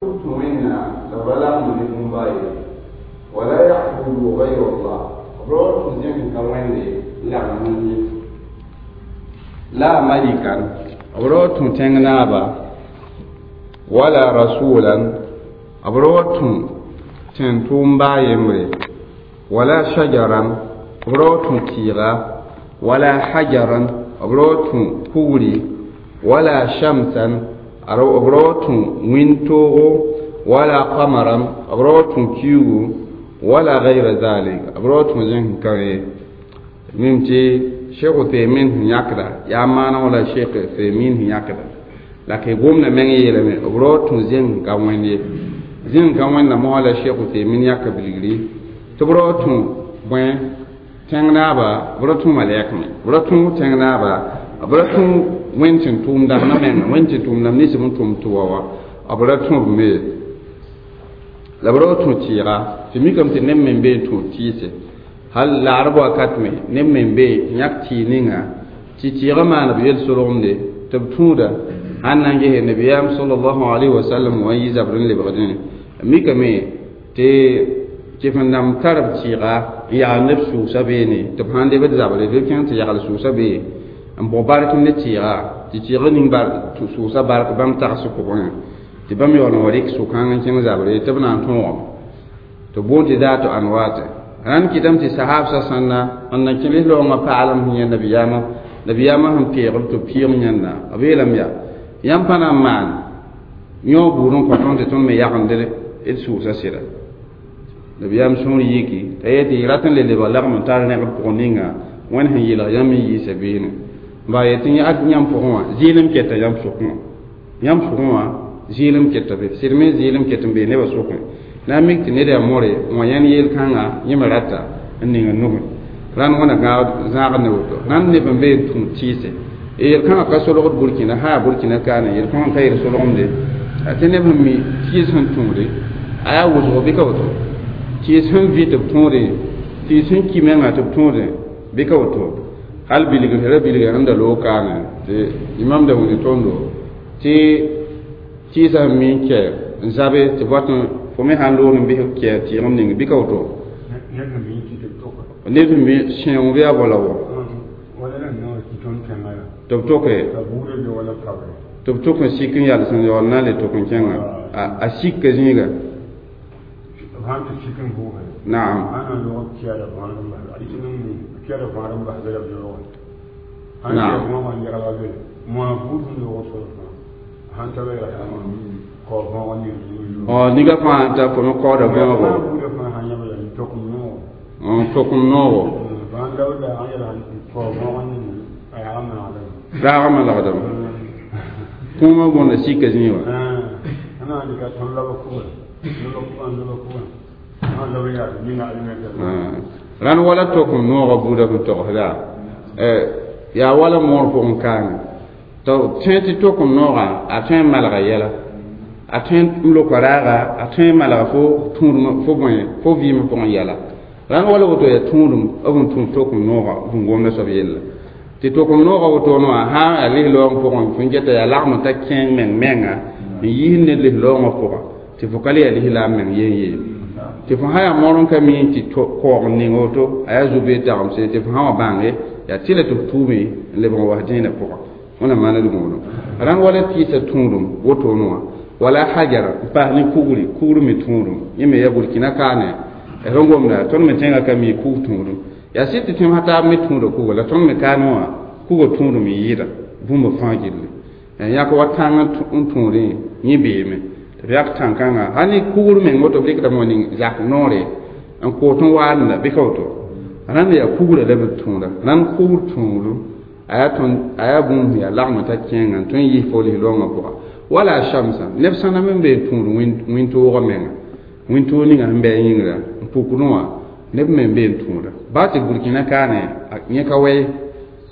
Wẽnnaam la b ra lagmd ne bũmb a ye. Wala ya'budu ghayra Allah, b ra wa tũ zẽng sẽn ka Wẽnde n lagm wẽnd ye. La malikan, b ra wa tũ tẽng naaba, wala rasulan, b ra wa tũ tẽn-tʋʋmba a yembre, wala shajaran, b ra wa tũ tɩɩga, wala hajaran, b ra wa tũ kugri, wala shamsan, b ra wa tũ wĩntoogo, wala qamaran, b ra wa tũ kiugu, wala gayra zalik, b ra wa tũ zẽng sẽn ka ye. Mim tɩ Sheikh Uthaymin sẽn yãkda yaa maaneg la Sheikh Uthaymin sẽn yãkda la k gomda meng yeelame b ra wa tũ zẽng sẽn ka Wẽnd ye. Zẽng sẽn ka Wẽnda mosã la Sheikh Uthaymin yãka bilgri tɩ b ra wa tũ bõe tẽng naaba, b ra tũ malɛk me, b ra tũ tẽng naaba, b ra tũ Wẽnd sẽn tʋʋm dãmbã menga, Wẽnd sẽn tʋʋm dãmb nins b n tʋm tɩ wa wã, b ra tũ b me la b ra wa tũ tɩɩga. Tɩ mikame tɩ neb me n be n tũ tɩɩse hal laarb wakat me, neb me n be n yãk tɩɩg ninga tɩ tɩɩgã maan b yel-solgemde tɩ b tũuda sãn na n gese nabiyaam sallallahu alaihi wasallam wã n yi zabr n lebgdẽ. Mikame tɩ kɩf-n-dãmb tar b tɩɩga n yagl neb sʋʋsa beene, tɩ b sãn lebd zabre bɩ b kẽng tɩ yagl sʋʋsa bee n bʋg bark ne tɩɩga, tɩ tɩɩg ning sʋʋsa bark bãmb tags pʋgẽ, tɩ bãmb yaool n wa rɩk sʋkãng n kẽng zabre tɩ b na n tõogame tɩ boond tɩ daat anwaate. Rãnd kɩtame tɩ sahaabsã sãnna n na kẽ lislaoongã paalem sẽn yẽ nabiyaamã, nabiyaamã sẽn peegb tɩ b pɩɩg yẽnda, b yeelame yaa yãmb pa na n maan yõog buud n kõ tõnd tɩ tõnd me yagend d sʋʋsa sɩda. Nabiyaam sũur yiki t'a yetɩ y rat n le lebg lagm n tar rẽgb pʋgẽ ninga Wẽnd sẽn yɩlg yãmb n yiisa beene ba yetɩ ad yãmb pʋgẽ wã zɩɩlem keta yãmb sʋkẽ wã, yãmb sʋkẽ wã zɩɩlem keta be sɩd me zɩɩlem ket n bee nebã sʋkẽ na n mik tɩ ned yaa more n wa yãnd yel-kãngã yẽ me rata n ning n nugẽ. Rãnd wãna zãagd ne woto rãnd neb n be n tũ tɩɩse yel-kãngã ka solgd Burkina sã yaa Burkina kaane yel-kãngã ka yel solgemde tɩ neb sẽn mi tɩɩs sẽn tũude a yaa wʋsgo bɩ ka woto tɩɩs sẽn vɩ tɩ b tõode tɩɩs sẽn ki menga tɩ b tõode bɩ ka woto hal bilgr ra bilga sẽn da loog kaane tɩ imam da wĩnd tõndo tɩ tɩɩsã sẽn mi n kɛ n zabe tɩ bõt fo me sãn loog n bɩs kɛ tɩɩgem ning bɩ ka woto neb sẽn mi sẽong bɩ yaa bala wã tɩ b toke tɩ b tok n sik n yals n yaool na n le tok n kẽnga a sikka zĩiga. Naam. Naam. Niga fãa t'a fo me kaooda bõogo tokem noogo raagã malgdame kũumã bõnda sika zĩig wã. Rãnd wala tokem noogã buudã sẽn togsda yaa wala moor pʋgẽ kaame tɩ tõe tɩ tokem noogã a tõe n malga yɛla, a tõe n loka raaga, a tõe n malga fo tũudem fo bõe fo vɩɩm pʋgẽ yɛla. Rãnd wala woto yaa tũudem b n tũ tokem noogã b n gomda soab yella tɩ tokem noogã wotone wã sã n yaa lislaoong pʋgẽ fo n geta yaa lagm n ta kẽeng meng menga n yiis ned lislaoongã pʋga tɩ fo ka le yaa lislaam meng yen yee tɩ fo sã yaa moor n ka mi tɩ koog n ning woto a yaa zu-bee tagemse tɩ fo sã wa bãnge yaa tɩ la tɩ f tuume n lebg n was dẽenã pʋga. Wẽna maaned gũudum rãnd wala tɩɩsa tũudum wotone wã wala hajara n paas ne kugri, kugr me tũudum yẽ me yaa Burkina kaane sẽn gomda tõnd me tẽngã ka mi kug tũudum yaa sɩd tɩ tõem sã taab me tũuda kuga la tõnd me kaane wã kuga tũudum n yɩɩda bũmba fãa gilli yãk wa tãng n tũudẽ yẽ beeme tɩ b yak tãn-kãngã hal ne kugr meng woto b rɩkdame wa ning zak noore n koot n waadenda bɩ ka woto rãnd yaa kugrã la b tũuda. Rãnd kugr tũudum a yaa tõnd a yaa bũmb sẽn yaa lagm t'a kẽengã n tõe n yis fo lislaoongã pʋga wala shamsa neb sãna me n be n tũud wĩntoogã menga wĩntoog ninga sẽn bɩ a yĩngrã n pukdẽ wã neb me n be n tũuda baa tɩ Burkina kaane yẽ ka wɛ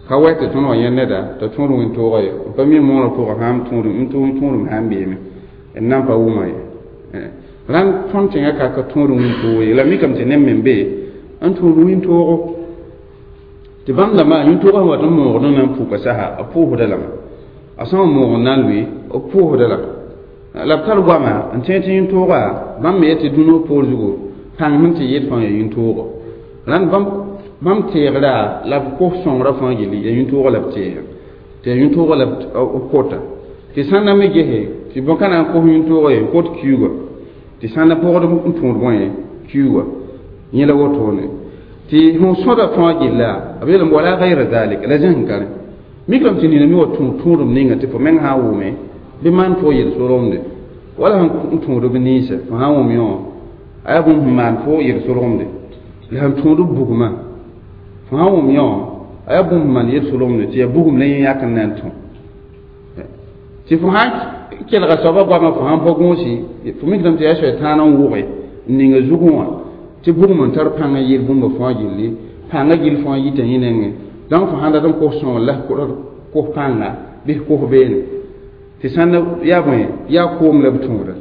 ka wɛ tɩ tõnd wa yẽ neda t'a tũud wĩntoogã ye n pa mi moorã pʋgã sãn tũudum n tũudum sãn beeme n nan pa wʋma ye. Rãnd tõnd tẽngã ka tũud wĩntoog ye la mikame tɩ neb me n be n tũud wĩntoogo tɩ bãmb dãmbã yĩntoogã sẽn wat n moogd n na n puka sasa b pʋʋsda lame a sã n moog n na n lʋɩ b pʋʋsda lame. La b tar goama n tẽ tɩ yĩn-tooga bãmb me yetɩ dũnã poor zugu pãng sẽn tɩ yɩl fãa yaa yĩn-toogo rãnd bãmb teegra la b kos sõngrã fãa gilli yaa yĩn-toogã la b teega tɩ yaa yĩn-toogã la b kota tɩ sãn na me gese tɩ bõn-ka na n kos yĩn-toogã ye kot kiuugã tɩ sãn na pʋgd n tõod bõe kiuugã yẽ la wotone tɩ sẽn sõda fãa gilla b yeelame wala gayra zalik la zẽsẽ ka rẽ mikrame tɩ nina me wa tũud tũudem ninga tɩ fo meng sã n wʋme bɩ maan fo yel-solgemde wala sẽn tũud b ninsã fo sã n wʋm yõ a yaa bũmb sẽn maan fo yel-solgemde la sẽn tũud b bugmã fo sã n wʋm yõ a yaa bũmb sẽn maan yel-solgemde tɩ yaa bugum la yẽ yãk n na n tũ tɩ fo sã n kelga soabã goamã fo sãn pa gũusi fo mikrame tɩ yaa soɛtãan n wʋge n ninga zugẽ wã tɩ bugum n tar pãng n yɩl bũmba fãa gilli pãngã gill fãa yita yẽ nengẽ donc fo sãn dat n kos sõngr la kos pãnga bɩ kos beene tɩ sãn yaa bõe yaa koom la b tũuda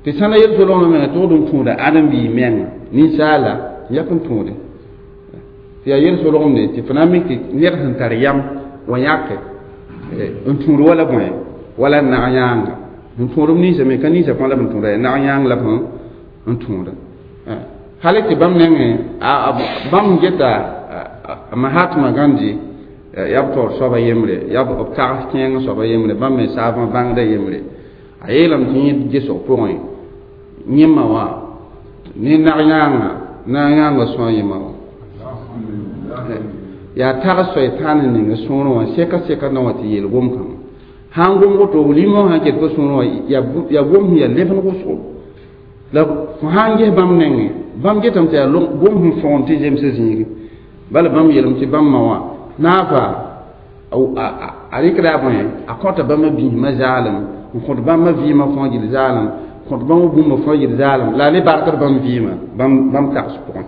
tɩ sãn na yel-solgmã menga tʋgd n tũuda ãdem-biig menga ninsaala n yak n tũude tɩ yaa yel-solgemde tɩ fo na n mik tɩ ned sẽn tar yam wa yãke n tũud wala bõe wala nag yãanga n tũud b ninsã me ka ninsã fãa la b n tũuda yaa nag yãang la b n tũuda hali tɩ bãmb nengẽ bãmb geta Mahatma Gandhi yaa b taoor soaba yembre yaa b tags kẽeng soaba yembre bãmb me saabã bãngda yembre a yeelame tɩ yẽ gesg pʋgẽ yẽmma wã ne nag yãanga nag yãanga sõa yẽma wã yaa tags soɛtãan n ning sõorẽ wã sɛka sɛka na wã tɩ yeel gom-kãngã sãn gom woto limã sã ket fo sõorẽ wã yaa gom sẽn yaa lebn wʋsgo la fo sã n ges bãmb nengẽ bãmb getame tɩ yaa gom sẽn fõgen tɩ zemsã zĩigi bala bãmb yeelame tɩ bãmb ma wã naafa a rɩkda a bõe a kõta bãmba biismã zaalem n kõt bãmba vɩɩmã fãa gil zaalem kõt bãmba bũmba fãa gil zaalem la a le barkd bãmb vɩɩmã bãmb tags pʋgẽ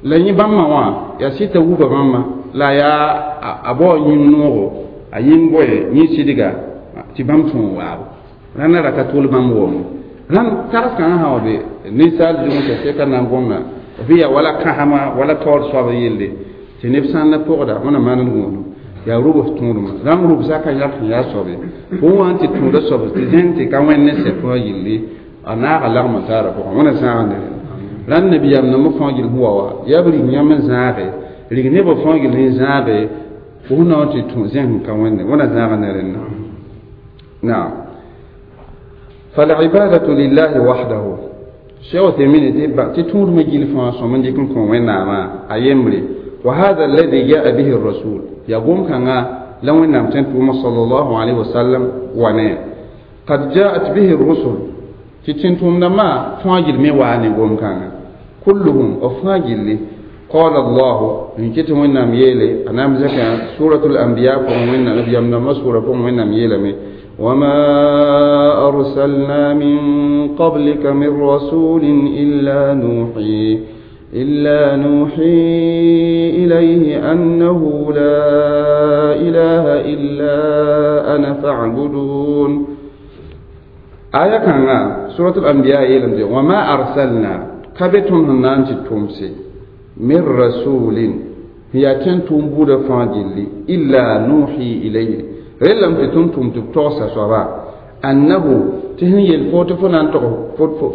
la yẽ bãmb ma wã yaa sɩta wuba bãmba la yaa a bao yĩng noogo a yĩng boe yẽ sɩdga tɩ bãmb tõog waabo rãnda ra ka tol bãmb wʋm rãnd tags kãngã sã wa be ninsaal zugẽ t'a sɛka na n gomda bɩ yaa wala kãsema wala taoor soab yelle tɩ neb sãn na pʋgda wẽna maan gũudum yaa rubs tũudmã rãmb rubsã ka yãk sẽn yaa soab ye fo wã n tɩ tũuda soab tɩ zẽng tɩ ka wẽnd ne sɛ fãa yilli a naaga lagm n taara pʋgẽ wẽna zãag ne rẽnda rãnd nabiyaam nambã fãa gill sẽn wa wa yaa b rig yãmb n zãage rig nebã fãa gill n zãage fo sẽn na n tɩ tũ zẽng ka wẽnde wẽna zãag ne rẽnda naam فالعبادة لله وحده شيخ تيمين تي تور مجيل فان سومن دي كن كون ويناما ايمري وهذا الذي جاء به الرسول يقوم كان لو ان صلى الله عليه وسلم وانا قد جاءت به الرسل تتنتم لما فاجل مي واني قوم كان كلهم افاجل قال الله إن كتم وينام يلي أنا مزكى سورة الأنبياء فهم وين نبي أمنا سورة فهم وينام يلي وما أرسلنا من قبلك من رسول إلا نوحي إليه أنه لا إله إلا أنا فاعبدون آية كان سورة الأنبياء يلمزي وما أرسلنا كبتم هنانتي تمسي من رسول هي تنتم بود فاجلي إلا نوحي إليه رلم تنتم تبتوسا سوا أنه تهن يلفوت فنان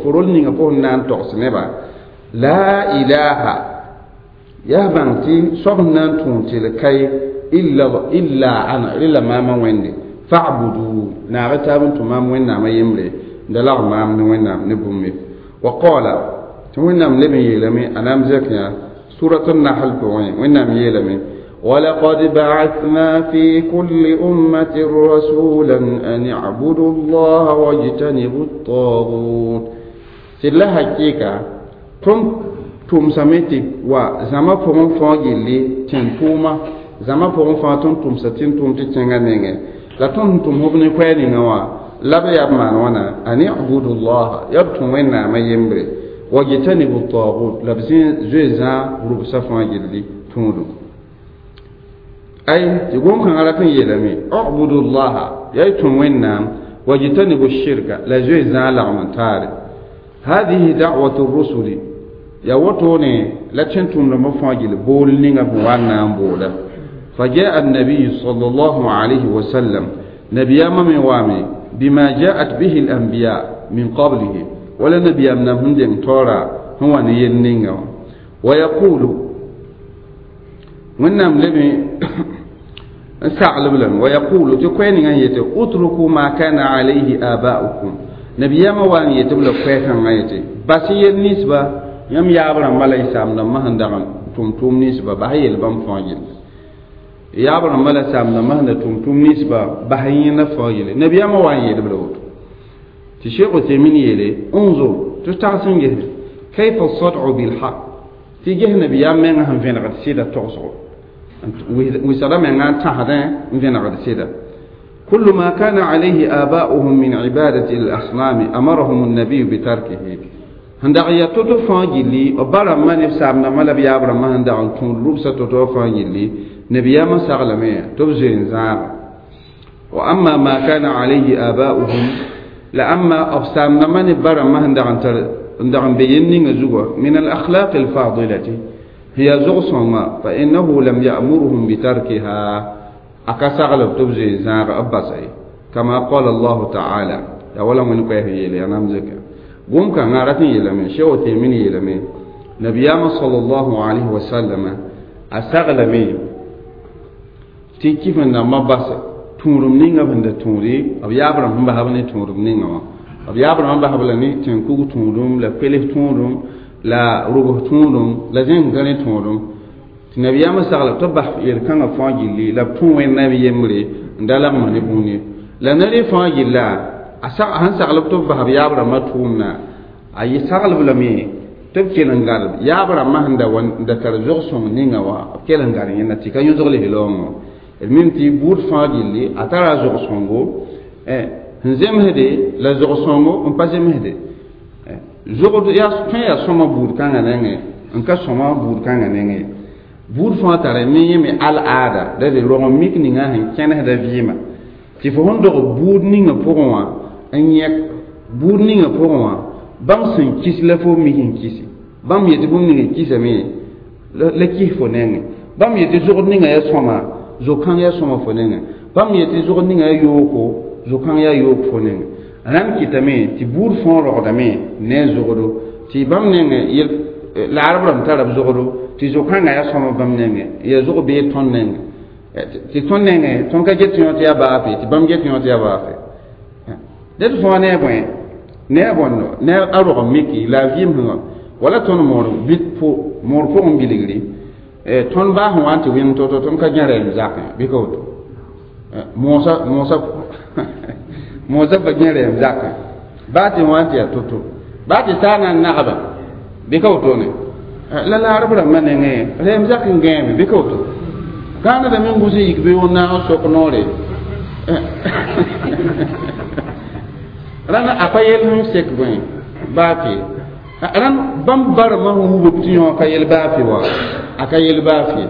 فرول نيغا فنان تغس نبا لا إله يا بانتي صبنا تونتي لكي إلا أنا إلا ما ما ويندي فاعبدوا ناغتا بنتو ما وين ما يمري دلغ ما من وين نبومي وقال توينام لمي يلمي أنا مزكيا سورة النحل بوين وينام يلمي ولقد بعثنا في كل أمة رسولا أن اعبدوا الله واجتنبوا الطاغوت سلا حقيقة تم سميتي وزما فون فاجلي تنتوما زما فون فاتون تم ستين تم تتنغا نينغ لا تم تم هبني كويني نوا لا بياب مانوانا أن اعبدوا الله يبتم وين ما يمري واجتنبوا الطاغوت لبسين زوزا ربسا فاجلي تمدو أي يقول كان على كن يلمي اعبدوا الله يأتون وينام واجتنبوا الشرك لا زوزا لغم تاري هذه دعوة الرسل يا وطوني لا تنتم لما فاجل بول نيغا بوانا بولا فجاء النبي صلى الله عليه وسلم نبي من وامي بما جاءت به الأنبياء من قبله ولا نبي أمنا هندم تورا هو نينينغ ويقول ونم لبي سعلب لهم ويقول تكوين أن يتي اتركوا ما كان عليه آباؤكم نبي ما وان يتبل كويتان يتي بس النسبة يم يابر ملا يسام لما هندغن توم توم نسبة بهي البام فاجل يابر ملا سام لما هند توم توم نسبة بهي نفاجل نبي ما وان يتبل تشيخ تيمين يلي انظر تستعصن جهل كيف الصدع بالحق تيجه نبي ما هم فين غد سيدة تغصو وسلام عن تهدين فين غد سيدة كل ما كان عليه آباؤهم من عبادة الأصنام أمرهم النبي بتركه هندعيا تطفان جلي وبرا ما نفسامنا ما لبي عبر ما هندعون تون لبسة تطفان جلي نبي ما سغلمي تبزين زار وأما ما كان عليه آباؤهم لأما أفسامنا ما نبرا ما هندعون بينين زوا من الأخلاق الفاضلة هي زغصما فإنه لم يأمرهم بتركها أكسغلب تبزين زار أباسي كما قال الله تعالى يا ولا من كيه يلي أنا مزكى قوم كان عرفني يلمي شو تيمني يلمي نبينا صلى الله عليه وسلم أسغلمي تي كيف ما بس تورم نينغا بند توري أب يابرم هم بهابني تورم نينغا أب يابرم هم بهابلني تنكوك تورم لا بيله تورم لا روبه تورم لا زين غني تورم نبينا سغلب تبح يركان فاجلي لا تون النبي يمري ندلق ما نبوني لا نري فاجلا أسا هن سغلب تبح يابرم ما تورمنا أي سغلب لمي تبكي لنغار يابرا ما هندا ون دكار زوغسون نينغا وا كي لنغار ينا تي كان يزغلي هلونغو المهم تي بور فاجلي أترى زوغسونغو هنزم هدي لا زوغسونغو ان بازم هدي زوغ يا كان يا سوما بور كان نينغ ان كا سوما بور كان نينغ بور فا ترى مي مي العادة ده روغ ميك نينغا هن كان هدا فيما تي فهون دو بور نينغا بوغوا ان يك بور نينغا بوغوا bãmb sẽn kis la fo mi sẽn kisi bãmb yetɩ bũmb ninga kisame la kis fo nengẽ bãmb yetɩ zogd ninga yaa sõma zo-kãng yaa sõma fo nengẽ bãmb yetɩ zogd ninga yaa yooko zo-kãng yaa yook fo nengẽ rãnd kɩtame tɩ buud fõo rogdame ne a zogdo tɩ bãmb nengẽ laarb rãmb tara b zogdo tɩ zo-kãngã yaa sõma bãmb nengẽ yaa zog beed tõnd nengẽ tɩ tõnd nengẽ tõnd ka get yõ tɩ yaa baafe tɩ bãmb get yõ tɩ yaa baafe ded fõa ne a bõe ne a bõndo ne a rog miki la a vɩɩm sẽn wala tõnd moor bit moor pʋgẽ bilgri tõnd baa sẽn wa n tɩ wẽng to-to tõnd ka gẽ rɛɛm zakẽ bɩ ka woto moosa moosa moosa pa gẽ rɛɛm zakẽ baa tɩ wa n tɩ yaa to-to baa tɩ saa na n nagba bɩ ka wotone la laarb rãmbã nengẽ rɛɛm zak n gãeme bɩ ka woto gãanedame n gʋs n yik bɩ wẽn naag n sok noore rãnd a pa yel sẽn sek bõe baa fɩ rãnd bãmb barmã sẽn wub tɩ yõ ka yel baa fɩ wa a ka yel baa fɩ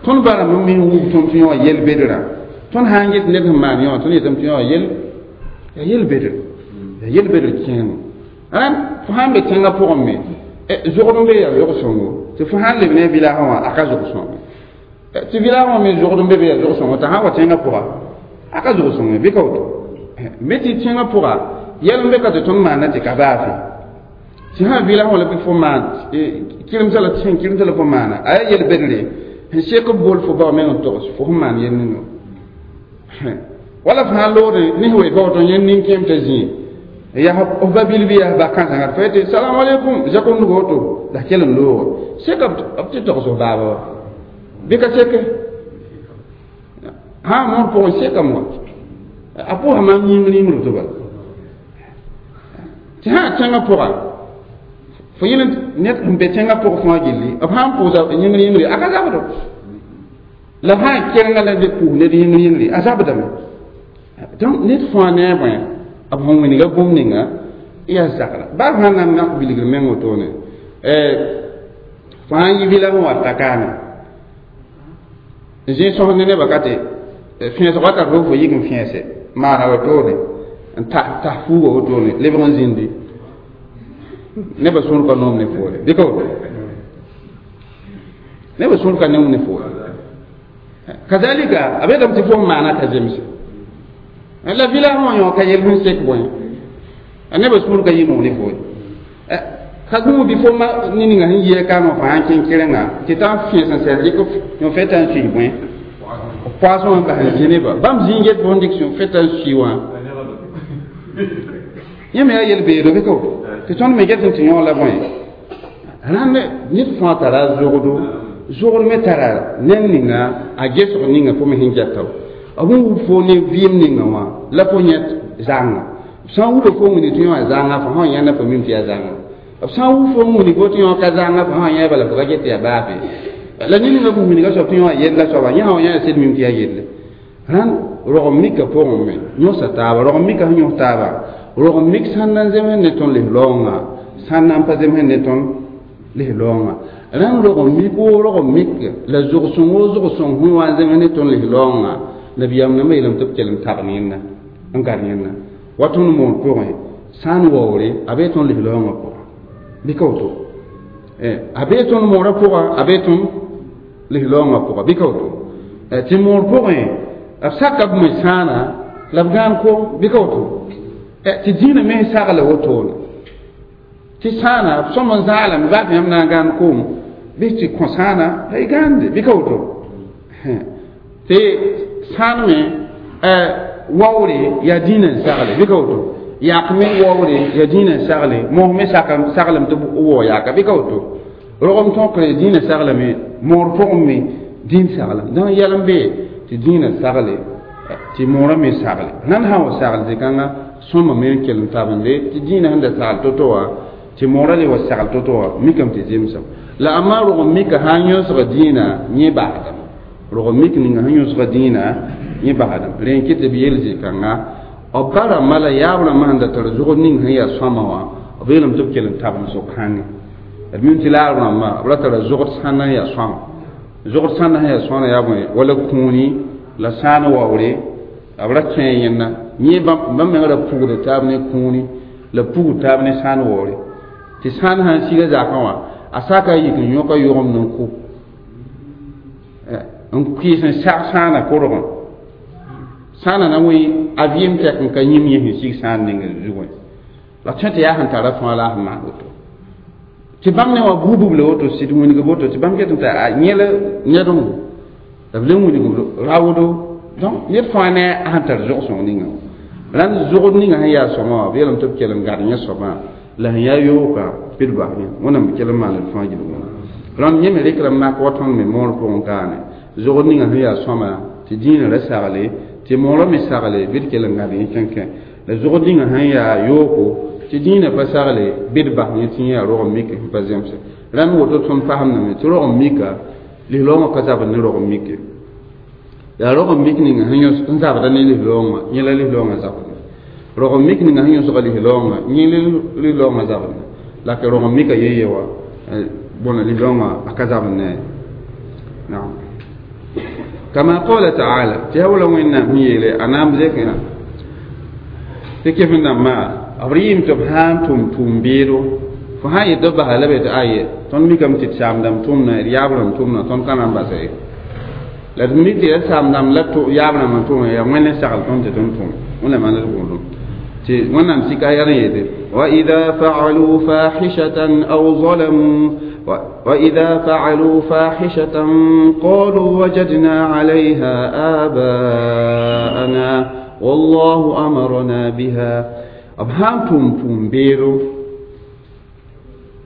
tõnd barmã me sẽn wub tõnd tɩ yõ yel bedrã tõnd sã n get ned sẽn maan yõ tõnd yetame tɩ yõ yel yaa yel bedr yaa yel bedr kẽemo rãnd fo sãn be tẽngã pʋgẽ me zogd n be yaa zog-sõngo tɩ fo sãn leb ne village wã a ka zog-sõngo tɩ village wã me zogd n be be yaa zog-sõngo t'a sãn wa tẽngã pʋga a ka zog-sõngo bɩ ka woto me tɩ tẽngã pʋga yɛl n be ka tɩ tõnd maana tɩ ka baafe tɩ sã vɩla wã la bɩ fo maan kɩremsã la sẽn kɩremsã la fo maana a yaa yel bedre sẽn sek b bol fo bao meng n togs fo sẽn maan yel ninga wala fo sãn loogde ne sẽn wee bao tõnd yẽnd nin-kẽem t'a zĩig yaa f ba bil bɩ yaa ba kãsengã fo yetɩ salam aleykum zakõndg woto la kell n loogo seka b tɩ togs f baaba wa bɩ ka seke sã moor pʋgẽ sekame wa a pʋʋsa maam yĩngr yĩngr tɩ bala tɩ sã tẽngã pʋga fo yẽl ned n be tẽngã pʋg fãa gilli b sãn pʋʋsa yĩngr yĩngre a ka zabdo la b sã n kerenga la pʋʋs ned yĩngr yĩngre a zabdame donc ned fãa ne a bõe b sẽn wĩnga bũmb ninga yaa zagra baa sã na n nak bilgr meng wotone fo sãn yi vɩla sẽn wa ta kaame n zĩ sõs ne nebã ka tɩ fẽesg wakat fo fo yik n fẽese maana wotone n tas fuuga wotone lebg n zĩndi nebã sũur ka noom ne foore bɩ ka woto nebã sũur ka noom ne foore kazalika a beetame tɩ fo n maana ka zemse La village wã yõ ka yel sẽn sek bõe a nebã sũur ka yɩ moog ne fo ka gũu bɩ fo ma ne ninga sẽn yɩ kaamã fãa n kẽng kɩrenga tɩ t'a n fẽes n sɛl dɩk yõ fɛta n sui bõe poasẽ wã n bas n zĩ nebã bãmb zĩig get fo n dɩk fɛta n sui wã yẽ me yaa yel-beedo bɩ ka woto tɩ tõnd me get tɩ yõ la bõe rãnd ned fãa tara zogdo zogd me tara ned ninga a gesg ninga fo me sẽn gɛta b sẽn wub fo ne vɩɩm ninga wã la fo yẽt zãnga b sã n wubã fo wĩni tɩ yõ a zãnga fo sã n yãnda fo mim tɩ yaa zãnga b sã n wub fo n wĩni fo tɩ yõ ka zãnga fo sã n yã bala fo ka get tɩ yaa baafe la ned ninga fo wĩnga soab tɩ yõ a yella soaba yẽ sã n yã sed mim tɩ yaa yelle rãnd rog mika pʋgẽ me yõsa taaba rog mika sẽn yõs taaba rog mik sãn na n zems ne tõnd lis-raoongã sãn na n pa zems ne tõnd lis-raoongã rãnd rog mik woo rog mik la zog-sõng woo zog-sõng sẽn wa n zems ne tõnd lis-raoongã nabiyaam nambã yeelame tɩ b kell n tab yẽnda n gar yẽnda wa tõnd moor pʋgẽ sã n waoore a bee tõnd lis-raoongã pʋgã bɩ ka woto a bee tõnd moorã pʋga a bee tõnd lis-raoongã pʋga bɩ ka woto tɩ moor pʋgẽ b saka b me sãana la b gãan kom bɩ ka woto tɩ dĩinã me sagla wotone tɩ sãana b sõm n zaalame baa tɩ yãmb na n gãan koom bɩ tɩ kõ sãana la y gãande bɩ ka woto tɩ sãan me waoore yaa dĩinã n sagle bɩ ka woto yak me waoore yaa dĩinã n sagle mos me saglame tɩ b wao yaaka bɩ ka woto rogem tõkre dĩinã saglame moor pʋgẽ me dĩin saglame dãng yɛl n bee tɩ dĩinã sagle tɩ moorã me sagle nan sã n wa sagl zĩ-kãngã sõma me n kell n tabende tɩ dĩinã sẽn da sagl to-to wã tɩ moorã le wa sagl to-to wã mikame tɩ zemsem la amma rog n mika sã n yõsga dĩinã yẽ basdame rog n mik ninga sẽn yõsga dĩinã yẽ basdame rẽ n kɩ tɩ b yel zĩ-kãnga b ba rãmbã la yaab rãmbã sẽn da tar zogd ning sẽn yaa sõama wã b yeelame tɩ b kell n tab n so-kãngẽ d mim tɩ laab rãmbã b ra tara zogd sãnda n yaa sõama zogd sãnda sẽn yaa sõana yaa bõe wala kũuni la sãan waoore b ra kẽ yẽnda yẽ bãmb mengã ra pugda taab ne kũuni la pugd taab ne sãan waoore tɩ sãan sãn siga zakã wã a saka yik n yõka yogem n kʋ n kʋɩs n sag sãana korgẽ sãana na wẽ a vɩɩm tɛk n ka yĩm yẽ sẽn sig sãan ning zugẽ la tõe tɩ yaa sẽn tara fãa la a sẽn maan woto tɩ bãmb ne wã buubb la woto sɩd wĩnigb woto tɩ bãmb get n t'a yẽl ned la b le wĩnigb raoodo donc ned fãa ne a sẽn tar zog-sõng ninga rãnd zogd ninga sẽn yaa sõma wã b yeelame tɩ b kell n gad yẽ soabã la sẽn yaa yooka bɩ d bas yẽ wẽnnaam b kell n maan d fãa gilg rãnd yẽ me rɩkra n mak wa tõnd me moor pʋgẽ kaane zogd ninga sẽn yaa sõma tɩ dĩinã ra sagle tɩ moorã me sagle bɩ d kell n gad yẽ kẽnkẽ la zogd ninga sẽn yaa yooko tɩ dĩinã pa sagle bɩ d bas yẽ tɩ yẽ yaa rog n mik sẽn pa zemse rãnd woto tõnd fasemdame tɩ rog n mika lis-raoongã ka zabd ne rog n mike yaa rog n mik ninga sẽn yõs n zabda ne lis-raoongã yẽ la lis-raoongã zabd rog n mik ninga sẽn yõsga lis-raoongã yẽ lis-raoongã zabd la ka rog n mika ye-ye wã bõna lis-raoongã a ka zabd ne naam kama qala taala tɩ yaa wala wẽnnaam sẽn yeele a na n zekã tɩ kef n dãmbã b rɩɩm tɩ b sã n tʋm tʋʋm-beedo fo sã n yet b basa la be tɩ aye tõnd mikame tɩ d saam-dãmb tʋmna d yaab rãmb tʋmna tõnd ka na n basa ye la d mik tɩ yaa saam-dãmb la yaab rãmb n tʋm yaa wẽnd n sagl tõnd tɩ tõnd tʋm wẽnnaam maan d gũudum tɩ wẽnnaam sika yaa n yeete وإذا فعلوا فاحشة أو ظلموا وإذا فعلوا فاحشة قالوا وجدنا عليها آباءنا والله أمرنا بها أبهام توم توم بيرو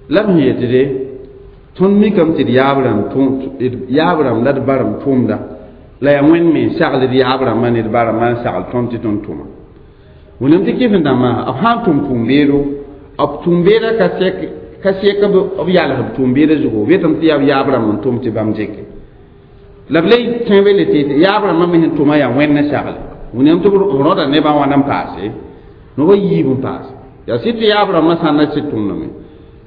لم هي تدي tõnd mikame tɩ d yaab rãmb la d ba rãmb tʋʋmda la yaa wẽnd me sagl d yaab rãmbã ne d ba rãmbã n sagl tõnd tɩ tõnd tʋma wẽnnaam tɩ kɩf n dãmbã b sã n tʋm tʋʋm-beedo b tʋʋm-beedã ka sek b yals b tʋʋm-beedã zugu b yetame tɩ yaa b yaab rãmb n tʋm tɩ bãmb dɩke la b le tẽ be le tɩ yaab rãmbã me sẽn tʋma yaa wẽnd n sagle wẽnnaam tɩ b rõda nebã wãna n paase noba yiib n paase yaa sɩd tɩ yaab rãmbã sãn na sɩd tʋmdame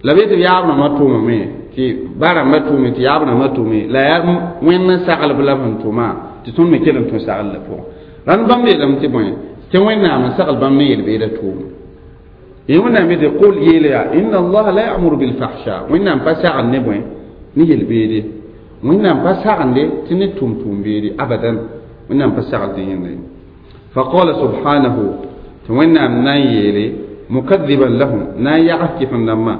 la b yetɩ yaab rãmbã tʋmame tɩ ba rãmbã tʋme tɩ yaab rãmbã tʋme la yaa wẽnd n saglb la b sẽn tʋma tɩ tõnd me kell n tũ sagl la pʋgẽ rãnd bãmb yeelame tɩ bõe tɩ wẽnnaam n sagl bãmb ne yel-beedã tʋʋma yẽ wẽnnaam yetɩ qul yeela yaa inna allaha la ya'muru bilfahsha wẽnnaam pa sagl ne bõe ne yel-beede wẽnnaam pa sagnde tɩ ne tʋm tʋʋm-beede abadan wẽnnaam pa sagl tɩ yẽnda ye فقال سبحانه تونا نايلي مكذبا لهم نا يعكف لما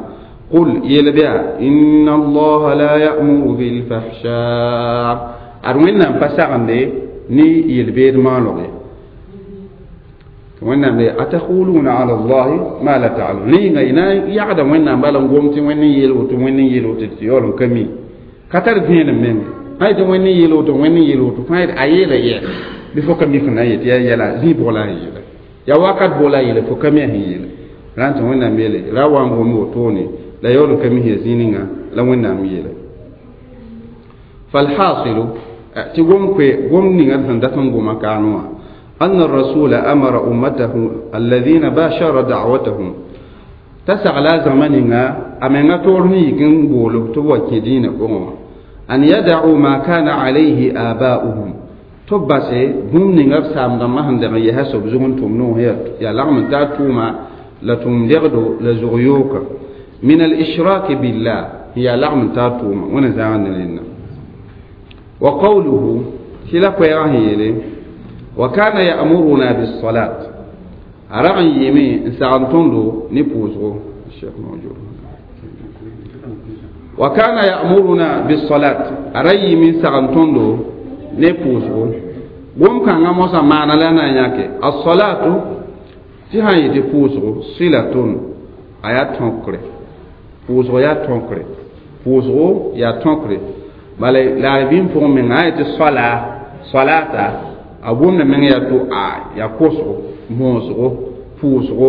قل يلبيا إن الله لا يأمر بالفحشاء أروينا بسعندي ني يلبير مالوغي تونا أتقولون على الله ما لا تعلمون ني غينا يعدم وين بالون قومتي وين يلوت وين يلوت يولن كمي كتر فين من هاي وين يلوت وين يلوت فايد أيلا يه bifo kami fana yet ya yala zi bola yela ya wakat bola yela fo kami yela ranta wẽnnaam yeele ra wa n gom wotone la yaool n ka mis ya zĩig ninga la wẽnnaam yeele falhasilu tɩ gom koe gom ninga sẽn dat n goma kaane wã أن الرسول أمر أمته الذين باشر دعوتهم تسغلا زمننا أمنا تورني يكن بولو تبوا كدين أن يدعوا ما كان عليه آباؤهم تبسي بوم نيغا سام دما هندغ يحسب زغن تمنو هي يا لغم تا توما لا تم لغدو لزغيوك من الإشراك بالله هي لغم تا توما ونزعنا لنا وقوله كلا كويراه وكان يأمرنا بالصلاة أرغن يمي سعنتندو نبوزغو الشيخ موجود وكان يأمرنا بالصلاة أرأي من سعنتندو نبوزغو بوم كان موسى معنا لنا ياكي الصلاة تهان يتي بوزغو صلة آيات تنكري بوزغو يا تنكري بوزغو يا تنكري بل لا بين فوق من آية الصلاة صلاة a wʋmda meng yaa to a yaa kosgo bõosgo pʋʋsgo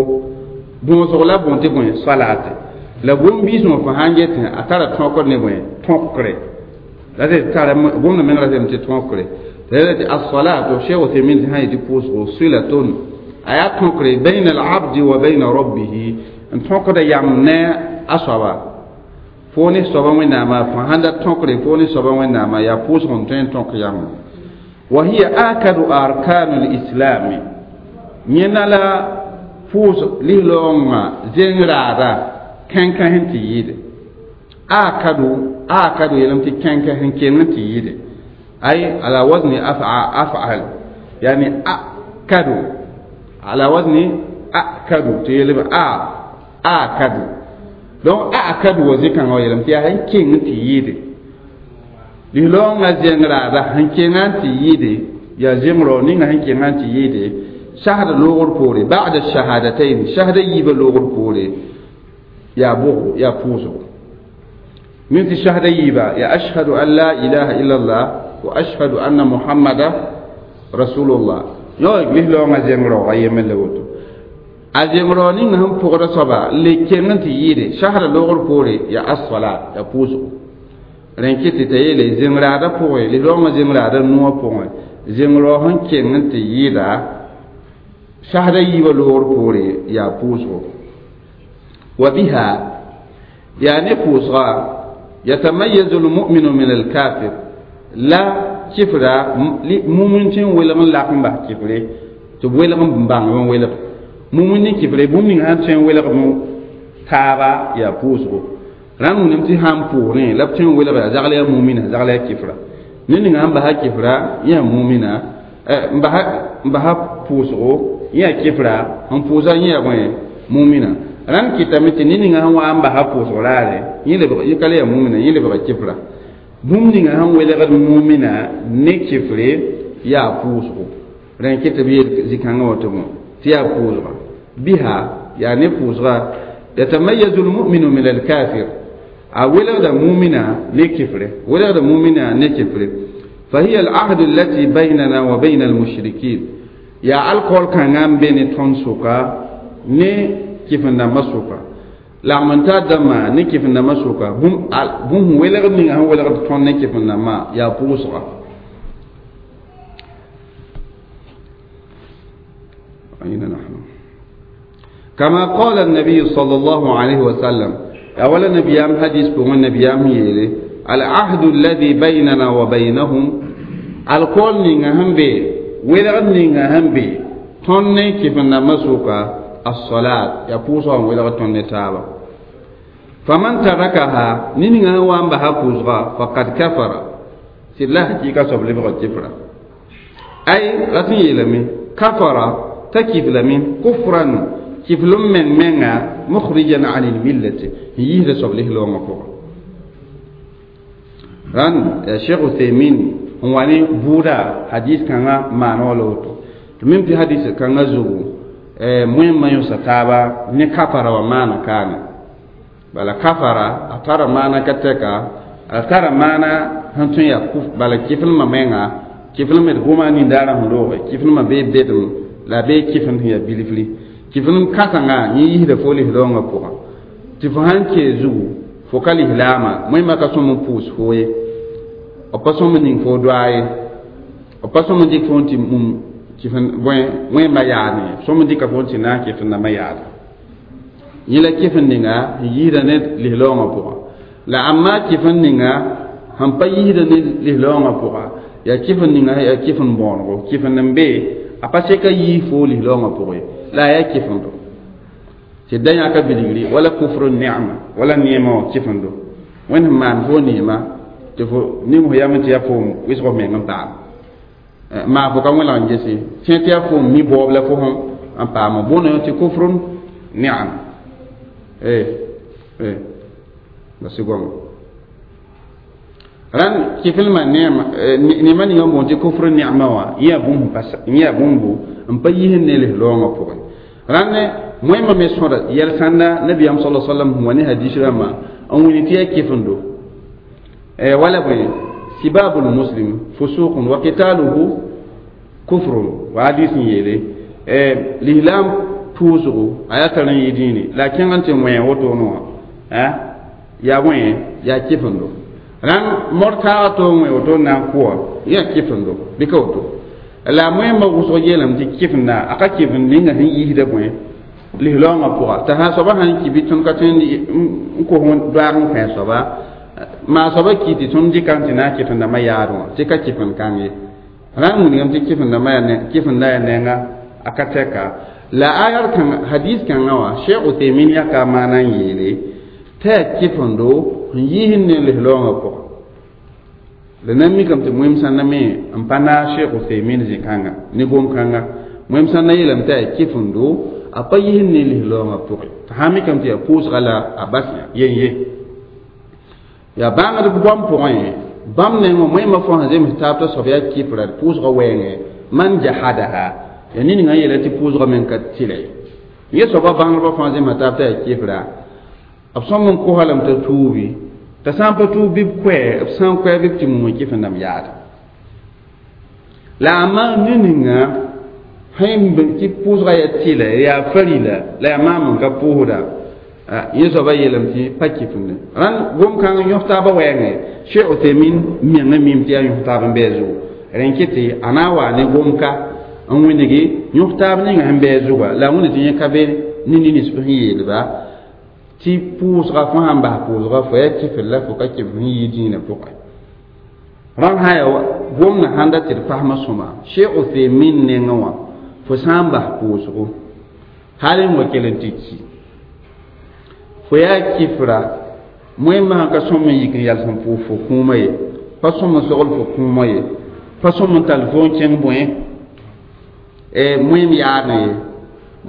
bõosgo la bõn tɩ bõe salaate la bũmb-biis wã fo sãn getẽ a tara tõkr ne bõe tõkre la tɩ tara bũmb meng ratame tɩ tõkre tɩ tɩ assalatu cheikh Uthaymin tɩ sãn yetɩ pʋʋsgo silatun a yaa tõkre bayna alabdi wa bayna rabbihi n tõkda yam ne a soaba fo ne soaba wẽnnaamã fo sãn da tõkre fo ne soaba wẽnnaamã yaa pʋʋsg n tõe n tõk yam وهي آكد أركان الإسلام ينالا فوز لهلوما زنرادا كان كان تييد آكد آكد يلمتي كان كان كان تييد أي على وزن أفعل يعني أكد على وزن أكد تيلب أ أكد donc أكد وزي كان يلمتي هن كان تييد liloongã zẽng-raada sẽn kẽngã n tɩ yɩɩde yaa zẽng-rao ninga sẽn kẽngã n tɩ yɩɩde sasd loogr poore ba'da shahadatayn sasda yiibã loogr poore yaa bʋgo yaa pʋʋsgo min tɩ sasda yiibã yaa ashhadu an la ilaha illallah wa ashhadu anna muhammada rasulullah yõ liloongã zẽng-raoogã yemb la woto a zẽng-rao ninga sẽn pʋgda soaba le kẽng n tɩ yɩɩde sasda loogr poore yaa as-salat yaa pʋʋsgo rẽn kɩ tɩ t'a yeele zẽng-raadã pʋgẽ lislaoongã zẽng-raadã noogã pʋgẽ zẽng-rao sẽn kẽng n tɩ yɩɩda sasda yiibã loogr poore yaa pʋʋsgo wa biha yaa ne pʋʋsga yatamayazu lmuminu min alkafir la kifra mumin tɩ n welg n lak n bas kifre tɩ b welg n bãng n welg mumin ne kifre bũmb ning sãn tõe n welg taaba yaa pʋʋsgo rãnd wũnam tɩ sãn pʋʋsrẽ la b tõe n welga yaa zagl yaa mumina zagl yaa kifra ned ninga sẽn basa kifra yã mumina n basa pʋʋsgo yã kifra n pʋʋsa yã yaa bõe mumina rãnd kɩtame tɩ ned ninga sẽn wa n basa pʋʋsg raare yẽ ka le yaa mumina yẽ lebga kifra bũmb ninga sẽn welgd mumina ne kifre yaa pʋʋsgo rẽn kɩ tɩ b yeel zĩ-kãngã wã tɩ bõ tɩ yaa pʋʋsga biha yaa ne pʋʋsga yatamayazu lmuminu min alkafir a welgda mumina ne kifre welgda mumina ne kifre فهي العهد التي بيننا وبين المشركين يا الكول كان ان بين تون سوكا ني كيفنا مسوكا لا من تادما ني كيفنا مسوكا بوم بوم ولغ ني ان ولغ تون ني كيفنا ما يا بوسوا أين نحن كما قال النبي صلى الله عليه وسلم أولا نبيام حديث بمن نبيام يلي العهد الذي بيننا وبينهم الكل نيغا بي ويلغ نيغا هم بي تون كيف نمسوكا الصلاة يبوسوا ويلغ تون تابا فمن تركها نيغا وان بها بوسغا فقد كفر سلا حقيقة سبلي بغا كفر أي رسي يلمي Kafara t'a kiflame kufran kiflem meng menga mukhrijan an lmillati n yiisda soab lislaoongã pʋgã. Rãnd Cheikh Uthaymin n wa ne bʋʋda hadis kãngã maana wala woto tɩ mim tɩ hadis kãngã zugu wẽmma yõsa taaba ne kafara wã maana kaane. Bala kafara a tara maana ka tɛka, a tara maana sẽn tõe yaa kuf, bala kiflmã menga kiflm d goma nindaarã sẽn looge kiflmã bee bedem la bee kifend sẽn yaa bilfri kiflem kãsengã yẽ yiisda fo lislaoongã pʋgã tɩ fo sãn kee zugu fo ka lislaamã wẽmma ka sõm n pʋʋs fo ye, b pa sõm n ning fo doa ye, b pa sõm n dɩk fo n tɩ mum kifẽn bõe wẽmba yaadẽ ye, sõm n dɩka fo n tɩ na n kifẽndãmbã yaada yẽ la kifẽn ninga n yiisda ne lislaoongã pʋgã. La amma kifẽn ninga sẽn pa yiisda ne lislaoongã pʋga yaa kifẽn ninga yaa kifẽn bõonego kifẽnd n be a pa seka yiis fo lislaoongã pʋgẽ ye, la a yaa kifẽndo tɩ da yãka bilgri wala kufru ne'ma wala neemã wã kifẽndo wẽnd sẽn maan fo neema tɩ fo ning fo yam tɩ yaa foom wɩsg f meng n paam maa fo ka wẽlg n gese tẽ tɩ yaa foom mi baoob la fo sẽm n paama bõne tɩ kufrun ne'am la sɩ goama rãnd kiflmã neema ninga n boond tɩ kufr ne'ma wã yẽ yaa bũmbu n pa yis ne lislaoongã pʋgẽ. Rãnd wẽmba me sõda yɛl sãnda nabiyaam sala sallam sẽn wa ne hadis rãmbã n wini tɩ yaa kifendo wala bõe sibabul muslim fusuqun wa qitaluhu kufrun wa hadis n yeele lislaam pʋʋsgo a yaa tar n yɩ dĩine la a kẽng n tɩ wẽ wotone wã yaa bõe yaa kifendo. Rãnd mor taaga tɩ wẽ woto n na n kʋa yaa kifendo bɩ ka woto la wẽmba wʋsg yeelame tɩ kifenda a ka kifend ninga sẽn yiisda bõe lislaoongã pʋga t'a sã soaba sãn ki bɩ tõnd ka tõe n kos doaag n kõ soaba maa soaba ki tɩ tõnd dɩka n tɩ na n kifendãmbã yaad wã tɩ ka kifend kãng ye. Rãnd wilgame tɩ kifendã yaa nenga a ka tɛka la ayar kãng hadis kãngã wã Cheikh Uthaymin yaka maana n yeele t'a yaa kifendo n yiis ne lislaoongã pʋga. La nan mikame tɩ wẽm sãnda me n pa naag Cheikh Uthaymin zĩ-kãnga ne gom-kãnga wẽm sãnda yeelame t'a yaa kifendo a pa yiis ne lislaoongã pʋgẽ t'a sã mikame tɩ yaa pʋʋsga la a bas yen ye yaa bãngd goam pʋgẽ bãmb nengẽ wẽmba fo sẽn zems taab t'a soab yaa kifra d pʋʋsga wɛɛngẽ man jahadaha yaa ned ninga n yeela tɩ pʋʋsga meng ka tɩlɛ yẽ soaba bãngdbã fãa zemsa taab t'a yaa kifra b sõm n kosa lame t'a tuubi t'a sã n pa tuub bɩ b koɛ b sã n koɛ bɩ b tɩ mum n kifendãmb yaada la a maan ne ninga sẽn tɩ pʋʋsga yaa tɩlɛ yaa farila la yaa maam n ka pʋʋsda yẽ soaba yeelame tɩ pa kifende. Rãnd gom-kãng yõs taabã wɛɛngẽ Cheikh Uthaymin mengã mim tɩ yaa yõs taab n bɩ a zugu rẽn kɩ tɩ a na n waa ne gom-ka n wĩnigi yõs taab ninga sẽn bɩ a zuga la a wĩnd tɩ yẽ ka be ne nins sẽn yeelba tɩ pʋʋsga fo sãn bas pʋʋsga fo yaa kifr la fo ka kifr sẽn yɩ dĩinã pʋgẽ. Rãnd sã yaa gomdã sãn dat tɩ d pasmã sõma Cheikh Uthaymin nengẽ wã fo sã n bas pʋʋsgo hal n wa kell n tɩ ki fo yaa kifra wẽmba sãn ka sõm n yik n yals n pʋʋs fo kũumã ye pa sõm n sogl fo kũumã ye pa sõm n tall fo n kẽng bõe wẽm yaadẽ ye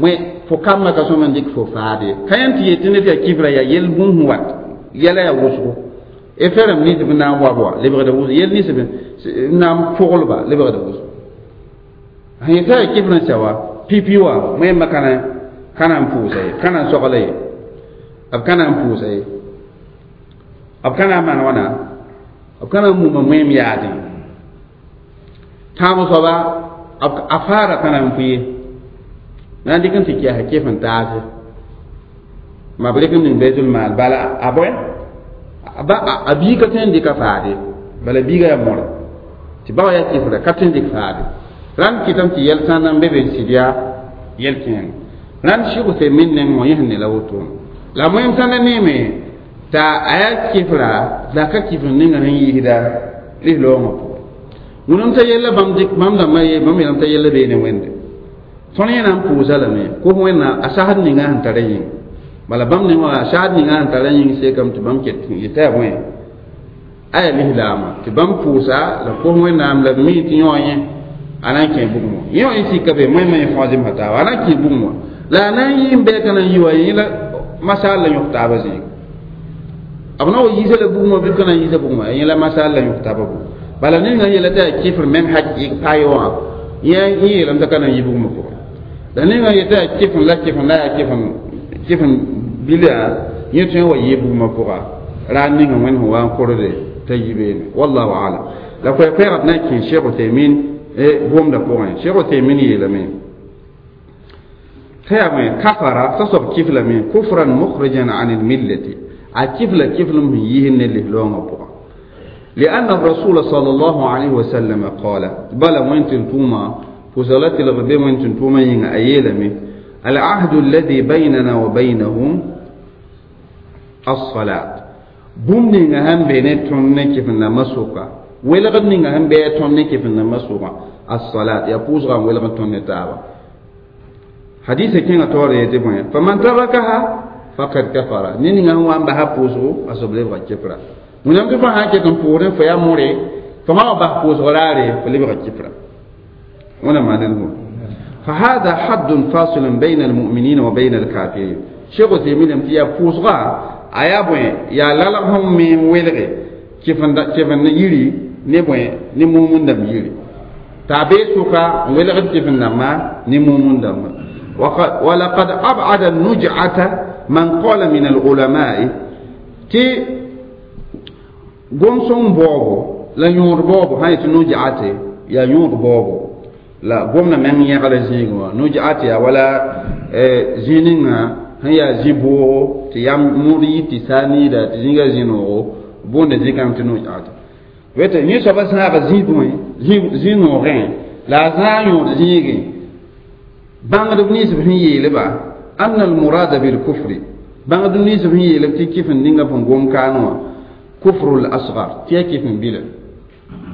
wẽ fo kambã ka sõm n dɩk fo faad ye ka yãn tɩ yetɩ ned yaa kifra yaa yel bũmb wat yɛla yaa wʋsgo e ferem nins b na n wa wa lebgda wʋsg yel nins b na n pʋglba lebgda wʋsg sẽn yetã yaa kifr n sɛ wa pipi wã wẽmba ka na n pʋʋsa ye ka na n sogla ye b ka na n pʋʋsa ye b ka na n maan wãna b ka na n muma wẽem yaadẽ tãab soaba a faara ka na n pʋ ye na n dɩk n tɩ kɛɛsa kɩf n taase ma b rɩk n ning baitul mal bala a bõe a biiga tõe n dɩka faade bala biiga yaa mõre tɩ ba wa yaa kɩfra ka tõe n dɩk faade. Rãnd kɩtame tɩ yɛl sãn na n be be n sɩd yaa yɛl kẽeng rãnd Cheikh Uthaymin neng wã yẽ sẽn ne la wotone la wẽm sãnda neeme t'a a yaa kɩfra la ka kɩf n ninga sẽn yiisda lislaoongã pʋgẽ. Wũnam t'a yella bãmb dɩk bãmb dãmbã ye bãmb yeelame t'a yella beene wẽnde tõnd yẽ na n pʋʋsa lame kos wẽnna a sasd ninga sẽn tara yĩng bala bãmb neng wã a sasd ninga sẽn tara yĩng sekame tɩ bãmb ket yetã yaa bõe a yaa lislaamã tɩ bãmb pʋʋsa la kos wẽnnaam la b mi tɩ yõ yẽ A na n kẽ bugum wã yẽ wã yẽ sika be moẽ me fõ zẽmsa taaba a na n kẽ bugum wã la a na n yɩ n bɛɛ ka na n yi wa yẽ la masal la yõk taaba zĩig b na wa yiisa la bugum wã bɩ b ka na n yiisa bugum wã yẽ la masal la yõk taaba bugum bala ninga n yeela tɩ yaa kɩfr meng hakɩɩg paye wã yẽ yeelame t'a ka na n yi bugumã pʋgẽ la ninga n yetɩ yaa kɩfn la kɩfn la yaa kɩfn kɩfn bila yẽ tõe n wa yɩ bugumã pʋga ra ninga wẽnd sẽn wa n korde t'a yi beene wallahu alam la koɛɛ-koɛɛgã d na n kẽ Cheikh Uthaymin gomdã pʋgẽ Cheikh Uthaymin yeelame t'a yaa bõe kafara t'a soab kiflame kufran mukhrijan an lmillati a kifla kiflem sẽn yiisd ne lislaoongã pʋgã لأن الرسول صلى الله عليه وسلم قال بلى وين توما فزلت الغبي وين توما ين أيلمي العهد الذي بيننا وبينهم الصلاة بوم نيغا هم بين تون كيف نمسوكا ولغد نيغا هم بين تون كيف نمسوكا الصلاة يا بوزغا ولغد تون تابا حديث كينا توري يتبون فمن تركها فقد كفر نيغا هو ام بها بوزغو أصبلي بغا wẽnnaam tɩ fo sã n ket n pʋʋsdẽ fo yaa moore fo sã wa bas pʋʋsg raare fo lebga kifra wẽnnaam maa ned فهذا حد فاصل بين المؤمنين وبين الكافرين شيخ عثيمين tɩ yaa pʋʋsga a yaa bõe yaa lalg sẽn me n welge kɩfend yiri ne bõe ne mumund dãmb yiri t'a bee sʋka n welgd kɩfend dãmbã ne mumund dãmbã ولقد أبعد النجعة من قال من العلماء tɩ gom-sõng baoobo la yõod baoobo sã yetɩ nujate yaa yõod baoobo la gomdã meng yẽgla zĩigẽ wã nujate yaa wala zĩ ninga sẽn yaa zĩ-boogo tɩ yam mood yi tɩ saa niida tɩ zĩiga zĩ-noogo boonda zĩ-kãng tɩ nujate wete yẽ soabã sãaga zĩ bõe zĩ-noogẽ la a zãag yõod zĩigẽ bãngdb ninsb sẽn yeelba anna almurada bilkufri bãngdb ninsb sẽn yeelb tɩ kɩf n ninga sẽn gom kaan wã كفر الأصغر تي كيف بلا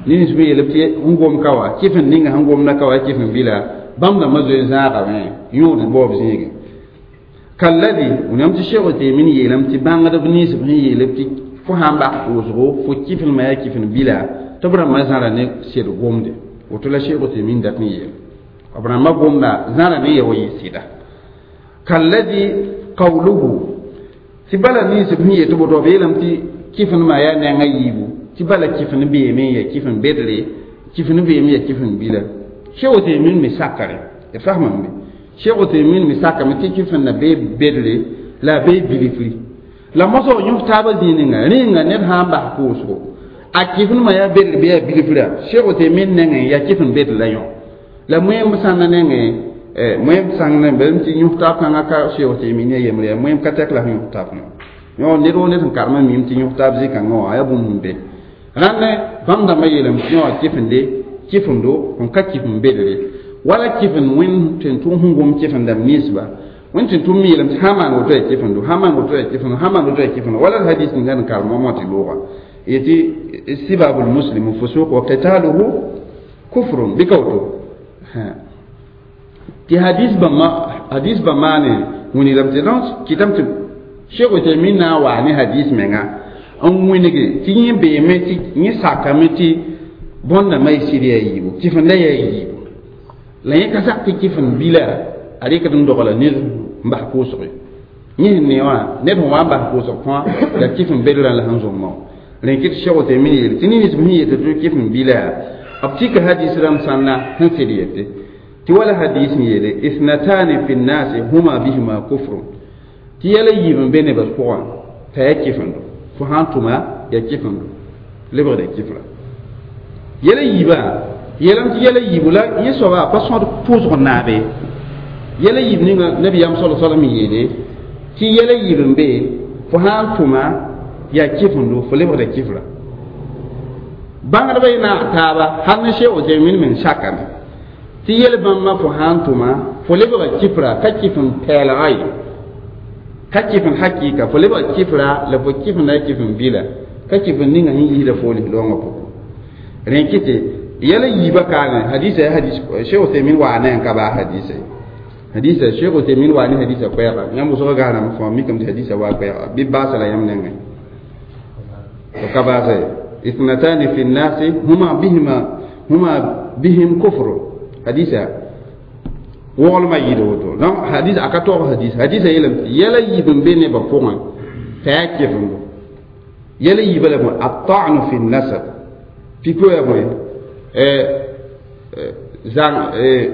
نينس بي يلبتي نغوم كوا كيف نينغا نغوم نكوا كيف بلا بام دا مزو زاغا مي يود بوب زيغ كالذي ونمت الشيخ تيمين يلمتي بان دا بنيس بي يلبتي فو هamba وزغو فو كيف ما كيف بلا تبرا ما زارا ني سيد غومدي وتلا شيخ تيمين دات ني يل أبرا ما غومدا زارا ني يوي سيدا كالذي قوله تبلا نيس بي يتبو بيلمتي kɩf n maa yaa nengã yiibu tɩ bala kɩf n beeme n ya kɩf n bedre kɩf n beeme ya kɩf n bila Cheikh Uthaymin me sakare d fasmame be Cheikh Uthaymin me sakame tɩ kɩf n na bee bedre la a bee bilifri la mosg yõf taabã zĩig ninga rẽnga ned sã n bas pʋʋsgo a kɩf n maa yaa bedre bɩ yaa bilifra Cheikh Uthaymin nengẽ yaa kɩf n bedre la yõ la moẽm sãnda nengẽ moẽm sãng bem tɩ yõf taab kãngã ka Cheikh Uthaymin ya yembre yaa moẽm ka tɛk la sẽn yõf taab yõ yõ ned woo ned sẽn karemã mim tɩ yõk taab zĩ-kãngã wã yaa bũmb sẽn be rãnd bãmb dãmbã yeelame tɩ yõ kɩfende kɩfendo n ka kɩf n bedre wala kɩfend wẽnd tɩ n tʋm sẽn gom kɩfend dãmb ninsba wẽnd tɩ n tʋm yeelame tɩ sã maan woto yaa kɩfendo sã maan woto yaa kɩfendo sã maan woto yaa kɩfendo wala hadis ninga n karem wã tɩ looga yetɩ sibabu lmuslimu fusuq wa qitaluhu kufrun bɩ ka woto tɩ hadis bãmb maane wĩnigame tɩ donc kɩtame tɩ Cheikh Uthaymin na wa ne hadis menga n wĩnge tɩ yẽ beeme tɩ yẽ sakame tɩ bõndãmbã y sɩd yaa yiibu kɩfenda yaa yiibu la yẽ ka sak tɩ kɩfend bila a rɩkd n dogla ned n bas pʋʋsg yẽ sẽn ne wã ned sẽn wa n bas pʋʋsg fãa la kɩfend bedrã la sẽn zõmma rẽ kɩ tɩ Cheikh Uthaymin yeele tɩ nins sẽn yetɩ tɩ kɩfend bila b tika hadis rãmb sãnna sẽn sɩd yetɩ tɩ wala hadis n yeele ithnatani fi nnasi huma bihima kufrun tɩ yɛla yiib n be nebã pʋgã t'a yaa kɩfendo fo sã n tʋma yaa kɩfendo lebgda kɩfra yɛla yiibã yeelame tɩ yɛla yiibu la yẽ soaba pa sõd pʋʋsg naabe yɛla yiib ninga nabiyaam sala salam yeele tɩ yɛla yiib n be fo sã n tʋma yaa kɩfendo fo lebgda kɩfra bãngdbã y naag taaba hal ne Cheikh Uthaymin meng sakame tɩ yɛl bãmba fo sã n tʋma fo lebga kɩfra ka kɩf n pɛɛlga ye ka kɩf n hakɩɩka fo lebga kɩfra la fo kɩfenda ya kɩf n bila ka kɩf n ninga sẽn yiisda fo lislaoongã pʋgẽ rẽ kɩtɩ yɛla yiibã kaane hadisa ya hadis Cheikh Uthaymin waa ne n ka baa hadisa hadisa Cheikh Uthaymin waa ne hadisa koɛɛga yãmb wʋsg gaaname fõ mikame tɩ hadisa waa koɛɛga bɩ baasa la yãmb nengẽ fo ka baasa ye ithnatani fi nnasi huma bihima huma bihim kufru Hadisa woglmã yɩɩda woto. Donc hadis a ka tog hadis, hadisã yeelame tɩ yɛla yiib n be nebã pʋgẽ t'a yaa kɩfemdo. Yɛla yiibã la bõe? Ata'nu fi nasab piko ya bõe zãng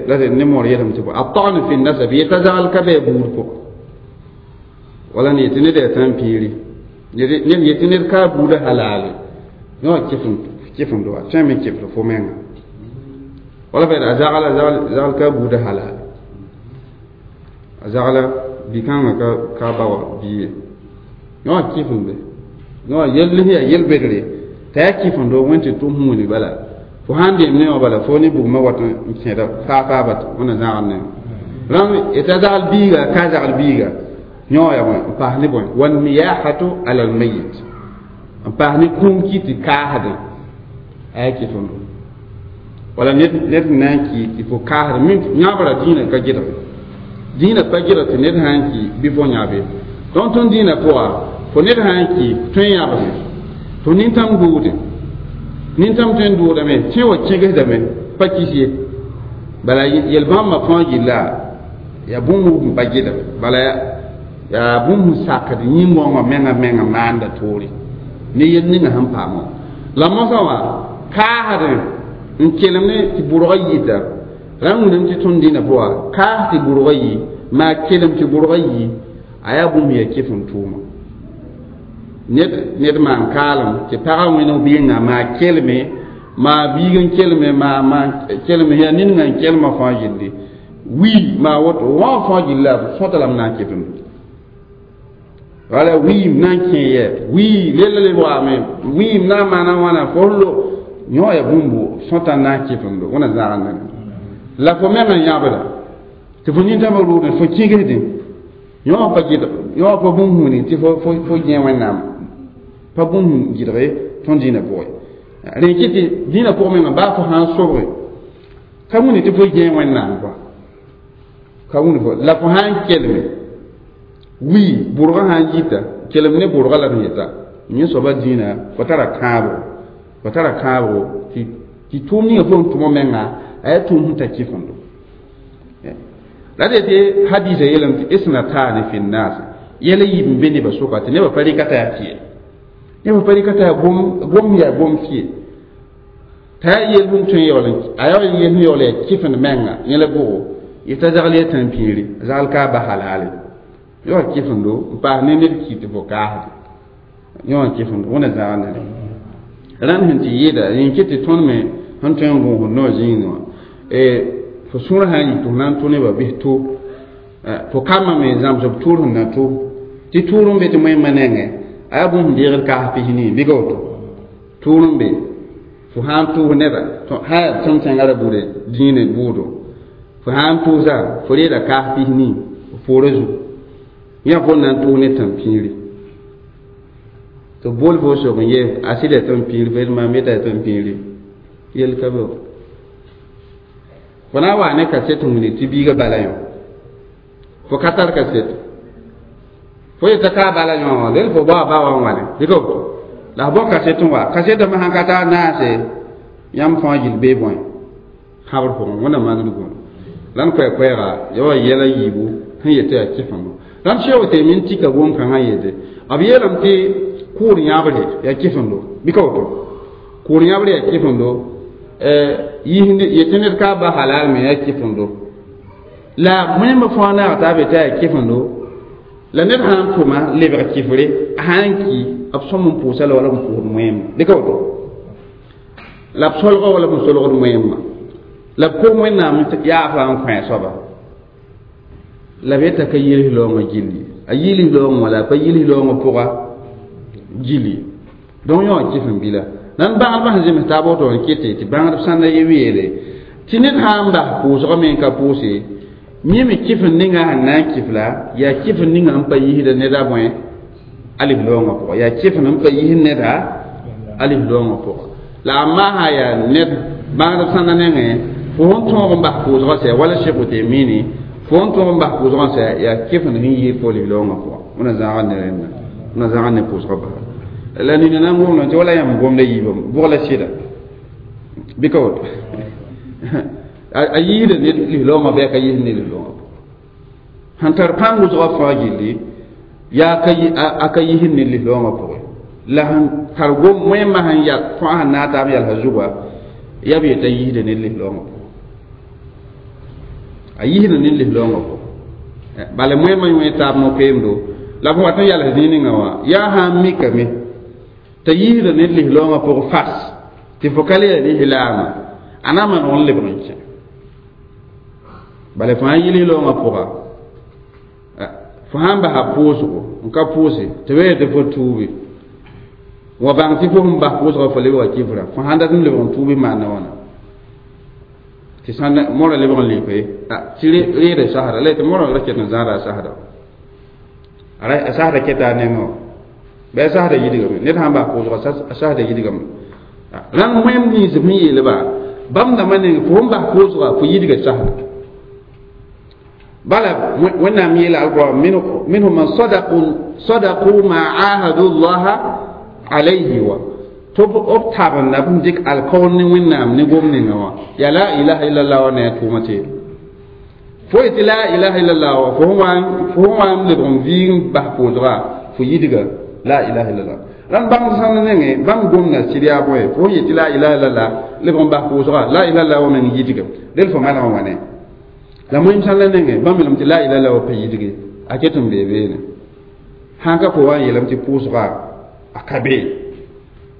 la ne moor yeelame tɩ bõe ata'nu fi nasab yeta zagl ka bɩ a buud pʋgã wala ne yetɩ ned yaa tãn-piiri, ned yetɩ ned ka a buudã halaale yõ kɩfemdo wa tõe n me kɩfd fo menga wala fa a zagla zagl ka a buudã halaale a zagla bi-kãngã ka ba wa bia ye yõ kɩfembe yõ yell sẽn yaa yel-bedre t'a yaa kɩfemdo wẽn tɩ tʋm sẽn wilg bala fo sãn deem ne wã bala fo ne bugmã wat n kẽeda faa-faaba wẽnna zãgd ne rãmb yetɩ a zagl biiga ka zagl biiga yõ yaa bõe n paas ne bõe wanniyahatu ala almayit n paas ne kũum ki tɩ kaasdẽ a yaa kɩfemdo wala ned n na n ki tɩ fo kaasdẽ min yãbra dĩinã ka gɩdge dĩinã pa gɩdg tɩ ned sã n ki bɩ fo yãbe donc tõnd dĩinã pʋga fo ned sã n ki tõe n yãbsẽ fo nintãm dʋʋdẽ nintãm tõe n dʋʋdame tẽ wa kẽgesdame pa kis ye bala yel-bãmbã fãa gilla yaa bũmb n pa gɩdg bala yaa bũmb sẽn sakd yĩn-gõngã menga menga maanda toore ne yel ninga sẽn paam wã la mosã wã kaasdẽ n kelem ne tɩ bʋrgã yita rãmb wilame tɩ tõnd dĩnã pʋga kaas tɩ bʋrgã yi maa kelem tɩ bʋrgã yi a yaa bũmb yaa kɩf n tʋʋma ned maan kaalem tɩ pagã wẽneg biigã maa kelme maa biig n kelme maa kelme yaa ned n kelmã fãa gilli wii maa woto wã fãa gilla sõta lame na n kɩfem wala wiim na n kẽ yɛ wii lella leb waame wiim na n maana wãna fo lo yõ ya bũmbu sõta n na n kɩfemdo wẽna zãgd nega la fo meng n yãbda tɩ fo nintãmã rʋʋdẽ fo kĩgsdẽ yõ pa gɩdg yõ pa bũmb hũni tɩ fo gẽ wẽnnaam pa bũmb gɩdge tõnd dĩinã pʋgẽ rẽ kɩ tɩ dĩinã pʋgẽ menga baa fo sã n sobge ka wũni tɩ fo gẽ wẽnnaam kɔa ka wũni fo la fo sã n kelme wii bʋrgã sã n yita kelem ne bʋrga la d yeta yẽ soaba dĩinã fo tara kãabo fo tara kãabgo tɩ tʋʋm ninga fo n tʋmã menga a yaa tʋʋm sẽn ta kɩfemdo la d yetɩ hadisa yeelame tɩ isnatani fi nnas yɛla yiib n be nebã sʋka tɩ nebã pa rɩka t'a yaa fɩɛ nebã pa rɩka t'a yaa gom yaa gom fɩɛ t'a yaa yel sẽn tõe n yaool a yaa yel sẽn yaool yaa kɩfend menga yẽla bʋgo yet'a zagl yaa tãn-pĩiri zagl ka a ba halaale yõ kɩfemdo n paas ne ned ki tɩ fo kaasde yõ kɩfemdo wẽna zãgd ne rãnd sẽn tɩ yɩɩda yẽ kɩ tɩ tõnd me sẽn tõe n gõosd noor zĩigẽ wã fo sũur sã n yi tɩ f na n tʋ nebã bɩs to fo kambã me zãmsb tʋʋr sẽn na tʋ tɩ tʋʋr n be tɩ moẽmã nengẽ a yaa bũmb sẽn deegd kaas pis-nii bɩ ka woto tʋʋr n be fo sã n tʋʋs neda sã yaa tõnd tẽngã ra bude dĩinã bʋʋdo fo sã n tʋʋsa fo reeda kaas pis-nii f poorã zugu yã fo na n tʋʋs ne tãn-pĩiri tɩ bol fo sok n yee a sɩda tãn-pĩiri fo yet maam yeta tãn-pĩiri yel ka be fo na n waa ne kaset n wilg tɩ biigã bala yõ fo ka tar kaset fo yeta ka a bala yõ wã del fo bao a ba wã n wãne dɩka woto la f bao kaset n wa kasetame sãn ka tar naase yãmb fãa gill bee bõe kãbr pʋgẽ wẽnna maand gũud la n koɛɛ-koɛɛga ya wa yɛla yiibu sẽn yetɩ yaa kɩfemdo rãmb sẽn tɩ min tika gom-kãngã yete b yeelame tɩ kʋʋr yãbre yaa kɩfemdo bɩ ka woto kʋʋr yãbre yaa kɩfemdo yetɩ ned ka ba halal me yaa kɩfemdo la wẽmba fãa naag t'a be t'a yaa kɩfemdo la ned sã n tʋma lebg kɩfre a sã n ki b sõm n pʋʋsa la wala b pʋʋsd wẽem dɩka woto la b solga wala b solgd wẽemã la b kom wẽnnaam yaafa n kõ a soaba la b yeta ka yilis loongã gilli a yilis loongã wala a pa yilis loongã pʋga gilli donc yõ kɩf n bila nan bãngdbã sẽn zems taab woto n kɩte tɩ bãngdb sãnda ye weele tɩ ned sã n bas pʋʋsgã me n ka pʋʋse yẽ me kɩf n ninga sẽn na n kɩf la yaa kɩf n ninga n pa yisda neda bõe alif loongã pʋgã yaa kɩf n pa yis neda alif loongã pʋgã la a maa yaa ned bãngdb sãnda nengẽ fo sẽn tõog n bas pʋʋsgã sɛ wala Cheikh Utemini fo sẽn tõog n bas pʋʋsgã sɛ yaa kɩf n sẽn yɩɩd fo alif loongã pʋgã wẽna zãaga ne rẽnda wẽna zãaga ne pʋʋsgã basa la nina na n gomdã tɩ wala yãmb gomda yiibã bʋg la sɩda bɩ ka woto A yiisda ne lislaoongã bɩ a ka yiis ne lislaoongã pʋgẽ. Sẽn tar pãng wʋsgã fãa gilli yaa a ka yiisd ne lislaoongã pʋgẽ. La sẽn tar gom wẽmã sẽn yal fãa sẽn naag taab yalsã zugã yaa b yetã yiisda ne lislaoongã pʋgẽ. A yiisda ne lislaoongã pʋgẽ. Bala wẽmã wẽ taab no-keemdo la b wat n yals zĩig ninga wã yaa sã n mikame t'a yiisda ne lislaoongã pʋgẽ fas tɩ fo ka le yaa lislaamã a na n maneg n lebg n kẽ. Bala fãa yi lislaoongã pʋga fo sãn basa pʋʋsgo n ka pʋʋse tɩ b yeel tɩ fo tuubi wa bãng tɩ fo sẽn bas pʋʋsgã fo lebga kifra fo sãn dat n lebg n tuubi maana wãna tɩ sãn mora lebg n leoke tɩ reeda sasda la tɩ mora ra ket n zãada a sasda a sasda keta a nengã wã bɩ a sasda yidgame ned sãn bas pʋʋsga a sasda yidgame rãng wẽm nins sẽn yeelba bãmb dãmbã neng fo sẽn bas pʋʋsga fo yidga sasda. Bala wẽnnaam yeela alquran minhum man sadaqu ma ahadu llaha alayhi wa tɩ b tabenda b sẽn dɩk alkaoor ne wẽnnaam ne gom ninga wã yaa la ilaha illallah wã ne a tʋʋmã teelo fo yetɩ la ilaha illallah wã fo sẽn wa n lebg n vɩɩg n bas pʋʋsga fo yidga la ilaha illallah. Rãnd bãmb sãnd nengẽ bãmb gomda sɩd yaa bõe fo sẽn yetɩ la ilaha illallah lebg n bas pʋʋsga la ilaha illallah wã meng yidga del fo maneg n wa ne la moim sãn la nengẽ bãmb yeelame tɩ la ilaha illallah wa pa yidge a ket n bee beene sãn ka fo wa n yeelame tɩ pʋʋsga a ka be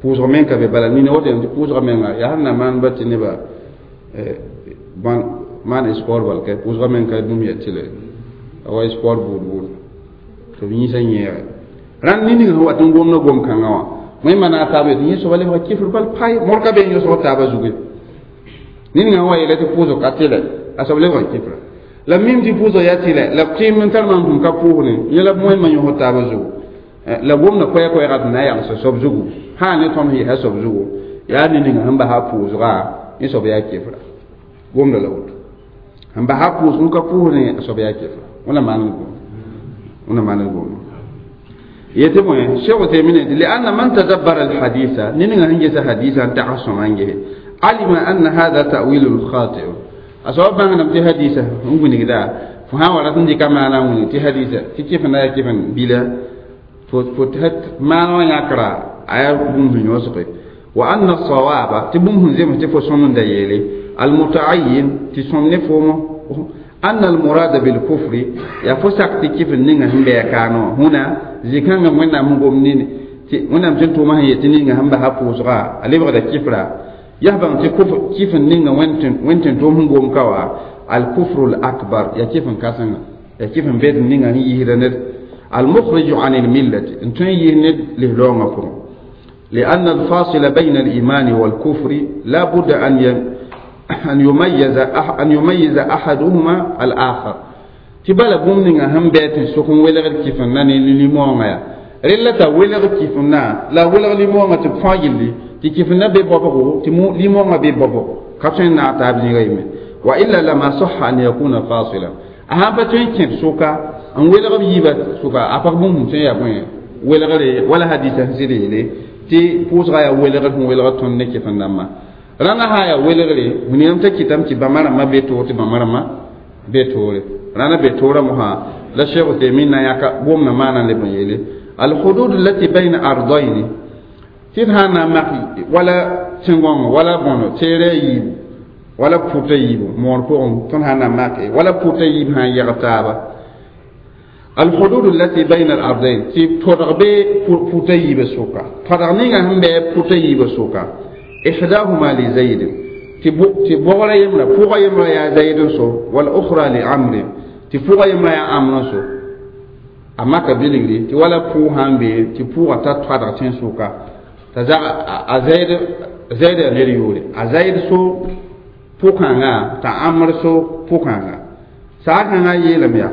pʋʋsg meng ka be bala nina woto yeelame tɩ pʋʋsga menga yaa sẽn na maan ba tɩ neba maan sport bal kɛ pʋʋsga meng ka dũm ya tɩle a wa sport buud buud tɩ b yĩsã yẽege rãnd ning sẽn wat n gomda gom-kãngã wã wẽmma na a taaba yetɩ yẽ soaba lebga kifr bal pae mor ka be n yõsg taabã zugu ninga wã yeela tɩ pʋʋsg ka tɩlɛ a soab lebga kifra la mim tɩ pʋʋsg yaa tɩlɛ la kɩɩm n tar maam tʋm ka pʋʋsne yẽ la wẽmma yõsg taabã zugu la gomda koɛɛ-koɛɛga tɩ na n yagsa soab zugu sã ne tõnd sẽn yɛsa soab zugu yaa ne ninga sẽn basa pʋʋsga yẽ soab yaa kifra gomda la woto sẽn basa pʋʋsg n ka pʋʋsne a soab yaa kifra wẽna maan gomda yetɩ bõe Cheikh Uthaymin لأن من تدبر الحديث نينغا هنجس حديثا تعصم عنه علم أن هذا تأويل خاطئ أصوب بان نمتي حديثة نقول كذا فها ورثن دي كما أنا نقول تي حديثة تي كيف نا كيف بلا فتحت ما نو يقرأ آية بوم يوسف وأن الصواب تبوم زي ما تفسون ديالي المتعين تسون نفومه أن المراد بالكفر يفسق كيف نينغا هم بيكانو هنا زكان وين أم قومنين وين أم جنتو ما هي تنينغا هم بها فوزغا اللي بغدا كفرا يهبن تكفر كيف نينغا وين توم هم قوم كوا الكفر الأكبر يا كيف كاسن يا كيف بيت نينغا هي يهرند المخرج عن الملة انتو يهند لهلوغا فرو لأن الفاصل بين الإيمان والكفر لا بد أن يميز أحدهما الآخر تبالا بومنينغا هم بيت سكون ولغ كيفنا ني ليمونغا رلتا ولغ كيفنا لا ولغ ليمونغا تفاجلي تي كيفنا بي بوبو تي مو ليمونغا بي بوبو كاتين نا تاب ني غيمي وإلا لما صح أن يكون فاصلا أهم بتين كيف سوكا أن ولغ بيبا سوكا أفق بوم تين يا بوين ولغ ولا حديث سيري تي بوزغا يا ولغ ولغ تون كيفنا ما rãngã sã yaa welgre wilgame t'a kɩtame tɩ bãmba rãmbã be toor tɩ bãmba rãmbã be toore rãndã be toorã mosã la Cheikh Uthaymin na yãka gomdã maana leb n yeele alhudud allati bayna ardaini tɩ d sã n na n mak wala tẽn-gõngo wala bõno teere a yiibu wala pʋta yiibu moor pʋgẽ tõnd sã n na make wala pʋta yiib sã n yɛg taaba الحدود التي بين الأرضين تي تودغ بي پوتا ييبا سوكا تودغ نيغا هم بي پوتا ييبا سوكا إحداهما لزيد تي بوغلا يمرا فوغا يمرا يا زيد سو والأخرى لعمر تي فوغا يمرا يا عمرو سو أما كبيلغري تي ولا فو هم بي تي فوغا تا تودغ تين سوكا تزا أزيد زيد نيريوري أزيد سو فوكانغا تا عمرو سو فوكانغا ساكانغا يلميا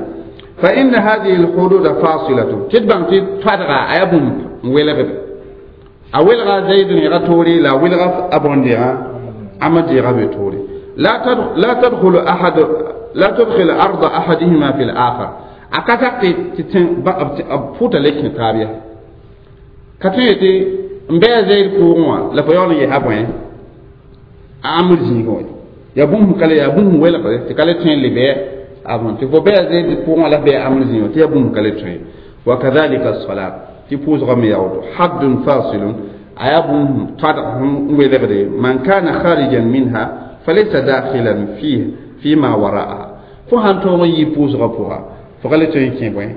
فإن هذه الحدود فاصلة تدبان تفرغ أبن ولغب أولغ زيد يغتوري لا ولغ أبن ديغا أما ديغا بتوري لا تدخل أحد لا تدخل أرض أحدهما في الآخر أكاكا تتن فوت لك تابيا كتيتي مبي زيد كوروا لا فيون يهابوين أمر زيغوي Ya bũmb ka le yaa bũmb welgre tɩ ka le tõe n le bɩ avant tɩ fo bɩ a zed pʋgẽ la bɩ amr zĩig tɩ yaa bũmb ka le tõe. Wa kadhalika as-salat tɩ pʋʋsgã me yaa woto haddun fasilun a yaa bũmb tadg n welgde man kana kharijan minha falaysa dakhilan fihi fima wara'aha fo sãn tõog n yi pʋʋsgã pʋga fo ka le tõe n kẽ bõe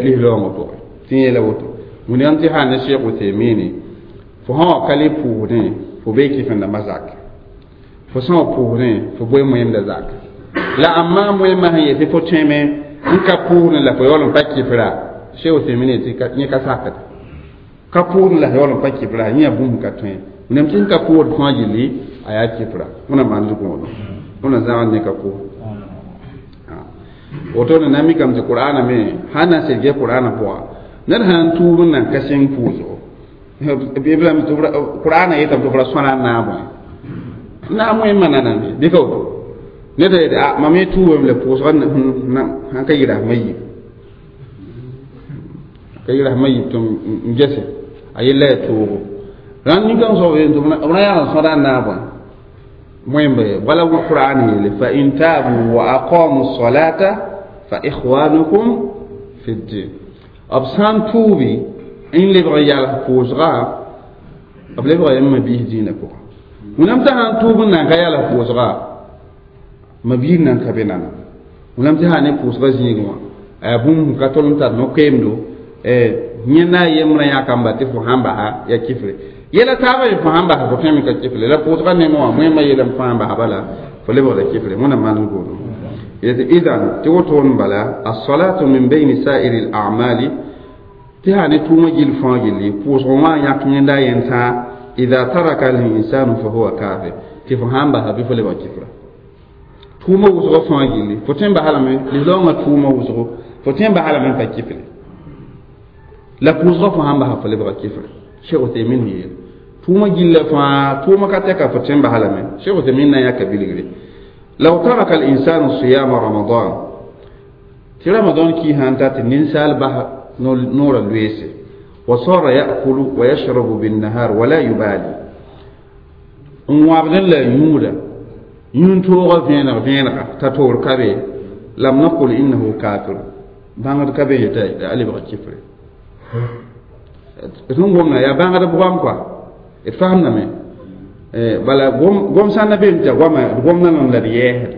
lislaoongã pʋgẽ tɩ yeela woto wẽnnaam tɩ sã ne Cheikh Uthemini fo sã wa ka le pʋʋsdẽ fo bee kɩfẽndãmbã zak fo sã wa pʋʋsdẽ fo boe moẽmdã zak la amma moẽmã sẽn yetɩ fo tõeme n ka pʋʋsdẽ la fo yaool n pa kɩfra Cheikh Uthemini tɩ yẽ ka sakd ka pʋʋsdẽ la yaool n pa kɩfra yẽ yaa bũmb ka tõe wẽnnaam tɩ sẽn ka pʋʋsd fãa gilli a yaa kɩfra wẽna maan zugõodo wẽna zãgd ne ka pʋʋs woto na mikame tɩ qur'ana me sãn na n sed ges qur'ana pʋga ned sãn tuub n nan ka sẽng pʋʋsgo qur'ana yetame tɩ f ra sõna n naag bõe naag moẽmã nanande bɩ ka woto ned yetɩ a mam ye tuubame la pʋʋsga sãn ka yɩ rasmã yib ka yɩ rasmã yib tɩ n gese a yella yaa toogo rãnd nin-kãng soab tɩ b ra yag n sõda n naag bõe moẽmba ye wala qur'an yeele fa in taabu wa aqamu salata fa ikhwanukum fi ddin b sã n tuubi n lebg n yals pʋʋsga b lebga yãmb mabiis dĩinã pʋgã wẽnnaam t'a sãn tuub n nan ka yals pʋʋsga mabiir nan ka be nana wẽnnaam tɩ sã ne pʋʋsga zĩigẽ wã a yaa bũmb ka tol n tar no-koeemdo yẽ na a yembrã yãkamba tɩ fo sãn basa ya kifre yɛla taabã ye fo sãn basa fo tõeme ka kifre la pʋʋsga nengẽ wã moẽmã yeelame fo sãn basa bala fo lebgda kifre wẽnnaam maan goodem idan tɩ woto n bala as-salatu min bayni sa'iri al-a'mali tɩ sã ne tʋʋmã gill fãa gilli pʋʋsg wã yãk yẽnda a yẽn tãa idha taraka al-insanu fa huwa kafir tɩ fo sãn basa bɩ fo lebg kifra tʋʋmã wʋsgã fãa gilli fo tõe n basa lame lislaoongã tʋʋmã wʋsgo fo tõe n basa lame n pa kifre la pʋʋsgã fo sãn basa fo lebga kifre Cheikh Uthaymin yeel tʋʋmã gilla fãa tʋʋmã ka tɛka fo tõe n basa lame Cheikh Uthaymin na n yãka bilgre law taraka al-insanu siyama ramadan tɩ ramadan kii sãn ta tɩ ninsaal basa noorã loeese wa sara ya'kulu wa yashrabu binnahar wala yubali n wãbdẽ la yũuda yũun-toogã vẽeneg vẽenega t'a toor ka be lam naqul innahu kafir bãngd ka be yetã a lebga kifre d sẽn gomda yaa bãngd goam kɔa d fasemdame bala gom sã n na beem t'a goama d gomda nan la d yɛɛsd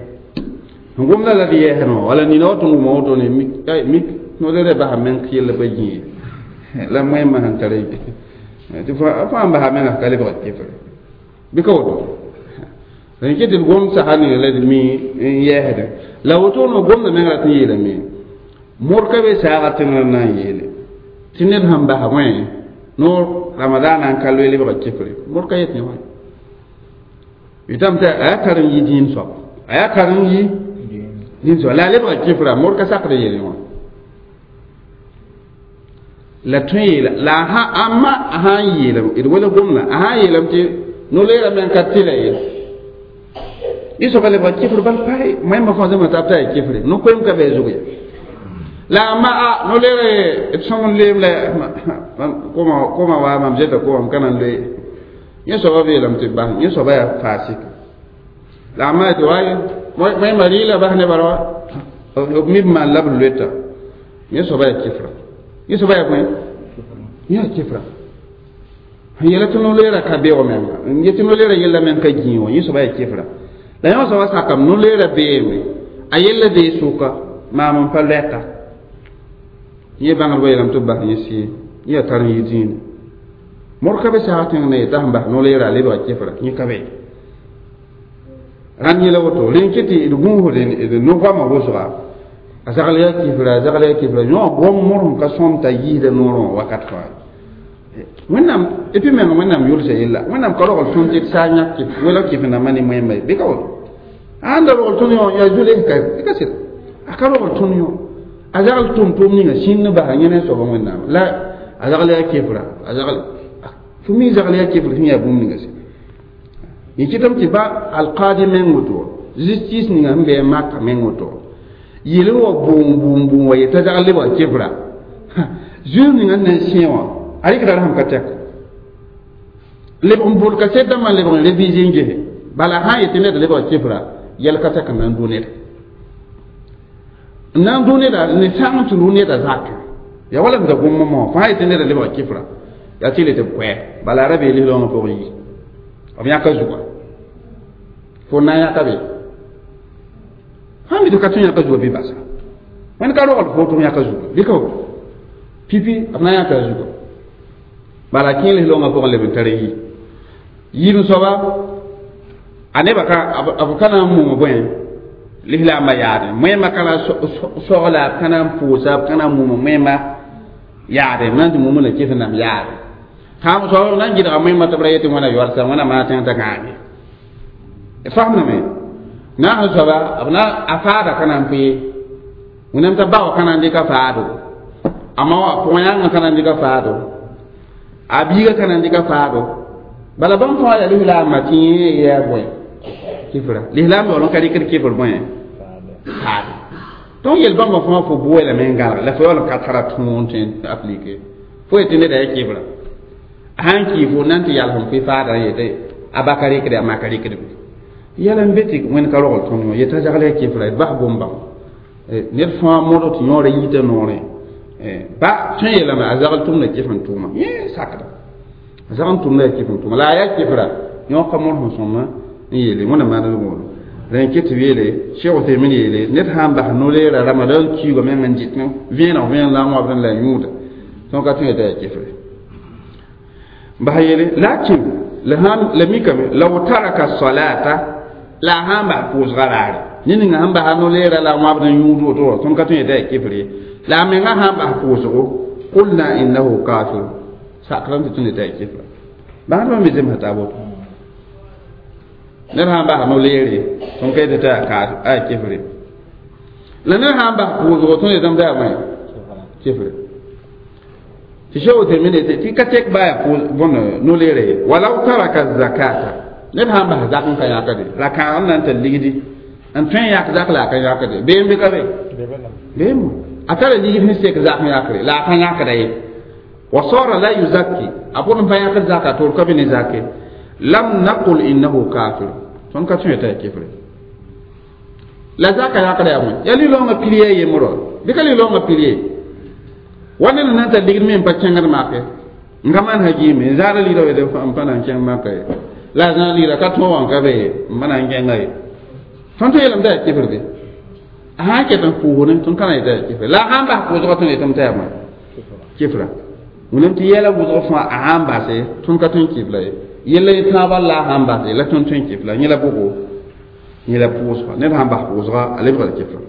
sẽn gomda la d yɛɛsd wã wala nina wa tɩ n wʋma woto ne mik no-leerã basa meng yella pa gĩe la moẽmã sẽn tar tɩ fãa n basa menga ka lebg kifre bɩ ka woto n ket d gom sasa ninga la d mi n yɛɛsdẽ la woto no gomda meng rat n yeelame mor ka be saaga tẽngr na n yeele tɩ ned sãn basa wẽ noor ramadaana n ka loe lebga kifre mor ka yet ne wã yetame tɩ a yaa karen yi dĩin soab a yaa karen yi dĩin soab la a lebga kifra mor ka sakd yele wã la tõe yeela la a amma a sã n yeelame d wala gomda a sã n yeelame tɩ no-leerã meng ka tɩla ye y soaba lebga kifr bal pae moẽmbã fãa zãma tab t'a yaa kifre no-koeem ka bɩ a zug ya la amma a no-leere d sõng n leem la koma wa mam zeta koma m ka na n loe yẽ soaba beelame tɩ bas yẽ soaba yaa faasik la amma tɩ wa moẽmbã rɩɩla bas ne bala wa b mi b maan la b loeta yẽ soaba yaa kifra yẽ soaba yaa bõe yaa kifra sẽn yɛla tɩ no-leerã ka beoog menga n yetɩ no-leerã yella meng ka gĩi wã yẽ soaba yaa kifra la yẽ wã soaba sakame no-leerã beeme a yella bee sʋka maam n pa loɛka yẽ bãngdbã yeelame tɩ b bas yẽ sɩ yẽ yaa tar n yɩ dĩinã mor ka be saag tẽng na yetã sẽn bas no-leerã a lebga kifra yẽ ka be rãnd yẽla woto rẽn kɩ tɩ d gũusd d no-goamã wʋsga a zagl yaa kifra a zagl yaa kifra yõ gom mor sẽn ka sõm t'a yiisda noorẽ wã wakat fãa wẽnnaam et puis menga wẽnnaam yʋlsa yella wẽnnaam ka rogl tõnd tɩ d saa yãk wela kɩf-rãmbã ne moẽmba ye bɩ ka woto a ãnda rogl tõnd yõ yaa zules ka ka sɩd a ka rogl tõnd yõ a zagl tʋm-tʋʋm ninga sĩnd n basa yẽ ne soaba wẽnnaam la a zagl yaa kifra a zagl fo mi zagl yaa kifr sẽn yaa bũmb ninga sɩd yẽ kɩtame tɩ ba alqaadi meng woto justice ninga sẽn be maka meng woto yel wa bʋʋm bʋʋm bʋʋm wa yetã zagl lebga kifra zuiis ninga n na n sẽ wã a rɩkda rasem ka tɛk lebg n bʋd kaset dãmbã lebg n réviser n gese Bala sã n yetɩ ned lebga kɩfra yɛl ka sak n na n dʋ neda n na n dʋ neda ne sãng tɩ rʋ neda zakẽ ya wala m da gom mõ fo sã n yetɩ neda lebga kɩfra yaa tɩ le tɩ b koɛɛ bala a ra bee lislaoongã pʋgẽ yi b yãka zuga fo na n yãka be sãn mi tɩ ka tõe yãka zuga bɩ basa wẽnd ka rogl fo tɩ f yãka zuga bɩ ka woto pipi b na n yãka a zuga bala kẽ lislaoongã pʋgẽ leb n tar yi yiib soaba a nebã ka b ka na n mum bõe lislaambã yaadẽ moẽmã ka na sogla b ka na n pʋʋsa b ka na n mum moẽmã yaadẽ b na n tɩ mum la kɩs nam yaadẽ sãam soab b na n gɩdga moẽmã tɩ b ra yetɩ wẽna yoalsa wẽna maa tẽng t'a gãage faamdame naas soaba b na a faada ka na n pʋɩ wẽnnaam t'a bao ka na n dɩka faado a ma wã pʋgã-yãngã ka na n dɩka faado a biiga ka na n dɩka faado bala bãmb fãa yaa lislaambã tɩ yẽ yaa bõe kɩfra lislaam yaool n ka rɩkd kɩfr bõe faado donc yel bãmba fãa fo bʋʋlame n gãlg la fo yaool n ka tara tõog tõe n aplike fo yetɩ neda yaa kɩfra a sãn kii fo na n tɩ yals n pʋɩ faada n yetɩ a ba ka rɩkde a ma ka rɩkd be yɛla n be tɩ wẽnd ka rogl tõnd wã yetɩ a zagl yaa kɩfra d bas bõn-bãng ned fãa modg tɩ yõora yiita noorẽ ba tõe yeelame a zagl tʋmda kɩf n tʋʋma yẽ sakda a zagl n tʋmda yaa kɩf n tʋʋma la a yaa kɩfra yõ ka mõr sẽn sõma n yeele wẽnna maand woto rẽ kɩ tɩ b yeele Cheikh Uthaymin yeele ned sã n bas no-leera ramadan kiuugã meng n dɩt vẽeneg vẽen la n wãbd la yũuda tõnd ka tõe yetɩ yaa kɩfre bas yeele lakin la mikame law taraka salata la a sã n bas pʋʋsga raare ned ninga sẽn basa no-leera la a wãbd n yũud woto wã tõnd ka tõe yetɩ yaa kɩfre la a menga sã n bas pʋʋsgo qulna innahu kafir sakrame tɩ tõnd yetɩ yaa kɩfra bãadbã me zemsa taa woto ned sã n bas no-leere tõnd ka yetɩ tɩ yaa kɩfre la ned sã n bas pʋʋsgo tõnd yetame tɩ yaa bõe kɩfre tɩ Cheikh Uthaymin yetɩ tɩ ka tek baa yaa bõn no-leere walaw taraka zakata ned sã n bas zak n ka yãkde la kãagem na n tar ligdi n tõe n yãk zak la a ka yãkde beem bɩ ka be beem a tara ligd sẽn sek zak n yãkre la a ka yãkda ye wa sara la yuzakki a pʋd n pa yãkd zaka tɩ ka be ne zake lam naqul innahu kafir tõnd ka tõe t'a yaa kɩfre la zaka yãkda yaa bõe yaa li-laoongã pilie a yembrã bɩ ka li-laoongã pilie wa ned na n tar ligd me n pa kẽngd make n ka maan hagiime n zaada ligda wede n pa na n kẽng maka ye la a zãag ligda ka tõog wã n ka be n pa na n kẽnga ye tõnd tɩ yeelame t'a yaa kɩfr be a sã n ket n pʋʋsdẽ tõnd ka na yetɩ yaa kɩfre la a sã n bas pʋʋsgã tõnd yetame t'a yaa bõe kɩfra wẽnnaam tɩ yɛla wʋsg fãa a sã n base tõnd ka tõe n kɩfla ye yella ye tãabã la a sã n base la tõnd tõe n kɩfla yẽ la bʋgo yẽ la pʋʋsga ned sã n bas pʋʋsga a lebga la kɩfra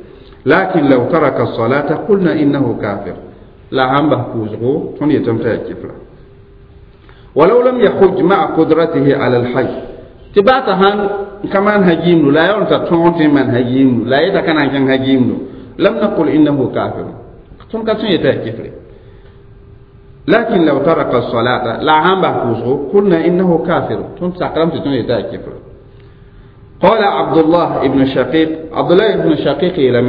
lakin law taraka salata qulna innahu kafir la sã n bas pʋʋsgo tõnd yetame t'a yaa kɩfra walaw lam yahuj maa qudratihi ala alhajj tɩ baa t'a sãn ka maan hagiimdu la a yaool t'a tõog tɩ n maan hagiimdu la a yeta ka na n kẽng hagiimdu lam naqul innahu kafir tõnd ka tõe yetɩ yaa kɩfre lakin law taraka salata la a sãn bas pʋʋsgo qulna innahu kafir tõnd sakrame tɩ tõnd yetɩ yaa kɩfra قال عبد الله ابن شقيق عبد الله ابن شقيق لم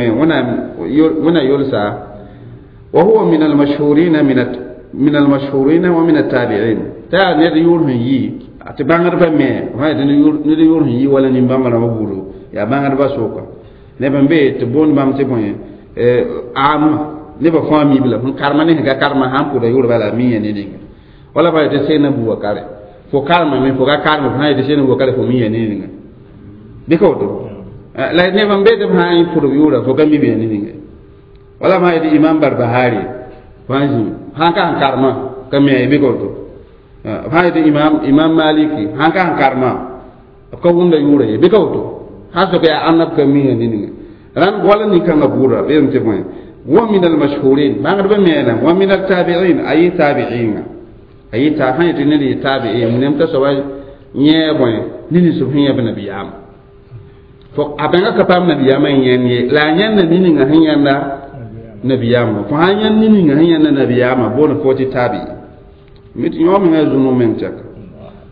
ونا يلسى وهو من المشهورين من المشهورين ومن التابعين تا نيد يور هي tɩ bãngdbã me fã yetɩ ned yʋʋr sẽn yi wala nin-bãmba rãmbã buudu yaa bãngdbã sʋka neb n be tɩ boond bãmb tɩ bõe am nebã fãa miib la sẽn karema ne sẽn ka karema sãn pʋda yʋʋr bala mi yã ne ninga wala fa yetɩ sena Bubakare fo karemame fo ka kareme fo sã yetɩ sena Bubakare fo mi yã ne ninga bɩ ka woto la neb n be tɩ b sã n pʋd b yʋʋra fo ka mi b yã ne ninga wala fã yetɩ Imam Barbahari fãa zĩ sãn ka sẽn karema ka mi bɩ ka woto fãa yetɩ imam Maliki sãn ka sẽn karema b ka wʋmda yʋʋra ye bɩ ka woto sãn sok yaa ãnna b ka mi yã ne ninga rãnd wala nin-kãngã buudra b yeelame tɩ bõe wa min almashhurin bãngdbã meena wa min altabi'in a yɩ tabi'inga a yɩ ta sãn yetɩ ned yɩ tabi'in wẽnnaam t'a soaba yẽ bõe ne ninsb sẽn yãb nabiyaamã fo a bẽnga ka paam nabiyaamã n yãnd ye la a yãnda ne-ninga sẽn yãnda nabiyaamã fo sãn yãnd ne-ninga sẽn yãnda nabiyaamã boond fo tɩ tabi'i mi tɩ yõ menga zũnu meng tɛka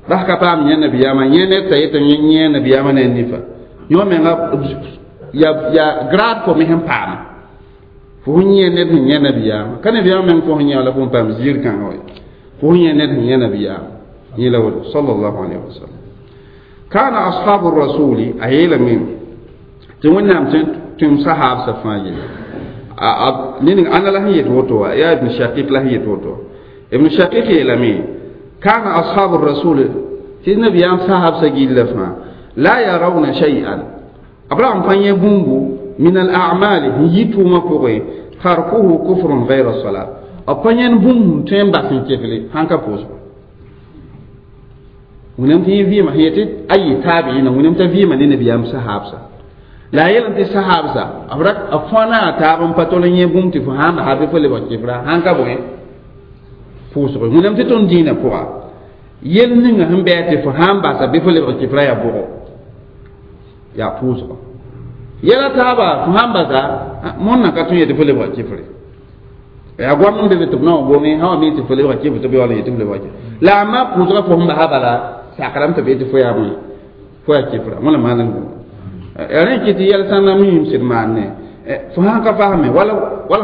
bas ka paam yẽ nabiyaamã yẽ ned t'a yetɩ yẽ nabiyaamã ne a nifa yõ menga ya grade fo me sẽn paama fo sẽn yẽ ned sẽn yẽ nabiyaamã ka nabiyaamã meng fo sẽn yã la fo n paam ziir kãngã wa fo sẽn yẽ ned sẽn yẽ nabiyaamã yẽ la woto sallallahu alaihi wasallam. Kana ashabu rasuli a yeelame tɩ Wẽnnaam tũm sahaabsã fãa yelle ned ãnda la sẽn yet woto wã yaa Ibn Shaqiq la sẽn yet woto. Ibn Shaqiq yeelame kana ashabu rasul tɩ nabiyaam sahaabsã gilla fãa la yarawna shay'an abraham pa yẽ bũmbu min al a'mali n yi tʋʋmã pʋgẽ tarkuhu kufrun ghayra salat b pa yẽnd bũmb tõe n bas n kefle sãn ka pʋʋsgo wẽnnaam tɩ yẽ vɩɩmã sẽn yetɩ ayi taabiina wẽnnaam t'a vɩɩmã ne nabiyaam sahaabsã la a yel tɩ sahaabsã b fõa a taab n pa tol n yẽ bũmb tɩ fo sãn basa bɩ fo lebg kefra sãn ka bõe pʋʋsgo wẽnnaam tɩ tõnd dĩinã pʋga yel ninga sẽn bɩ tɩ fo sãn basa bɩ fo lebg kefra yaa bʋgo yaa pʋʋsgo yɛla taaba fo sãn basa mõnna ka tõe yetɩ fo lebg kefre yaa goam n be be tɩ b na wa gome sã wa mi tɩ fo lebg kefre tɩ b yaool n yetɩ fo lebg kefre la a ma pʋʋsga fo sẽn basa bala sakrame tɩ b yetɩ fo yaa bõe fo yaa kefra wẽna maan n gũu rẽ kɩ tɩ yɛl sãnda miim sɩd maanne fo sãn ka fasme wala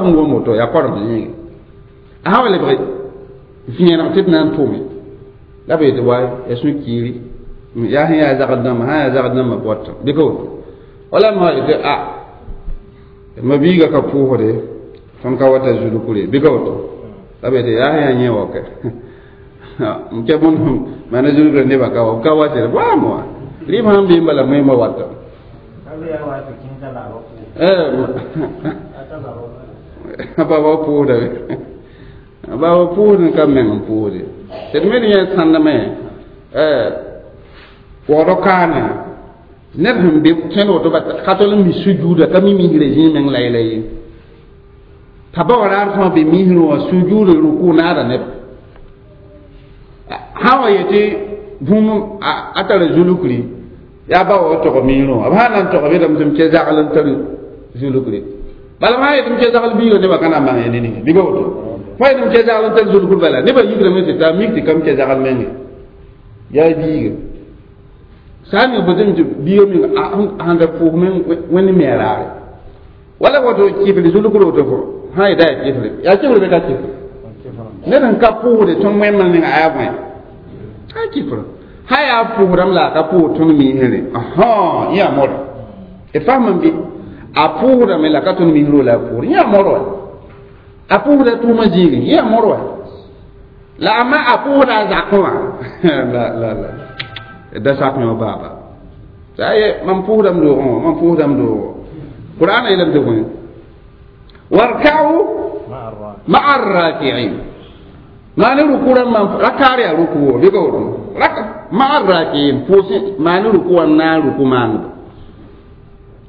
sẽn wom woto yaa korem yĩnge a sã wa lebg vẽeneg tɩ d na n tʋme la b yetɩ waay yaa sũ-kiiri yaa sẽn yaa zagd dãmba sã yaa zagd dãmba bɔt bɩ ka woto wala ma yetɩ a ma biiga ka pʋʋsde tõnd ka wata zulukre bɩ ka woto la b yetɩ yaa sẽn yaa yẽ wakɛ n kɛ bõn maana zulukre nebã ka wa ka watɩ waam wa rɩɩb sãn bee n bala moẽmã wata baba pʋʋsda baba pʋʋsd n ka meng n pʋʋsde tɩ d me d yẽ sãndame waoodɔ kaane ned sẽn be tõend woto ka tol n mi sujuuda ka mi misrã zĩig meng la yɛla ye t'a ba wa raar fãa be misrã wã sujuuda ruku naada neb sã wa yetɩ bũmb a tara zulukri yaa ba wa tog miirẽ wã b sã na n tog bɩdame tɩ m ke zagl n tar zulukri bala sã yetɩ m ke zagl biiga nebã ka na n bãng ya ne ninga bɩ ka woto fo yetɩ m ke zagl n tar zulukr bala nebã yigrame tɩ taa mik tɩ kam ke zagl menge yaa biiga sã n ning fo tɩ biiga meng sãn da pʋʋs meng wẽnd me a raare wala woto kɩfl zulukr woto fo sã yeta yaa kɩfle yaa kɩfr bɩ ka kɩfr ned sẽn ka pʋʋsde tõnd wẽnnem ninga a yaa bõe a kɩfr sã yaa pʋʋsdame la a ka pʋʋs tõnd miisre yẽ yaa modo d fasm n bɩ a pʋʋsdame la ka tõnd miisro la a pʋʋsd yẽ yaa modo wa a pʋʋsda tʋʋmã zĩigẽ yẽ yaa modo wa la a ma a pʋʋsda a zakẽ wã la la la da sak yõ baaba t'a ye mam pʋʋsdame doogẽ wã mam pʋʋsdame doogɔ Qur'an yeelame tɩ bõe warka'u ma'a arraki'in maane ruku rãmbã rakaar yaa ruku wo bɩ ka woto ma'a arraki'in pʋʋs maane ruku wã n na n ruku maaneba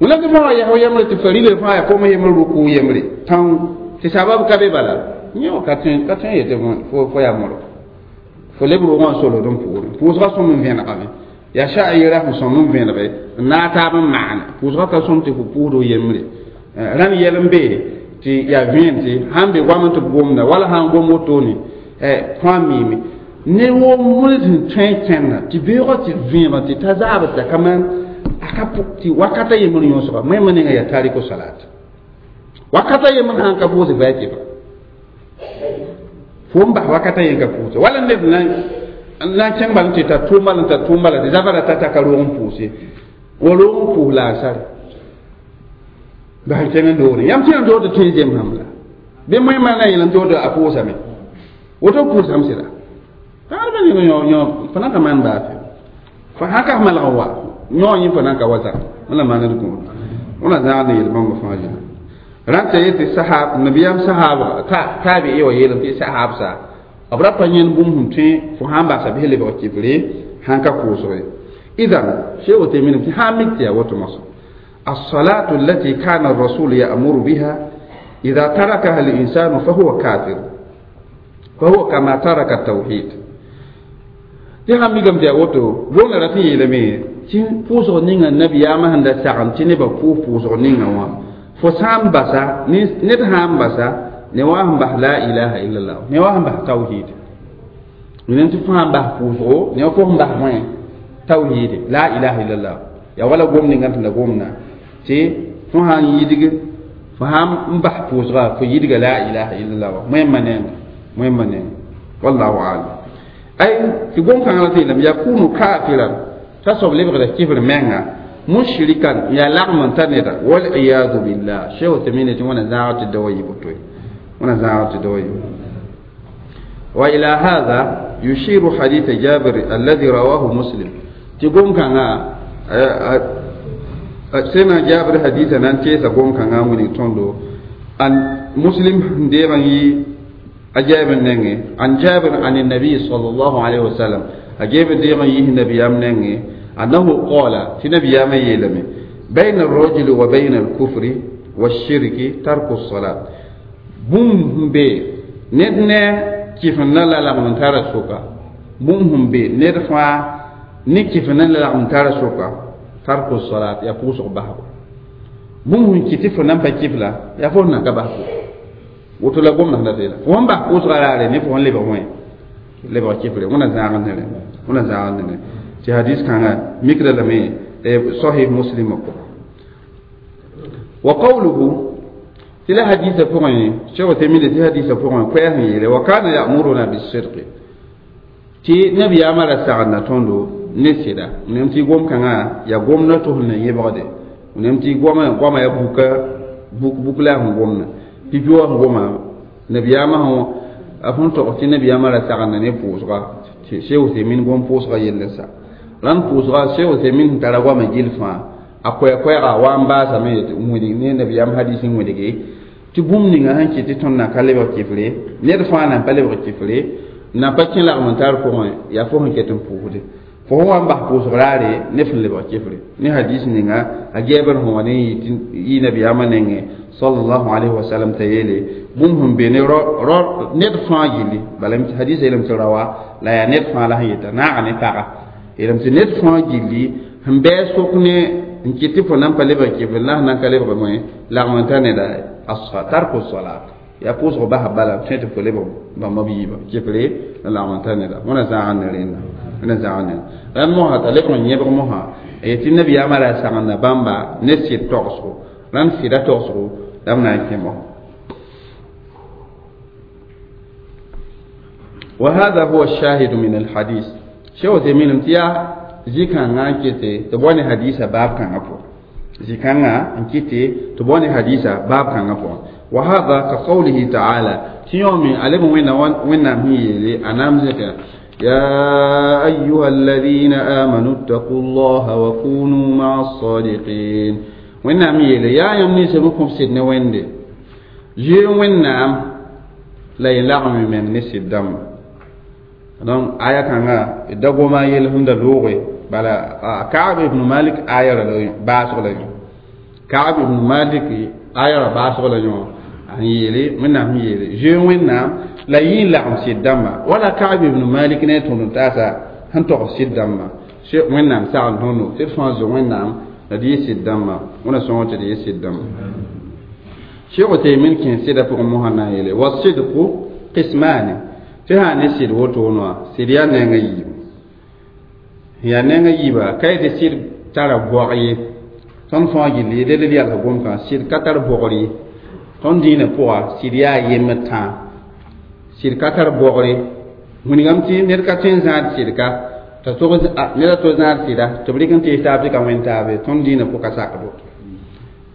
wẽnnaam tɩ fãa wa yɛs yembre tɩ farila fãa yaa kom yembre ruku yembre tão tɩ sabab ka be bala yẽ wã ka tõe yetɩ fo yaa modo fo leb roogã n solgd n pʋʋrẽ pʋʋsgã sõm n vẽnegame yaa sha'ira sẽn sõm n vẽnege n naag taab n maane pʋʋsgã ka sõm tɩ fo pʋʋsd o yembre rãnd yɛl n be tɩ yaa vẽen tɩ sãn be goam tɩ b gomda wala sãn gom wotone fãa miime ne wo mõle sẽn tõe n kẽnda tɩ beoogã tɩ vẽema tɩ ta zaabdta kaman a ka tɩ wakata yembr yõsga moẽmã ninga yaa tariko salat wakata yembr sãn ka pʋʋsd bɩ a kɩfa fo n bas wakata yen ka pʋʋse wala ned na n kẽng bal n tɩ ta tʋʋm bal n ta tʋʋm bala tɩ zabara ta ka roog n pʋʋse wa roog n pʋʋs la a sare bas n kẽng n doore yãmb tɩ n dood tɩ n zemsame la bɩ moẽmã na n yel n dood a pʋʋsame woto pʋʋsame sɩda tãadbã ning yõ fo na ka maan baase fo sãn ka malg n wa yõ yẽ fo na n ka wa zã wẽna maand kũud wẽna zãag ne yel-bãmba fãa zĩna rãntã yetɩ sahab nabiyaam sahaba taabi'i wa yeelame tɩ sahabsa b ra pa yẽnd bũmb sẽn tõe fo sãn basa bɩ lebg kɩfre sãn ka pʋʋsge idan sheikh Uthaymeen tɩ sãn mik tɩ yaa woto moasã الصلاة التي كان الرسول يأمر بها إذا تركها الإنسان فهو كافر فهو كما ترك التوحيد tɩ sãn mikame tɩ yaa woto gomda ra tɩ yeelame tɩ pʋʋsg ninga nabiyaamã sẽn da sagem tɩ nebã pʋʋs pʋʋsg ninga wã fo sã n basa ned sã n basa ne wa sẽn bas la ilaha illallah ne wa sẽn bas tawhid wẽnnaam tɩ fo sã n bas pʋʋsgo ne wa fo sẽn bas bõe tawhid la ilaha illallah yaa wala gom ninga tɩ la gomna tɩ fo sã n yidg fo sã n bas pʋʋsga fo yidga la ilaha illallah wa moẽmã nenga moẽmã nenga wallahu alam ay tɩ gom-kãngã la tɩ yeelame yakunu kafiran T'a soab lebgda kifr menga mushrikan ya lagm n ta neda. Waliyadu billah. Sheikh Uthaymeen tɩ wẽna zãag tɩ dawa yɩ boto wẽna zãag tɩ dawa yɩ. Wa ila hadha yushiru hadith Jabir alladhi rawahu Muslim. Tɩ gom kãngã sẽna Jabir haditha na n teesa gom kãngã n wilg tõndo an Muslim deeg n yi a Jabir nengẽ an Jabir an nabi sallallahu alaihi wasallam a geeb deeg n yis nabiyam nengẽ أنه قال في نبي يلمي بين الرجل وبين الكفر والشرك ترك الصلاة. بوم بي ندنا كيف نلا لغم ترى سوكا. بوم بي ندفع نكيف نلا لغم ترى سوكا ترك الصلاة يقوس بحر. بوم كيف نم كيف لا يفون نكبه وتلا قوم نهلا وهم بقوس على نفهم لبعوين لبع كيف لا ونزعنا نلا ونزعنا نلا tɩ hadis kãngã mikda lame sahih Muslim pʋgã. Wa qawluhu tɩ la hadisã pʋgẽ Cheikh Uthaymeen tɩ hadisã pʋgẽ koɛɛg n yeele wa kana ya'muruna bis-sidqi tɩ nabiyaamã ra sagenda tõndo ne sɩda nem tɩ gom kãngã yaa gomdã tʋsl na yẽbgde nem tɩ goama yaa buka buk la sẽn gomna pipi wa sẽn goma nabiyaamã sẽn a fõn tog tɩ nabiyaamã ra sagenda ne pʋʋsga Cheikh Uthaymeen gom pʋʋsga yell sa rãnd pʋʋsga Cheikh Uthaymeen sẽn tara goamã gill fãa a koɛɛ-koɛɛga wa n baasame wẽdg ne nabiyaam hadis n wẽdge tɩ bũmb ninga sẽn kɩt tɩ tõnd na ka lebg kifre ned fãa na n pa lebg kifre na pa kẽ lagm n tar pʋgẽ yaa fo sẽn ket n pʋʋsde fo sẽn wa n bas pʋʋsg raare ne fẽn lebg kifre ne hadis ninga a gɛɛbr sẽn wa ne yɩ nabiyaamã nengẽ sallallahu alayhi wa sallam t'a yeele bũmb sẽn be ne ned fãa gilli bala hadisã yeelame tɩ rawa la yaa ned fãa la sẽn yeta naaga ne paga yeelame tɩ ned fãa gilli sẽn bɩ sok ne n kɩt tɩ fo nan pa lebg kifr la sẽn nan ka lebg moẽ lagm n ta neda tarku salat ya pʋʋsg basa bala tõe tɩ fo lebg bãmba b yiibã kifre la lagm n ta neda wẽna zãag ne rẽnda wẽna zãag ne rãnd mosã t'a lebg n yẽbg mosã tɩ nabiyaamã ra sagenda bãmba ne sɩd togsgo rãnd sɩda togsgo la b na n kẽ mosã. وهذا هو الشاهد من الحديث. Cheikh Uthaymeen tɩ yaa zĩ-kãngã n kete tɩ bao ne hadisa baab kãngã pʋgẽ zĩ-kãngã n kɩte tɩ bao ne hadisa baab kãngã pʋgẽ. Wa hada ka qawlihi ta'ala tɩ yõome a leb wẽnnaam sẽn yeele a naam zẽka ya ayuha alladhina amanu ittaqu llaha wa kunu ma'a as-sadiqin. Wẽnnaam yeele yaa yãmb ninsã b kõb sɩd ne wẽnde zoe wẽnnaam la y lagm y meng ne sɩd dãmba. Donc aya kãngã da goma yel sẽn da looge bala Ka'ab ibn Malik aya ra baasg la yõ Ka'ab ibn Malik aya ra baasg la yõ n yeele wẽnnaam sẽn yeele zoe wẽnnaam la yɩ n lagm sɩd dãmba wala Ka'ab ibn Malik ne tõnd n taasa sẽn tog sɩd dãmba wẽnnaam sagl tõndo tɩ d fãa zo wẽnnaam la d yɩ sɩd dãmba wẽna sõng tɩ d yɩ sɩd dãmba. Cheikh Uthaymeen kẽ sɩdã pʋgẽ mosã na n yeele wasidqu qismani tɩ sã ne sɩd wotone wã sɩd yaa nengã yiibu yaa nengã yiiba ka yetɩ sɩd tara bɔg ye tõnd fãa gilli d d yalg gom-kãngã sɩd ka tar bɔgr ye tõnd dĩinã pʋga sɩd yaa yembd tãa sɩd ka tar bɔgre wilgame tɩ ned ka tõe n zãad sɩdka t'a tog ned a to zãad sɩda tɩ b rɩk n tees taab tɩ ka wẽn taabe tõnd dĩinã pʋka sakd woto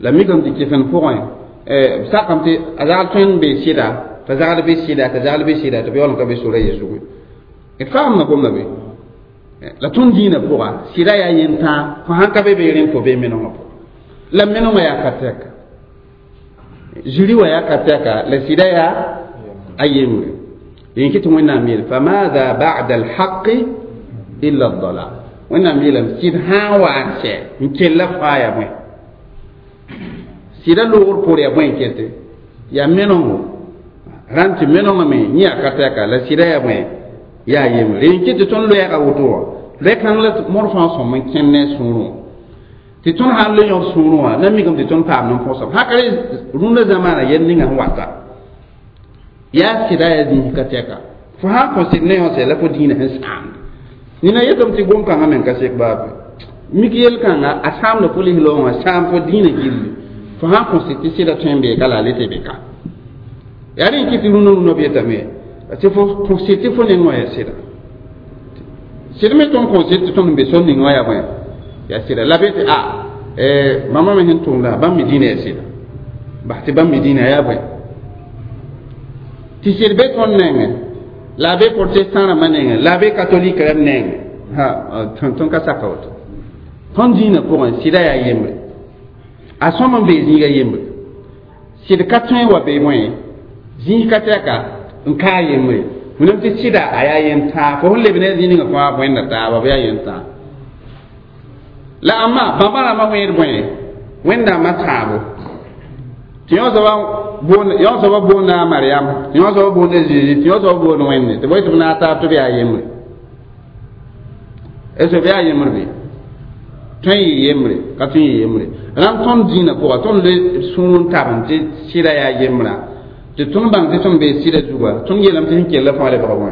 la mikame tɩ kɩfen pʋgẽ b sakame tɩ a zagl tõe n bee sɩda t'a zagl be sɩda t'a zagl be sɩda tɩ b yaool n ka be sora ye zugu d faamda gomda be la tõnd dĩinã pʋga sɩda yaa yentãa fo sãn ka be be rẽnd fo bee menengã pʋga la menengã yaa ka tɛka ziri wã yaa ka tɛka la sɩda yaa a yembre dẽn kɩ tɩ wẽnnaam yeel famadha ba'da alhaqi illa aldalal wẽnnaam yeelame sɩd sãn wa n sɛ n kella fãa yaa bõe sɩda loogr pʋʋr yaa bõe n kete yaa menengo rãnd tɩ menengame yẽ yaa ka tɛka la sɩda yaa bõe yaa yembre rẽn kɩ tɩ tõnd loɛɛga woto wã loɛ-kãng la mor fãa sõm n kẽnd ne sũurẽ tɩ tõnd sãn le yõd sũurẽ wã na mikame tɩ tõnd paam nin-põsem sãn ka rũndã zamaana yel ninga sẽn wata yaa sɩda yaa zĩis ka tɛka fo sãn kõ sɩd ne yõ sɛ la fo dĩinã sẽn sãamd nina yetame tɩ gom-kãngã meng ka sek baabe mik yel-kãnga a sãamda fo lis-loogã sãam fo dĩinã gilli fo sãn kõ sɩd tɩ sɩda tõe n beeka la a le tɩ beka yaa rẽ kɩ tɩ rũndã rũndã b yetame tɩ fo kõ sɩd tɩ fo neng wã yaa sɩda Sɩd me tõnd kõn sɩd tɩ tõnd n be sor ning wã yaa bõe yaa sɩda la be tɩ a bãmba me sẽn tʋmda bãmb me dĩinã yaa sɩda bas tɩ bãmb me dĩinã yaa bõe tɩ sɩd be tõnd nengẽ la a be protestant rãmbã nengẽ la a be catholique rãmb nengẽ ha tõnd ka saka woto tõnd dĩinã pʋgẽ sɩda yaa yembre a sõm n bee zĩiga yembre sɩd ka tõe wa be bõe zĩig ka tɛka n kaa yembre wẽnnaam tɩ sɩda a yaa yentãag fo sẽn leb ne zĩig ninga fãa wẽnda taaba b yaa yentãag la ãmba bãmba rãmbã wẽed bõe wẽnnaamã tãabo tɩ yõ soaba boonda a Mariam tɩ yõ soaba boonda Zeezi tɩ yõ soaba boond Wẽnde tɩ bõe tɩ b naag taab tɩ b yaa yembre est ce b yaa yembre bɩ tõe n yɩ yembre ka tõe n yɩ yembre rãmb tõnd dĩinã pʋga tõnd le sũur n tab tɩ sɩda yaa yembrã tɩ tõnd bãng tɩ tõnd bee sɩda zuga tõnd yeelame tɩ sẽn kell fãa lebga bõe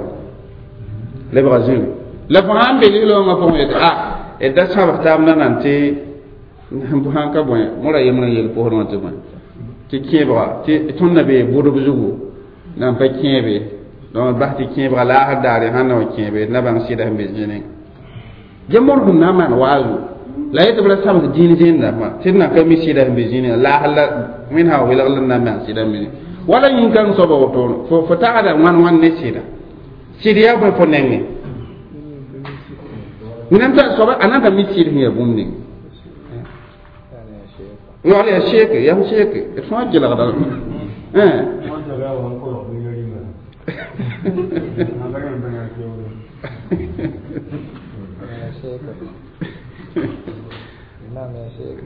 lebga zĩri la fo sãn be ligl-wãngã pʋgẽ yetɩ a d da sãbg taab nanam tɩ sãn ka bõe mora yembrã n yel posd wã tɩ bõe tɩ kẽebga tɩ tõnd na bee bʋdb zugu nan pa kẽebe donc bas tɩ kẽebga laasr daare sãn na wa kẽebe d na bãng sɩda sẽn be zĩnẽ ge mor sẽn na n maan waazu la yetɩ b ra sabs dĩin zẽnda tɩ d na ka mi sɩda sẽn be zĩnẽ laasr la wẽnd sã welg la n na n maan sɩda sẽn be zĩnẽ wala yĩn-kãng soaba woto fo tagda wãn wãn ne sɩda sɩd yaa bõe fo nengẽ wẽnnaam t'a soaba a nan ka mi sɩd sẽn yaa bũmb ning yaool yaa seeke yaa f seeke d fãa kelgda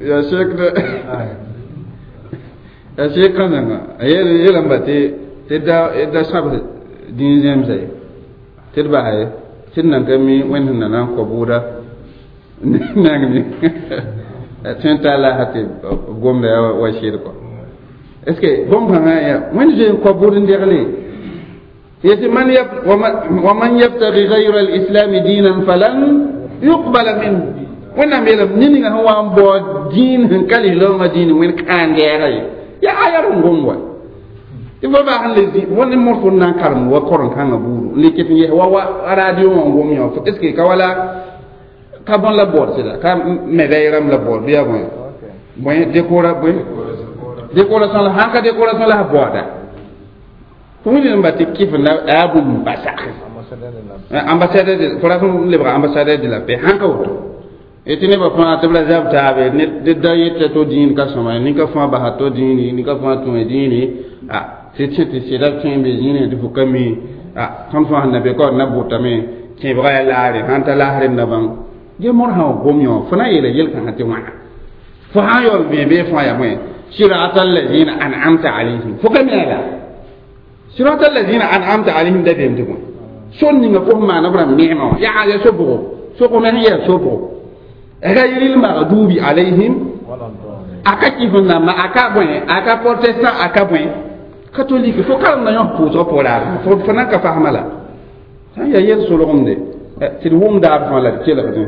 yaa seek yaa seek kãsenga a yeelame tɩ da sãbs dĩin zẽmsa ye tɩ d basa ye tɩ d nan ka mi wẽnd sẽn na na n kõ bʋʋda neng me tõe n taa laasa tɩ b gomda yaa wa sɩd kɔ est ce que bõn-kãngã yaa wẽnd zoe n kõ bʋʋd n degle yetɩ wa man yabtagi gayra alislami diinan falan yuqbala minhu wẽnnaam yeelame ned ninga sẽn wa n bao dĩin sẽn ka lislaoongã dĩin wẽnd kãan-gɛɛga ye yaa aya r n gom wa tɩ fo baa sẽn le zĩ wẽnd mor fo n na n karem wa koren-kãngã buudu n le ket n yes wa wa radio wã n gom yã est ce que ka wala ka bõn la baood sɩda ka médaille rãmb la baood bɩ yaa bõe bõe décora bõe décoration la sãn ka décoration la baooda fo wilg n ba tɩ kɩf la yaa bũmb n pa sak ambassadeur de fo rat n lebga ambassadeur de la paix sãn ka woto tɩ nebã fãa tɩ b ra zab taabe ned da yeta to dĩin ka sõma nin-ka fãa basa to dĩini nin-ka fãa tũe dĩini a tɩ tẽ tɩ sɩda tõe n be zĩine tɩ fo ka mi a tõnd fãa sẽn na be ka d na bʋtame kẽebga yaa laare sãn ta laasr d na bãng ge mor sã wa gom yõ fo na yeela yel-kãngã tɩ wãna fo sã n yaool vẽ bee fãa yaa bõe sirata allazina an'amta alayhim fo ka mi la sirata allazina an'amta alayhim da beem tɩ bõe sor ninga fo sẽn maana b rãmb neemã wã yaa ya so-bʋgo sog me sẽn yaa so-bʋgo gayril maghdubi alayhim aka kɩf n namba aka bõe aka protestant aka bõe catholique fo karem na yõ pʋʋsg pʋgraar fo nan ka fasma la sã n yaa yel solgemde tɩ d wʋmdaab fãa la d kelgdẽ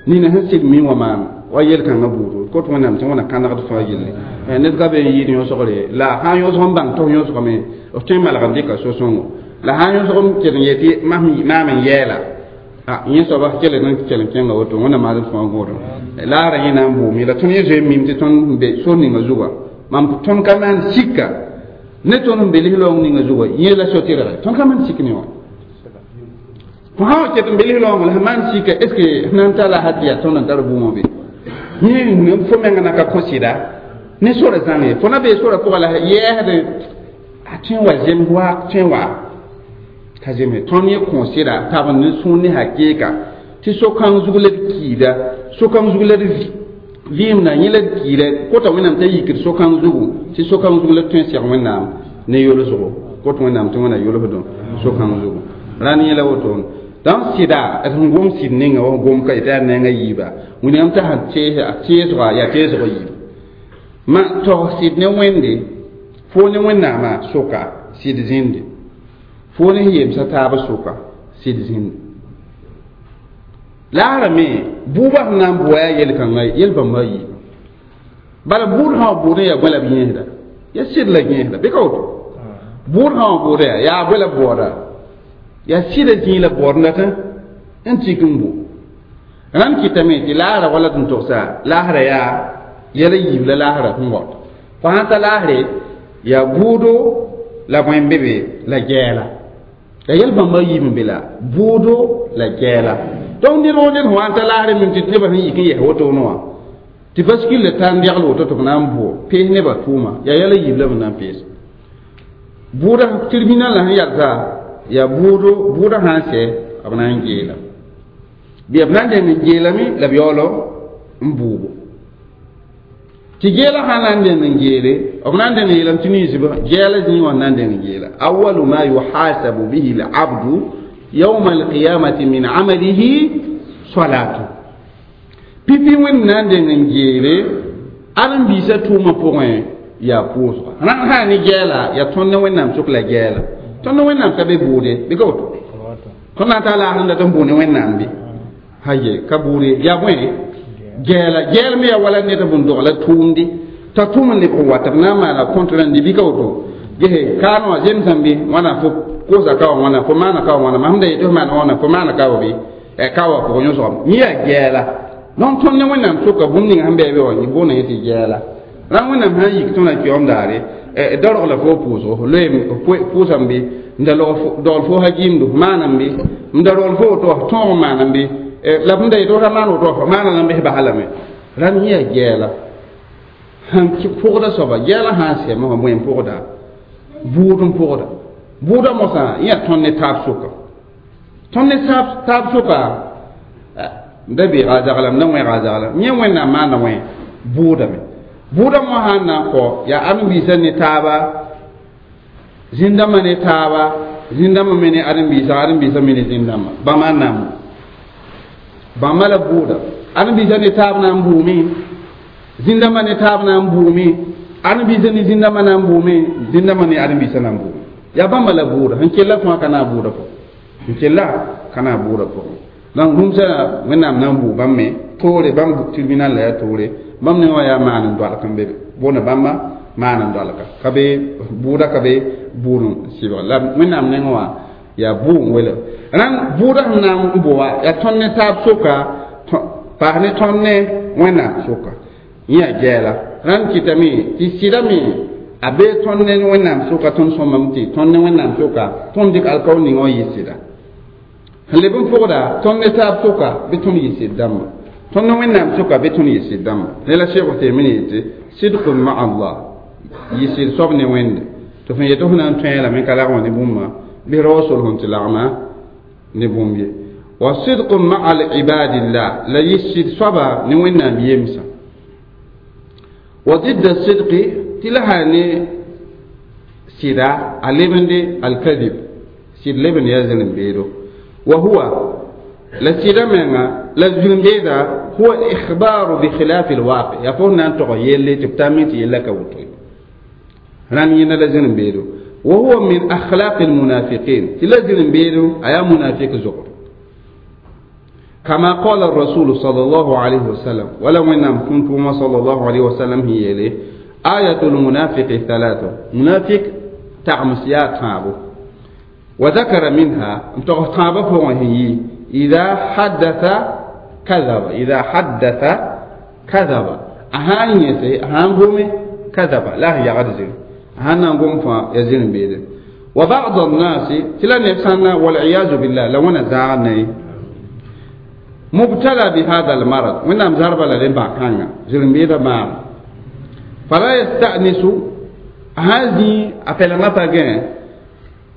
nina sẽn sɩd mi wã maan wa yel-kãngã buudu kot wẽnnaam tɩ wẽna kãnegd fãa yelle ned ka be n yɩɩd yõsgre la sã n yõsg n bãng tɩ f yõsgame f tõe n malg n dɩka so-sõngo la sã n yõsg n ket n yetɩ maam n yɛɛla a yẽ soaba kell n kell n kẽnga woto wẽnnaam maasd fãa gõodem laara yẽ na n bʋʋme la tõnd yẽ zoe n mim tɩ tõnd be sor ninga zugã mam tõnd ka maan sika ne tõnd n be lislaoong ninga zugã yẽ la so-tɩrge tõnd ka maan sik ne wã fo sã wa ket n be lislaoongã la sẽn maan sika est ce que sẽn na n tara la tɩ yaa tõnd n tar bũmã be yẽ fo menga na ka kõ sɩda ne sora zãng fo na bee sora pʋga la yɛɛsd a tõe n wa zems wa tõe n wa ka zeme tõnd yẽ kõ sɩda tab ne sũur ne hakeeka tɩ so-kãng zug la d kiida so-kãng zug la d vɩɩmda yẽ la d kiida kota wẽnnaam t'a yikd so-kãng zugu tɩ so-kãng zug la d tõe n seg wẽnnaam ne yolsgo kot wẽnnaam tɩ wẽna yolsdõ so-kãng zugu rãnd yẽ la woto donc sɩda d sẽn gom sɩd ninga wa gom ka tɩ yaa nenga yiiba wẽnnaam t'a sẽn teesga yaa teesg yiib ma tog sɩd ne wẽnde fo ne wẽnnaamã soka sɩd zĩnde fo ne yemsa taab soka sɩd zĩnde laara me buubã sẽn na n bʋa yaa yel-kãngã yel-bãmba yiiba bala buud sã wa bʋʋd n yaa bõe la b yẽesda yaa sɩd la yẽesda bɩ ka woto buud sã wa bʋʋda yaa yaa bõe la b baooda yaa sɩda zĩig la baood n dat N tik n bo rãnd kɩtame tɩ laasra wala tɩ n togsa laasra yaa yɛla yiib la laasra sẽn waoot fo sãn ta laasre yaa bʋʋdo la bõe n be be la gɛɛla la yɛl bãmba yiib n be la bʋʋdo la gɛɛla donc ned woo ned sẽn wa n ta laasre mim tɩ nebã sẽn yik n yɛs wotone wã tɩ baskil la tar n degl woto tɩ b na n bʋ pees nebã tʋʋma yaa yɛla yiib la b na n pees bʋʋda tribunal la sẽn yalsa yaa bʋʋdo bʋʋda sã n sɛ b na n geela bɩ b na n deng n geelame la b yaoolo n bʋʋbo tɩ geela sã na n deng n geele b na n deng n yeelame tɩ ninsbã gɛɛla zĩig wã na n deng n geela awalu ma yuhasabu bihi labdu yawma alqiyamati min amalihi salatu pipi wẽnd na n deng n geele ãdem-biisã tʋʋmã pʋgẽ yaa pʋʋsga rãnd sã ne gɛɛla yaa tõnd ne wẽnnaam sʋk la gɛɛla tõnd ne wẽnnaam ka be bʋʋde bɩ ka woto tõnd na n taa laasd n dat n bʋʋ ne wẽnnaam bɩ haye ka bʋʋde yaa bõe gɛɛla gɛɛl me yaa wala ned bũn dogla tʋʋmde t'a tʋʋm n lebg n wa tɩ b na n maana compte rãndi bɩ ka woto gese kaanẽ wã zemsãm bɩ wãna fo kosa ka wã wãna fo maana ka wã wãna mam da yetɩ fo maana wãna fo maana ka wa bɩ ka wã pʋgẽ yõsgame yẽ yaa gɛɛla donc tõnd ne wẽnnaam sʋka bũmb ning sẽn bɩ wã boonda yẽ tɩ gɛɛla rãnd wẽnnaam sã n yik tõnd a kiom daare darog la fo pʋʋsgo loeem pʋʋsame bɩ n da dogl fo ha-gɩɩmdo maanam bɩ n da rogl fo woto tõog maanam bɩ la b da yetɩ ra maan woto fo maana la n bɩs basa lame rãnd yẽ yaa gɛɛla sẽn pʋgda soaba gɛɛla sã n sɛme wã bõe n pʋgda bʋʋd n pʋgda bʋʋda mosã yẽ yaa tõnd ne taab sʋka tõnd ne taab sʋka n da beega a zaglam da wẽega a zaglam yẽ wẽnnaam maanda wẽ bʋʋdame bʋʋda mo sãn na n kɔ yaa ãdem-biisã ne taaba zĩn-dãmbã ne taaba zĩn-dãmbã me ne ãdem-biisã ãdem-biisã me ne zĩn-dãmbã bãmba n na n bãmba la bʋʋda ãdem-biisã ne taab na n bʋʋme zĩn-dãmbã ne taab na n bʋʋme ãdem-biisã ne zĩn-dãmbã na n bʋʋme zĩn-dãmbã ne ãdem-biisã na n bʋʋme yaa bãmba la bʋʋda sẽn kella fãa ka na a bʋʋda pʋgẽ sẽn kella ka na a bʋʋda pʋgẽ donc rũmsã wẽnnaam na n bʋʋ bãmb me toore bãmb tribunal la yaa toore bãmb ne wã yaa maan n doalg n be boonda bãmba maan n doalga ka be bʋʋda ka be bʋʋd n sɩbg la wẽnnaam nengẽ wã yaa bʋʋ n wela rãnd bʋʋda sẽn na n bʋa yaa tõnd ne taab soka paas ne tõnd ne wẽnnaam soka yẽ yaa gɛɛla rãnd kɩtame tɩ sɩda me a bee tõnd ne wẽnnaam soka tõnd sõmame tɩ tõnd ne wẽnnaam soka tõnd dɩk alkaoor ning wã yɩ sɩda sẽn leb n pʋgda tõnd ne taab soka bɩ tõnd yɩ sɩd dãmba tõnd ne wẽnnaam soka bɩ tõnd yɩ sɩd dãmba ne la Sheikh Uthaymin yetɩ sidqun ma'a Allah yɩ sɩd soab ne wẽnde tɩ fõn yetɩ fõ na n tõe lame ka lagma ne bũmba bɩ rao sol sẽn tɩ lagma ne bũmb ye wa sidqun ma'a ibadillah la yɩ sɩd soaba ne wẽnnaam yemsã wa didda sidqi tɩ la sã ne sɩda a lebende alkadib sɩd lebend yaa zĩrim-beedo wa huwa la sɩda menga la zĩrim-beeda huwa ikhbaru bi khilafi alwaqi yaa fo na n tog yelle tɩ b tame tɩ yella ka woto rãnd yẽnda la zĩrim-beedo wa huwa min akhlaqi almunafiqin tɩ la zĩrim-beedo a yaa munafik zogr كما قال الرسول صلى الله عليه وسلم ولا من كنتم صلى الله عليه وسلم هي لي آية المنافق ثلاثة منافق تعمس يا تابو وذكر منها تابو هي إذا حدث كذب إذا حدث كذب أهان يسي أهان قومي كذب لا هي غرزل أهان نقوم فيزين بيده وبعض الناس تلا نفسنا والعياذ بالله لو أنا زعلني مبتلى بهذا المرض من أم زرب لدين باكانا زلمبيدا ما فلا يستأنس هذه أفلما باغين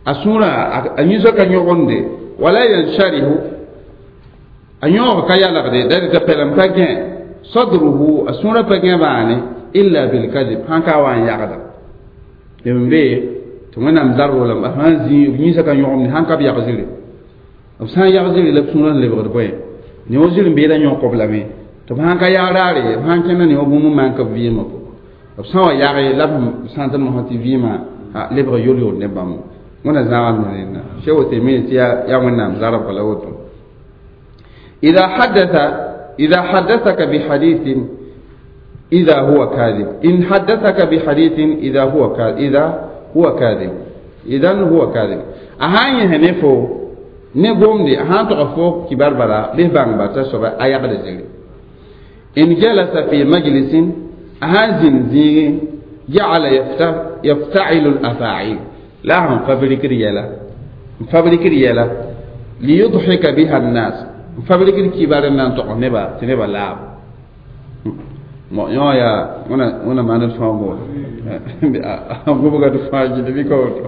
أسورة أنيسا كان يغندي ولا ينشره أنيوغ كيا لغدي داري تفلم باغين صدره أسورة باغين باني إلا بالكذب هانكا وان يغدا يمبي تمنى أم زرب لما هذه أنيسا كان يغندي هانكا بيغزلي أبسان يغزلي لبسونا لبغد بوين ne wo zĩr n beeda yõk b lame tɩ b sãn ka yag raare b sãn kẽnda ne wa bũmb n maan ka b vɩɩmã pʋgẽ b sã wa yage la b sã n tɩ mosã tɩ vɩɩmã lebg yol-yol ne bãmb wẽna zãag n rẽnda Sheikh Uthaymin tɩ yaa wẽnnaam zarb la woto إذا حدثك بحديث إذا هو كاذب إن حدثك بحديث إذا هو كاذب إذا هو كاذب إذا هو كاذب أهاني هنفو Ne gomde sãn tog fo kibar bala bɩ bãngba t'a soaba a yagd zĩri in jalasa fi majlisin a sãn zĩnd zĩigẽ ja'ala yafta'ilu al-afa'il la sẽn fabrikd yɛla n fabrikd yɛla liyudhika biha an-nas n fabrikd kibar n na n tog neba tɩ nebã laab yõ yaa wẽna maand fãa goor a gobga d fãa gil bɩ ka woto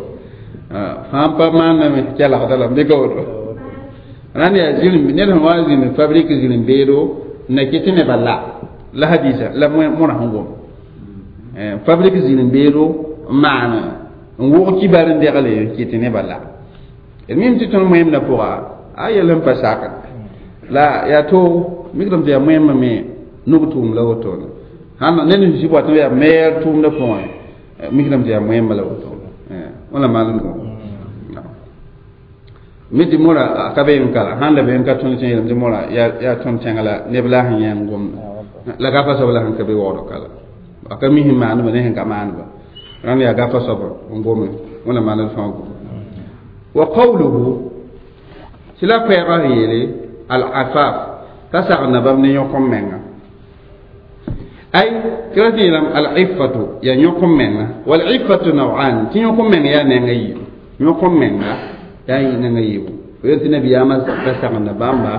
fãa pa maandame kelgda lame bɩ ka woto rãnd yaa zĩrem ned sẽn wa zĩnd fabrik zĩrem beedo n na kɩ tɩ nebã la la hadisa la mõra sẽn gom fabrik zĩrem beedo n maan n wʋg kibar n degle n kɩ tɩ nebã la d mim tɩ tõnd moẽmdã pʋga a yell n pa sakd la yaa toog mikdame tɩ yaa moẽmbã me nug tʋʋm la wotone sãn ned sẽn zĩ bɔt yaa meyeer tʋʋmdã pʋgẽ mikdame tɩ yaa moẽmbã la wotone wẽna maan n mi tɩ mõra a ka be n kala sãn la be n ka tõnd tẽ yeelame tɩ mõra yaa tõnd tẽngã la neb la sẽn yã n gomda la gafa soab la sẽn ka be waoodg kala a ka mi sẽn maandba ne sẽn ka maandba rãnd yaa gafa soab n gome wẽna maand d fãa gome wa qawluhu tɩ la koɛɛgã sẽn yeele al-afaf t'a sagenda bãmb ne yõk-m-menga ay tɩ ra tɩ yeelame al-iffatu yaa yõk-m-menga wal-iffatu naw'an tɩ yõk-m-meng yaa nenga yiibu yõk-m-menga yaa nenga yiibu fo yel tɩ nabiyaamã ra sagenda bãmba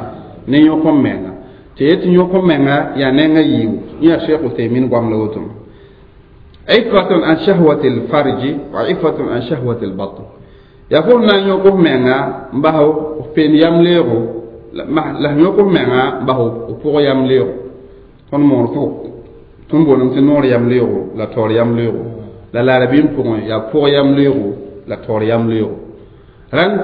ne yõk-m-menga tɩ yet tɩ yõk-m-menga yaa nenga yiibu yẽ yaa Cheikh Uthaymin goam la woto iffatun an shahwati al-farji wa iffatun an shahwati al-batn yaa fo na n yõk f menga n bas f peen yam leoogo la f yõk f menga n bas f pʋg yam leoogo tõnd moor pʋg tõnd boolem tɩ noor yam leoogo la taoor yam leoogo la laarabɩɩm pʋgẽ yaa pʋg yam leoogo la taoor yam leoogo rãnd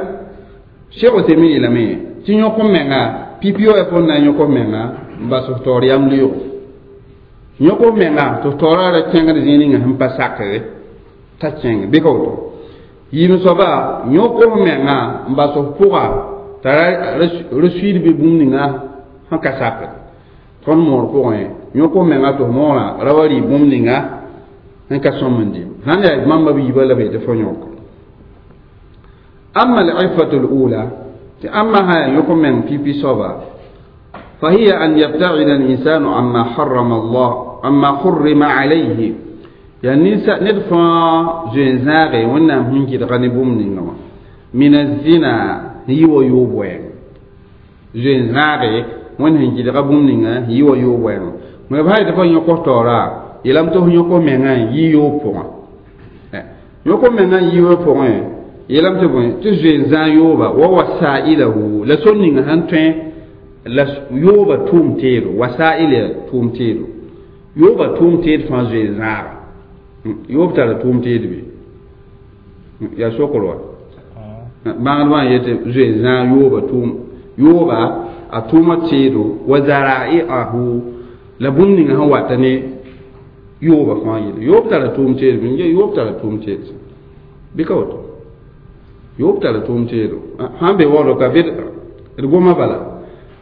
Cheikh Uthaymin yeelame tɩ yõk f menga pipi wa fo na n yõk f menga n bas f taoor yam leoogo yõk f menga tɩ f taoora ra kẽngd zĩig ninga sẽn pa sakre t'a kẽng bɩ ka woto yiim soaba yõk f menga n bas f pʋga t'a ra suiid bɩ bũmb ninga sẽn ka sakd tõnd moor pʋgẽ yõk f menga tɩ f moorã ra wa rɩ bũmb ninga sẽn ka sõm n dɩ sãn yaa mamba b yiibã la b yetɩ fo yõk amma al-iffatu al-ula tɩ ãmba sã yaa yõk meng pipi soaba فهي أن يبتعد الإنسان عما حرم الله عما حرم عليه يعني ندفع زنزاغي ونام هنكي دغني بوم من الزنا هي ويوبوين زنزاغي ون هنكي دغ بوم نينغا هي ويوبوين ما بهاي دفع يوكو تورا يلام تو يوكو مينغا يوبوين يوكو مينغا يوبوين يلام تو بوين تو زنزان يوبا ووسائله لسون نينغا هنتوين la yooba tʋʋm teedo wasail ya tʋʋm teedo yooba tʋʋm teed fãa zoe zãaga yoob tara tʋʋm teed be yaa sokr wa bãgdbã n yetɩ zoe zãag yooba tʋʋm yooba a tʋʋma teedo wa zarai'ahu la bũmb ninga sẽn wata ne yooba fãa yelle yoob tara tʋʋm teed be yoob tara tʋʋm teed bɩ ka woto yoob tara tʋʋm teedo sãn be waoodg ka d goma bala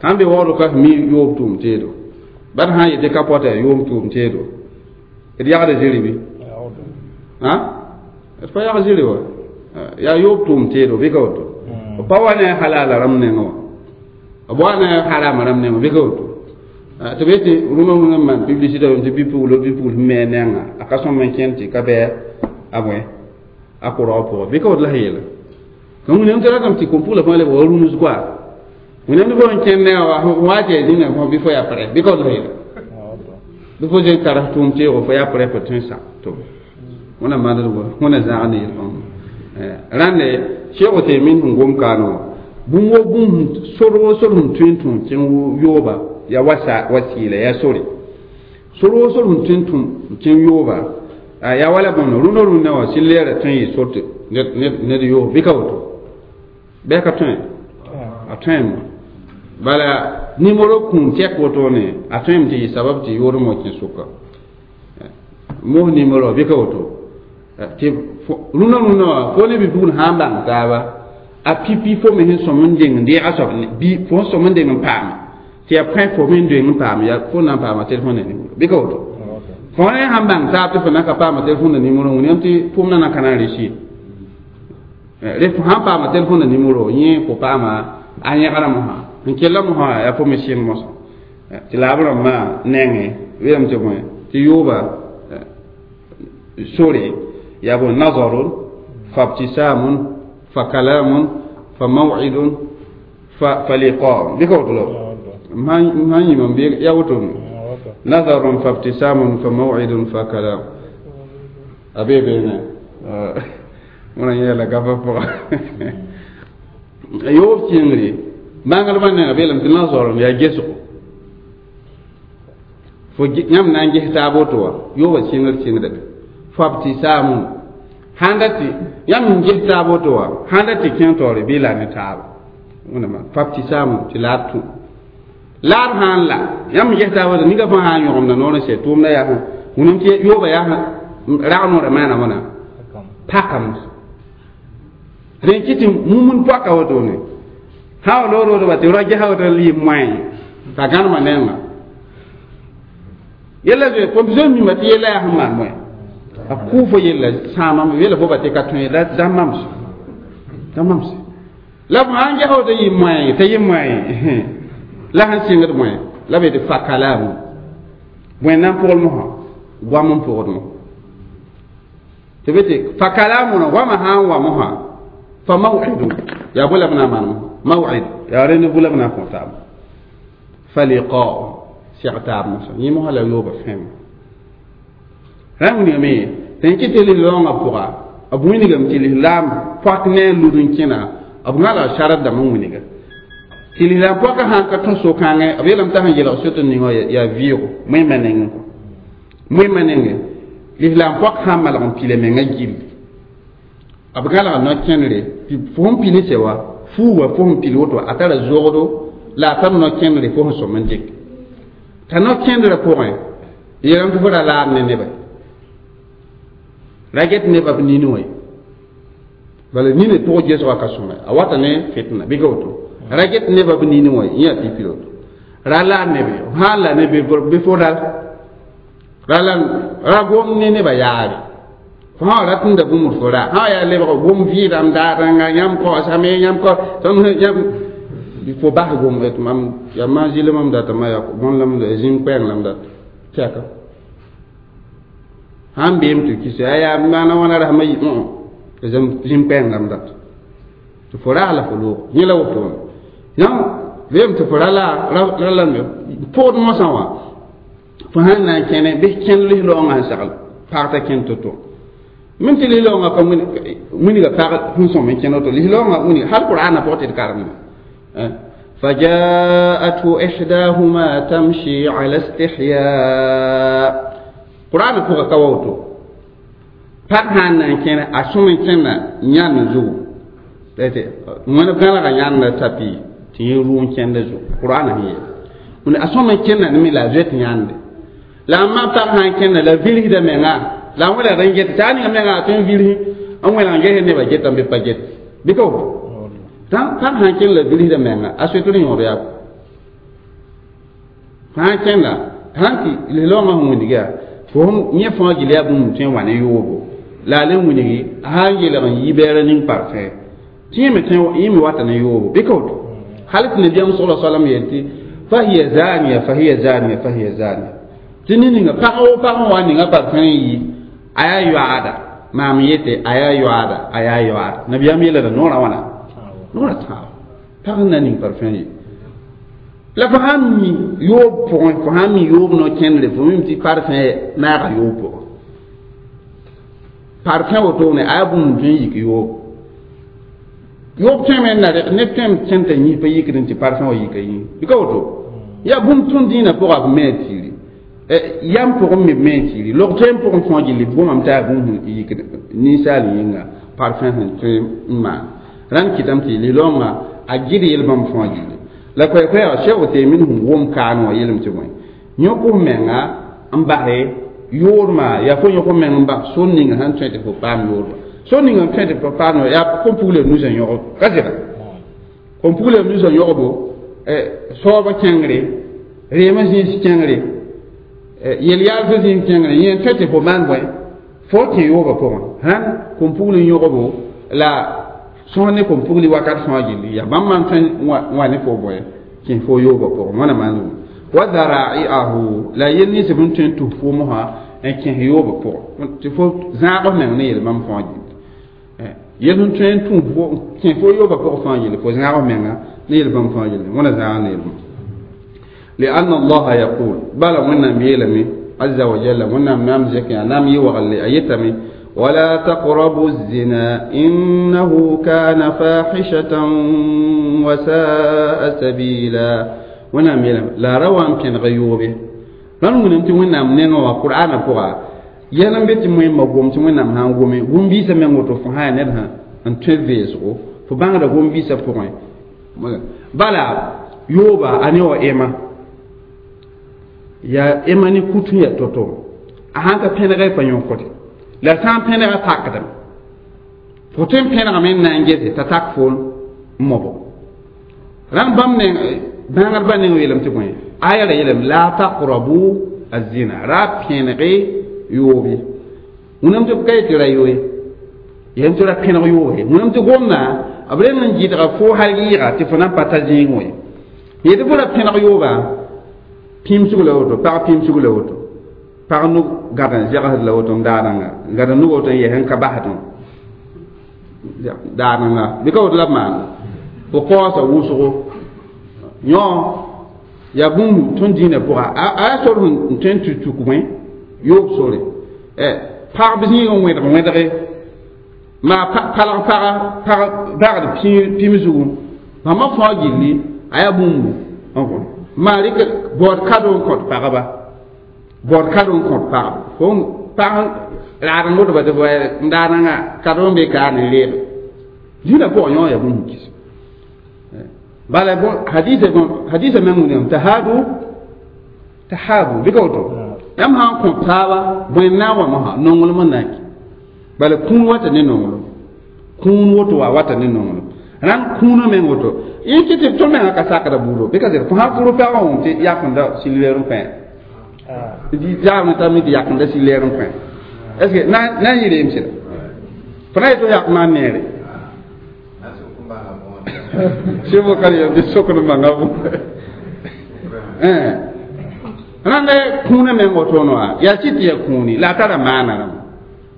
sãn be waoodg ka mi yoob tʋʋm teedo bad sã n yetɩ ka pɔta yaa yoob tʋʋm teedo d yagda zĩri bɩ d pa yag zĩri wa yaa yoob tʋʋm teedo bɩ ka woto b pa wa ne halala rãmb nengẽ wã b wa ne harama rãmb nengẽ bɩ ka woto tɩ b yetɩ rũnã rũnã n maan publicité tɩ bɩ-puglo bɩ-pugl sẽn me a nengã a ka sõm n kẽnd tɩ ka bɩ a bõe a kʋrg pʋgẽ bɩ ka woto la sẽn yeela wẽnnaam tɩ ratame tɩ kom-pugla fãa lebg wa rũms koa wẽnnaam tɩ fo n kẽnd nengã wa wa tɩ yaa zĩnã fõ bɩ fo yaa prɛ bɩ ka woto la sẽn yeela bɩ fo zoe tar tʋʋm teoogo fo yaa prɛ fo tõe n sak to wẽna maand wẽna zãag ne yel-bãmb rãnde Cheikh Uthaymin sẽn gom kaane wã bũmb wo bũmb sor wo sor sẽn tõe n tũ kẽng yooba yaa wasiila yaa sore sor wo sor sẽn tõe n tũ kẽng yooba yaa wala bõmb rũndã rũndã wã sɩl leera tõe n yɩ sor tɩ ned yoog bɩ ka woto bɩ ka tõe a tõeme bala nimero kũum tɛk wotone a tõeme tɩ yɩ sabab tɩ yoodem wa kẽ sʋka mos nimero bɩ ka woto tɩ rũndã rũndã wã fo ne bi-pugl sã n bãng taaba a pipi fo me sẽn sõm n deng n deega soab bɩ fo sẽn sõm n deng n paame tɩ yaa pẽ fo me n deng n paame yaa fo na n paama telefon na nimero bɩ ka woto fo ne sãn bãng taab tɩ fo na ka paama telefon na nimero wẽnnaam tɩ pʋʋm na na ka na n reusir Ref sãn paama telefõnã nimero yẽ fo paama a yẽgra mosã n kella mosã yaa fo me sɩng mosã tɩ la b rãmbã nengẽ weelame tɩ bõe tɩ yooba sore yaa bõe nazarun fabtisamun fa kalamun fa maw'idun fa liqa bɩ ka woto la sãn yĩm n bɩ yaa woto nazarun fabtisamun fa maw'idun fa kalam a bee beene wẽna yɛɛla gafa pʋga yoob sɩngre bãngrmã nenga beelame tɩ nazarun yaa gesgo fo yãmb na n ges taab woto wã yooba sɩngr sɩngda be fabtisamun sãn dat tɩ yãmb n ges taab woto wã sãn dat tɩ kẽng taoore bɩ la ne taaba wẽnnaam fabtisamun tɩ la d tũ laad sãn la yãmb n ges taab woto ninga fãa sã n yõgemda noor n sɛ tʋʋmda yaa wũnam tɩ yooba yaa rag noorã maana wãna pakam rẽn kɩ tɩ mumund poaka wotone sã wa loor woto ba tɩ ra gesa woto lɩɩm moẽ t'a gãnema nenga yella zoe fo zoe mima tɩ yella yaa sẽn maan moẽ a kʋʋ fo yella sãamame yella fo ba tɩ ka tõe da mamse da mamse la fo sãn gesa woto yɩ moẽ t'a yɩ moẽ la sẽn sɩngd moẽ la be tɩ fa kalamu bõe na n pʋgl mosã goam n pʋgd mo tɩ be tɩ fa kalamu goamã sã n wa mosã fa maw'idun yaa bõe la b na n maan maw'id yaa rẽnd bʋ la b na n kõ taab fa liqa'u sɛg taab mosã yẽ mosã la yooba fẽem rãmb wilgame tɩ kɩ tɩ lislaoongã pʋga b wilgame tɩ lislaam poak ne a lud n kẽna b gãlga sard dãmb n wilga tɩ lislaam poakã sãn ka tõe so-kãngẽ b yeelame t'a sẽn yelg sot n ning wã yaa vɩɩgo moẽmã nengẽ kɔ moẽmã nengẽ lislaam poak sãn malg n pila mengã gill b gãlga no-kẽnere tɩ fo sẽn pil n sɛ wa fuuga fo sẽn pil woto a tara zogdo la a tar no-kẽnere fo sẽn sõm n dɩk t'a no-kẽndrã pʋgẽ yeelame tɩ fo ra laad ne nebã ra get nebã b nini wã bala nini pʋg gesgã ka sõma a wata ne fitna bɩ ka woto ra get nebã b nini wã yẽ yaa pipi woto ra laad nebe sãn la ne bɩ fo ral ra la ra gom ne nebã yaare fo sã wa rat n da bũmb fo ra sã yaa lebg gom vɩɩdame daarãnga yãmb kaoosame yãmb kao yãmb fo bas gom tɩ mam yaa maan zɩle mam data ma yaa bõn lam zĩm koɛɛng lam data tɛka sãn beem tɩ kis yaa yaa maana wãna rasmã yi zĩm koɛɛng lam data tɩ fo raa la fo loog yẽ la wotone yãmb beem tɩ fo ra la ra la pʋgd mosã wã fo sãn na n kẽne bɩ kẽnd lislaoongã sẽn sagl pag t'a kẽnd to-to min tɩ lislaoongã ka wilga pag sẽn sõm n kẽnd woto lislaoongã wilga hal qur'aanã pʋgẽ tɩ d karemda فجاءته إحداهما تمشي على استحياء قرآن فوق كووتو pag sãn na n kẽne a sõm n kẽnna yãnd zugu wẽnd gãlga yãnd tapi tɩ yẽ rʋ n kẽnda zugu qur'aana sẽn yeel a sõm n kẽnna ne me la a zoet yãnde la a ma pag sã n kẽnna la vilsda menga la a wẽlgd n get tɩ a ninga menga a tõe n vilsi n wẽlg n ges nebã getame bɩ pa get bɩ ka woto pag sãn kẽnd la vilsda menga a soetr yõod yaa sã n kẽnda sãn tɩ lislaoongã sẽn wilg yaa fo yẽ fãa gil yaa bũmb tõe n wa ne yoobo la a le wilgi sã n yelg n yi bɛɛra ning parfẽ tɩ yẽ me tõe yẽ me wata ne yoobo bɩ ka woto hal tɩ nabiyaam sala salam yeel tɩ fahiya zaniya fahiya zaniya fahiya zaniya tɩ ne ninga pag wo pag n wa ninga parfẽ n yi a yaa yoaada maam yete a yaa yoaada a yaa yoaada nabiyaam yeelada noorã wãna noorã tãabo pag n na ning parfẽ yi la fo sãn mi yoob pʋgẽ fo sãn mi yoob no-kẽndre fo mim tɩ parfẽ naaga yoob pʋgẽ parfẽ wotone a yaa bũmb tõe n yik yoob yoob tõeme n na neb tõem kẽnd t'a yĩs pa yikd n tɩ parfẽ wã yika yĩng bɩ ka woto yaa bũmb tõnd dĩinã pʋga b me tiiri yam pʋgẽ me b me tiiri log tõe n pʋgẽ fõa gilli gomame t'a yaa bũmb sẽn yikd ninsaal yĩnga parfẽ sẽn tõe n maan rãnd kɩtame tɩ lislaoongã a gɩd yel-bãmb fõa gilli la koɛɛ-koɛɛga Cheikh Uthaymin sẽn wʋm kaan wã yeelame tɩ bõe yõk f menga n base yoormã yaa fo yõk f meng n bas sor ninga sẽn tõe tɩ fo paam yoorma sor ninga n tõe tɩ fo paam yaa kom-pugl nusã yõgb ka sɩda kom-pugl nusã yõgbo soabã kẽngre reemã zĩis kẽngre yel-yaalsã zĩis kẽngre yẽ n tõe tɩ fo maan bõe fo kẽ yoobã pʋgẽ sãn kom-pugl n yõgbo la Sõs ne kom-pugli wakat fãa gilli yaa bãmb maan tõe n wa ne fo bõe kẽ fo yoobã pʋgẽ wãna maan wa dhara'iahu la yel nins b n tõe n tus fo mosã n kẽs yoobã pʋgẽ tɩ fo zãag f meng ne yel bãmb fãa gilli yel sẽn tõe n tũ kẽ fo yoobã pʋgẽ fãa gilli fo zãag f menga ne yel bãmb fãa gilli wãna zãag ne yel bãmb لأن الله يقول بلى ونم يلمي عز وجل ونم نام زكي نام يوغل أيتمي ولا تقربوا الزنا إنه كان فاحشة وساء سبيلا ونم يلم لا روان كان غيوبه لن ونم ونم نينو القرآن بوغا يلم بيت مهم مغوم ونم هان غومي غوم بيسا من وتو فها ندها ان تفيسو فبانغ غوم بيسا بوغا بلا يوبا اني و ايما ya ema ni kutu ya toto a sãn ka pẽnega y pa yõkde la sã n pẽnega takdame fo tõe n pẽnegame n na n gese t'a tak foon n mobo rãmb bãmb neng bãngdbã neng yeelame tɩ bõe aya ra yeelame la taqrabu azina ra pẽnege yoobe wẽnnaam tɩ ka yetɩ ra yoe yeelame tɩ ra pẽneg yoobe wẽnnaam tɩ gomda b reng n gɩdga fo hal yɩɩga tɩ fo na n pa ta zĩig wẽ yetɩ fo ra pẽneg yooba pĩmsg la woto pag pĩmsg la woto pag nug gad n zegsd la woto n daadãnga gad n nug woto n yɛs n ka basdẽ daadãnga bɩ ka woto la b maanda fo kaoosa wʋsgo yõ yaa bũmb tõnd dĩinã pʋga a yaa sor sẽn tõe n tɩ tuk bõe yoob sore pagb zĩig n wẽdg wẽdge maa palg paga pag bagd pĩmsgu bãmba fãa gilli a yaa bũmbu maa rɩk baood kado n kõt pagba baood kado n kõt pagba fo pag raad n wodba tɩ n daadãnga kado n be ka ne reeg dĩinã pʋgã yõ yaa bũmb kis bala hadisa meng william tahadu tahabu bɩ ka woto yãmb sã n kõt taaba bõe n na n wa mosã nonglem n na n kɩ bala kũun wata ne nonglem kũun woto wa wata ne nonglem rãnd kũunã meng woto yẽ kɩ tɩ tõnd mengã ka sakda buudo bɩ ka zɩr fo sã fʋr pɛgã wʋm tɩ yakenda silɛɛr n pẽ yaam t'a mi tɩ yakenda silɛɛr n pẽ est ce que na n yɩ reem sɩda fo na yetɩ yak maan neere sɩbʋ ka yel tɩ sokd manga bʋ rãnd kũunã meng wotono wã yaa sɩ tɩ yaa kũuni la a tara maana rãmba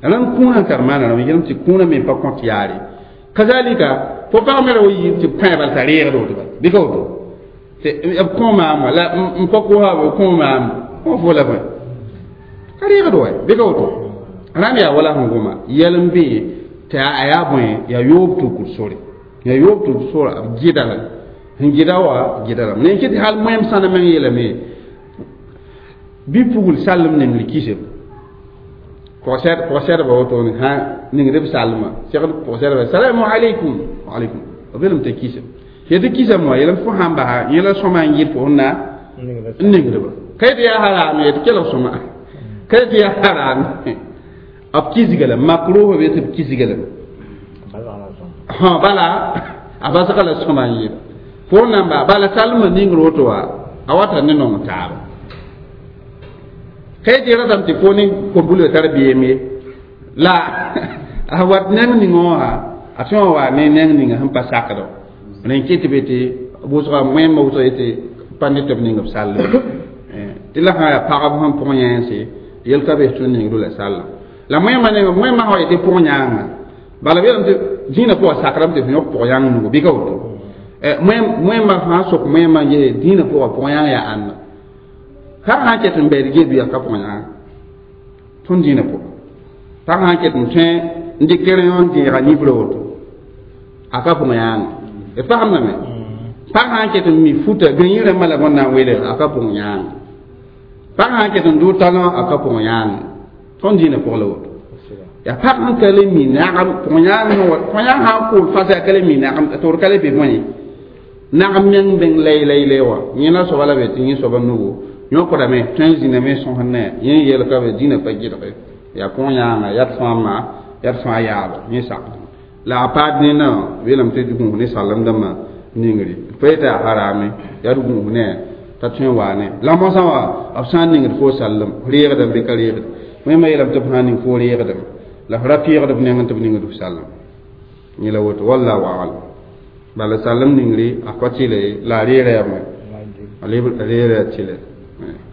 rãnd kũunã n tar maana rãmba yelem tɩ kũunã me pa kõt yaare kazalika fo pag me ra wa yɩ tɩ pãe bal t'a reegd woto bal bɩ ka woto tɩ b kõ maam wã la n pa kosa b kõ maam fo fo la bõe ka reegd wa bɩ ka woto rãnd yaa wala sẽn goma yɛl n bee tɩ a yaa bõe yaa yoob tukur sore yaa yoob tukur sore b gɩda la sẽn gɩda wa gɩda lame ne kɩ tɩ hal moẽm sãna meng yeelame bɩ pugl sallem nengr kisem pʋg-sɛdba wotone sã ningd b sallma segd pʋg-sɛdba salamu aleykum aleykum b belem t'a kisem yetɩ kisame wã yeelame fo sãn basa yẽ la sõma n yɩl fo sẽn na n ningdba ka yetɩ yaa haraame yetɩ kelg sõma ka yetɩ yaa haraame b kisga la makruh be tɩ b kisga lame bala a basga la sõma n yɩla fo n na n ba bala salmã ningr woto wã a wata ne nong taaba ka yetɩ ratame tɩ fo ne kom-pulga tar beem ye la a wat neng ning wã a tõe n wa ne neng ninga sẽn pa sakd rẽ kɩ tɩ be tɩ wʋsga wẽmba wʋsg yetɩ pa ne tɩ b ning b sallem tɩ la sã yaa pagb sẽn pʋg yẽense yel ka bes tõnd ningdo la sallem la wẽmba neng wẽmba sã wa yetɩ pʋg yãanga bala b yeelame tɩ dĩinã pʋgã sakrame tɩ f yõk pʋg yãng nugu bɩ ka woto wẽmba sã n sok wẽmba n yee dĩinã pʋgã pʋg yãng yaa ãnna pag sã n ket n bɛɛd gee bɩa ka pʋg yãanga tõnd dĩinã pʋgã pag sã n ket n tõe n dɩk rẽ n dẽega nifrã woto a ka pʋg yãanga d fagemdame pag sã n ket n mi futa gãyẽ rãmbã la bõn na n welg a ka pʋg yãanga pag sã n ket n dʋ talõ a ka pʋg yãanga tõnd dĩinã pʋg la woto yaa pag sẽn ka le mi nagem pʋg yãang sã n kool fasa a ka le mi nagem tɩ d ka le be bõe nagem meng bẽng lay lay lay wã yẽ la soaba la be tɩ yẽ soaba nugu yõkdame tõe n zĩname sõsd ne yẽ yel ka be dĩinã pa gɩdge yaa pʋg yãanga yaa d fãa ma yaa d fãa yaaba yẽ sakd la a paad nena weelame tɩ gũus ne salem dãmbã ningri pa yetɩ yaa harame yaa d gũus ne t'a tõe n waa ne la mosã wã b sã n ningd fo sallem reegdame bɩ ka reegd wẽmba yeelame tɩ b sã n ning fo reegdame la f ra pɩɩgd b nengẽ tɩ b ningd f sallem Yẽla woto wallahu a'lam bala salem ningri a ka tɩle la a reera yaa a reera tɩlɛ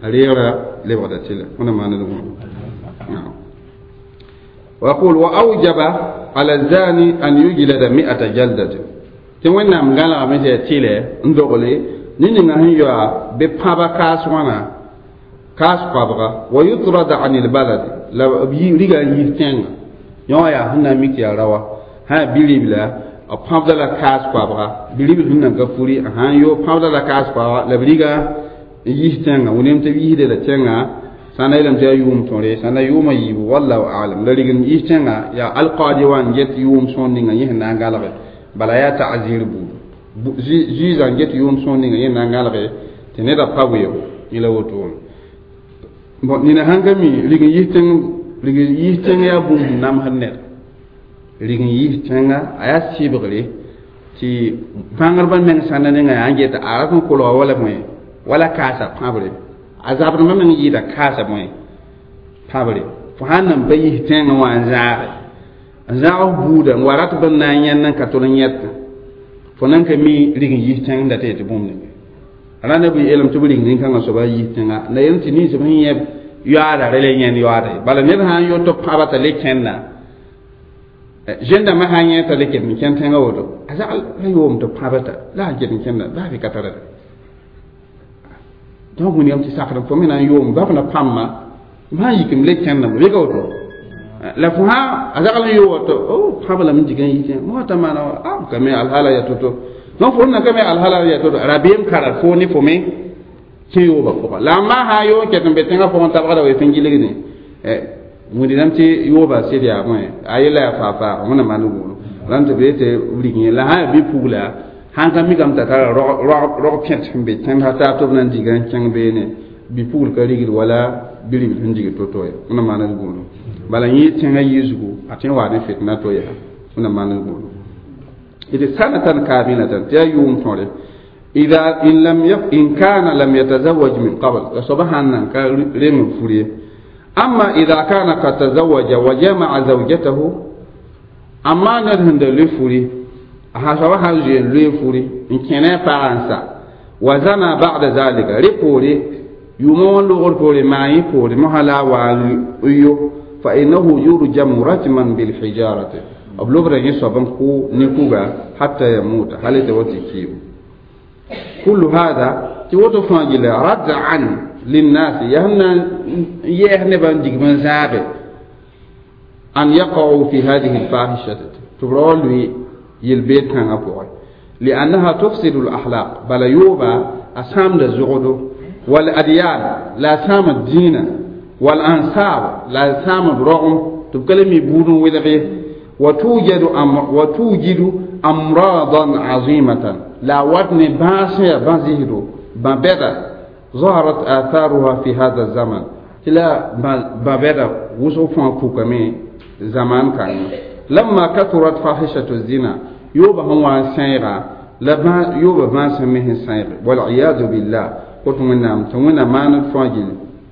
a reera lebgda tɩlɛ wẽna maand d wã ويقول وأوجب على الزاني أن يجلد 100 جلدة tɩ wẽnnaam gãlegame tɩ yaa tɩlɛ n dogle ne ninga sẽn yoa bɩ pãba kaas wãna kaas koabga wa yutrada an ilbalad la b riga n yis tẽngã yõ wã yaa sẽn na n mik tɩ yaa raoã sã yaa bi-ribla b pãbda la kaas koabga bi-ribl sẽn nan ka furi a sãn yo pãbda la kaas koabga la b riga n yis tẽngã wẽnem tɩ b yisde la tẽngã sã na yeelame tɩ yaa yʋʋm tõre sã na yʋʋmã yiibu wallahu alam la rig n yis tẽngã yaa alqaadi wã n get yʋʋm sõor ninga yẽ sẽn na n gãlge bala yaa ta'zir buud zuiizã n get yʋʋm sõor ninga yẽ na n gãlge tɩ neda pa weoogo yẽla woto wã bon nina sãn ka mi rig n yis tẽng rig n yis tẽng yaa bũmb sẽn namsd ned rig n yis tẽnga a yaa sɩbgre tɩ bãngrbã meng sãnda ninga yaa n get a rat n kolga wala bõe wala kaasa pãbre a zabdmã meng yɩɩda kaasa bõe pãbre fo sãn nan pa yis tẽngã wã n zãage n zãag f buuda n wa rat b n na n yẽnd n ka tol n yẽtẽ fo nan ka mi rig n yis tẽng n dat tɩ bũmb ninga rãnda bɩ yeelame tɩ b rig nin-kãngã soaba yis tẽnga la yeelame tɩ ninsb sẽn yẽ yoaada rẽ la yẽnd yoaada ye bala ned sã n yo tɩ pãba t'a le kẽnda zẽn-dãmbã sã n yẽ t'a le ket n kẽnd tẽngã woto a zagl ra yoom tɩ pãba ta la a ket n kẽnda baa bɩ ka tara donc wĩnigame tɩ sakd fo me na n yoom bab na pãmba m sã n yik m le kẽndame bɩ ka woto la fo sã a zagl n yooga tɩ o pãb lame n dig n yitẽ moa t'a maana wa a b ka me alhala yaa to-to donc fo na ka me alhala yaa to-to rabeem kara fo ne fo me kẽ yooba pʋga la a maa sã n yoo n ket n be tẽngã pʋgẽ tabgda wa sẽn gilgde wĩndame tɩ yooba sɩd yaa bõe a yella yaa faa-faaga wẽna maan gũudu rãnd tɩ b yetɩ b rig yẽ la sã yaa bi-pugla sãn ka mikame t'a tara rog pẽt sẽn be tẽnd sã tɩ b na n diga n kẽng beene bi-pugl ka rigd wala bi-ribl sẽn dig to-to ye wẽna maan d gũudu bala yẽ tẽngã yiisgu a tõe n waa ne fitna to yaa wẽna maan d gũudu d sanatan kaamilatan tɩ yaa yʋʋm tõre إذا إن لم يف إن كان لم يتزوج من قبل سبحان كريم فريه أما إذا كان قد تزوج وجمع زوجته أما نرهند لفوري سبحان زين لفوري إن كان فعنسا وزنى بعد ذلك ريبوري يمون لغر ما يبوري مهلا ويو فإنه يرجم رجما بالحجارة أبلغ يصبن كو نكوغا حتى يموت هل توتي كيو كل هذا توتو فاجل ردعا للناس يهنا يهنبا ديغمن زابه أن يقعوا في هذه الفاحشة تبرولوي يلبيت كان أبوي لأنها تفسد الأخلاق بل يوبا أسام الزغدو والأديان لا سام الدين والأنصاب لا سام الرغم تبكلمي بودن وذغي وتوجد أمراضا عظيمة لا وطن باسية بازيهدو بابدا ظهرت آثارها في هذا الزمن لا بابدا وصفا كوكمي زمان كان لما كثرت فاحشة الزنا يوبا هو سيغا لما يوبا ما سميه سيغ والعياذ بالله قلت من نام تمنا ما نفاجل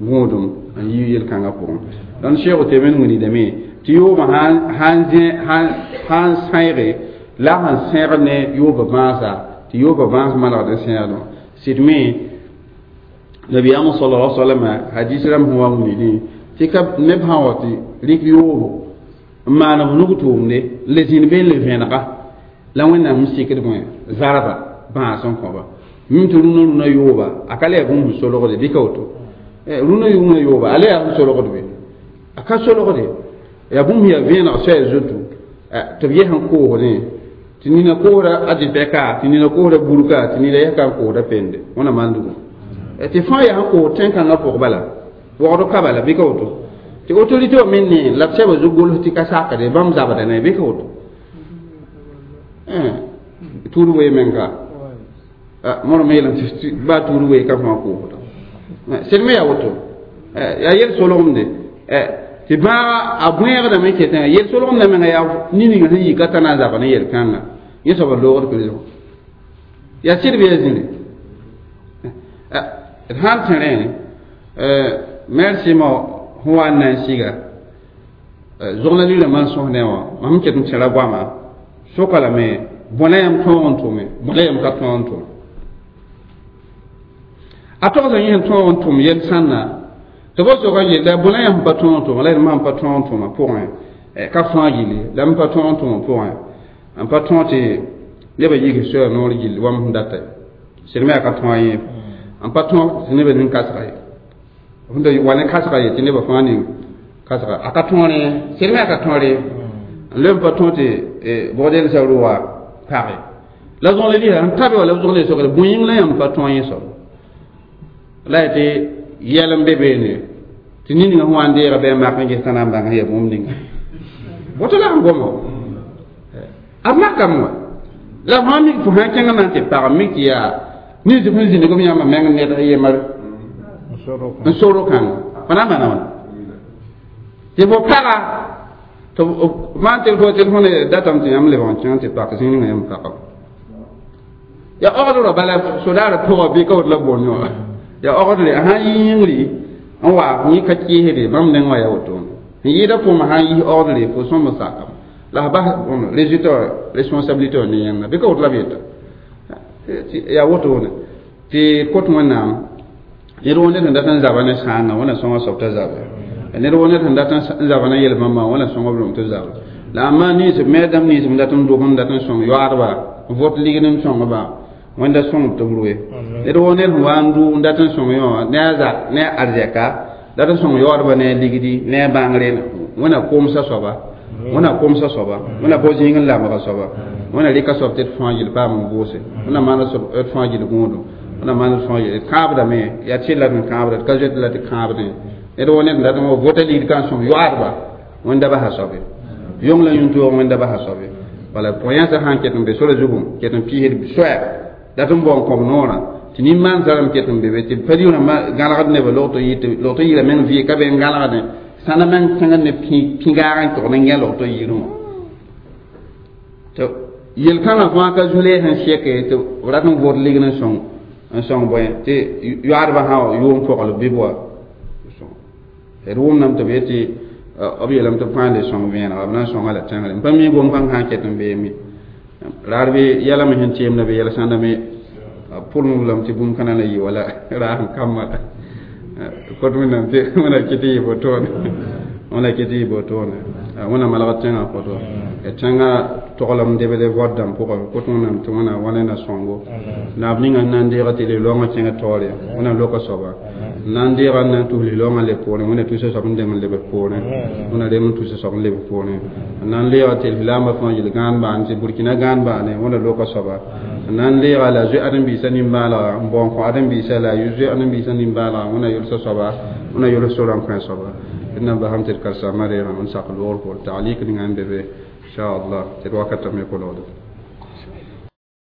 غودم أن ييل كان أقوم لأن شيخ تبين وني دمي تيوبا هان هان هان سيغ لا هان سيغ نه يوبا ما سا تيوبا ما ما لا سيغ سيدمي نبي أمو صلى الله عليه وسلم حديث رم هو وني تكب نبها وتي ريك يوبو n maan b nug tʋʋmde le zĩnd be n le vẽenega la wẽnnaam n sikd bõe zarba bãas n kõba mim tɩ rũnã rũnã yooba a ka le yaa bũmb sẽn solgde bɩ ka woto rũnã rũnã yooba a le yaa sẽn solgd be a ka solgde yaa bũmb yaa vẽeneg soɛɛ zoto tɩ b yes n koosdẽ tɩ nina koosda a dɩpɛka tɩ nina koosda burka tɩ nina yɛs ka n koosda pende wẽna maan dugu tɩ fãa yaa sẽn koos tẽn-kãngã pʋg bala waoogd ka bala bɩ ka woto tɩ autorité wã me ne la b sɛba zug gols tɩ ka sakde bãmb zabda ne bɩ ka woto tuud wee menga mõr me yeelame tɩ baa tuud wee ka fãa koosda sed me yaa woto yaa yel solgemde tɩ bãaga a bõeegdame ketẽngã yel solgemdã menga yaa nin-ninga sẽn yika t'a na n zab ne yel-kãnga yẽ soaba loogd prison yaa sɩd bɩ yaa zĩri d sãn tẽ rẽ merci ma sẽn wa n na n siga zogna lila man sõsdẽ wã mam ket n tẽra goama Soka lame bõe la yãmb tõog n tʋme, bõe la yãmb ka tõog n tʋm. A togsã yẽ sẽn tõog n tʋm yɛl sãnna tɩ b soka n yella bõe la yãmb pa tõog n tʋma, la d pa tõog n tʋma pʋgẽ ka fãa gilli la m pa tõog n tʋma pʋgẽ n pa tõog tɩ nebã yik soya noor gilli wa m sẽn data ye sɩd me yaa ka tõog yẽ n pa tõog tɩ nebã ning kasga ye sẽn wa ne kasga ye tɩ nebã fãa ning kasga a ka tõor yẽ sɩd me yaa ka tõor ye n leb n pa tõog tɩ bogdelsã rʋga page la zõgle lisa n tabe wa la b zõgle sokre bõe yĩng la yãmb pa tõog yẽ soab la yaa tɩ yɛl n be beene tɩ nin-ninga sẽn wa n deega bɩ a mak n ges t'a na n bãng yaa bũmb ninga woto la sẽn goma a makame wa la fãa mik fo sã n kẽng na n tɩ pag mik tɩ yaa nins sẽn zĩnig b yãmba meng ned a yembr n soro kãnga fo na n maana wãna tɩ fo paga tɩ maan tɩ fo tɩ fõne datame tɩ yãmb lebg n kẽng tɩ pak zĩig ninga yãmb pagame ya ogd rã bala sodaarã pʋgã bɩ ka woto la boond wã ya ogdre a sã n yi yĩngri n wa yẽ ka kɩɩsde bãmb neng wã yaa wotone n yɩɩda pʋʋmã sã n yis ogdre fo sõm n sakame la f bas résultat responsabilité wã ne yẽnda bɩ ka woto la b yeta yaa wotone tɩ kot wẽnnaam ned woo ned sẽn dat n zaba ne sãanga wẽna sõnga soab t'a zabe ned woo ned sẽn dat n zaba ne yel-bãmba wẽna sõnga b lom tɩ zabe la a maan nins me dãmb nins n dat n dog n dat n sõng yoaadba n vot ligd n sõngba wẽnda sõng tɩ b roe ned woo ned sẽn wa n dʋ n dat n sõng yõ ne a zak ne a arzɛka dat n sõng yoaadba ne a ligdi ne a bãngre wẽna komsa soaba wẽna komsa soaba wẽna bao zĩig n lamga soaba wẽna rɩka soab tɩ d fãa gill paam n vʋʋse wẽna maana soab d fãa gill gũudum wẽna maana d fãa gill d kãabdame yaa tɩ la d kãabda d ka zoet la tɩ kãabdẽ ned woo ned n dat n wa vota ligd ka n sõng yoaadba wẽnda basa soabe yong la yũntoog wẽnda basa soabe bala pʋg-yãnsã sã n ket n be sora zugu ket n piisd soɛɛ dat n bao n kõb noorã tɩ nin-maan zarame ket n be be tɩ pa rɩʋ gãlgd nebã log tɩ yɩla meng vɩ ka be n gãlgdẽ sãna meng kẽngd ne pĩgaag n tog ne yẽ log tɩ yɩrẽ wã tɩ yel-kãngã fãa ka zu-lees n sɛke tɩ b rat n vot ligd n sõng bõe tɩ yoaadbã sã yʋʋm pɔgl bɩ b wa d wʋmdame tɩ b yetɩ b yeelame tɩ b fãa le sõng vẽenega b na n sõnga la tẽngre n pa mi gom-kãng sã n ket n beeme raar bɩ yɛlame sẽn teemda bɩ yɛl sãnda me pʋlem lame tɩ bũmb kãna la yɩ wala raas n kambã kot wẽnnaam tɩ wẽna kɩ tɩ yɩ botoone wẽna kɩ tɩ yɩ botoone wẽna malgd tẽngã koto tẽngã toglem debd vod dãmb pʋgẽ kot wẽnnaam tɩ wẽna wa ne na sõngo naab ninga n na n deega tɩ li-laoongã kẽngã taoore wẽna loka soaba n na n deega n na n tus li-laoongã leb poorẽ wẽna tusa soab n deng n lebg poorẽ wẽna rem n tusa soab n lebg poorẽ n na n leega tɩ lislaambã fãa yel gãan baane tɩ burkina gãan baane wẽna loka soaba n na n leega la zoe ãdem-biisã nimbãalga n bao n kõ ãdem-biisã la a zoe ãdem-biisã nimbãalga wẽna yolsa soaba wẽna yols sorã n kõ soaba d na n basam tɩ d karsaamã reegã n sak loogr poor taalik ninga n be be inshallah tɩ d wakatame kolgde.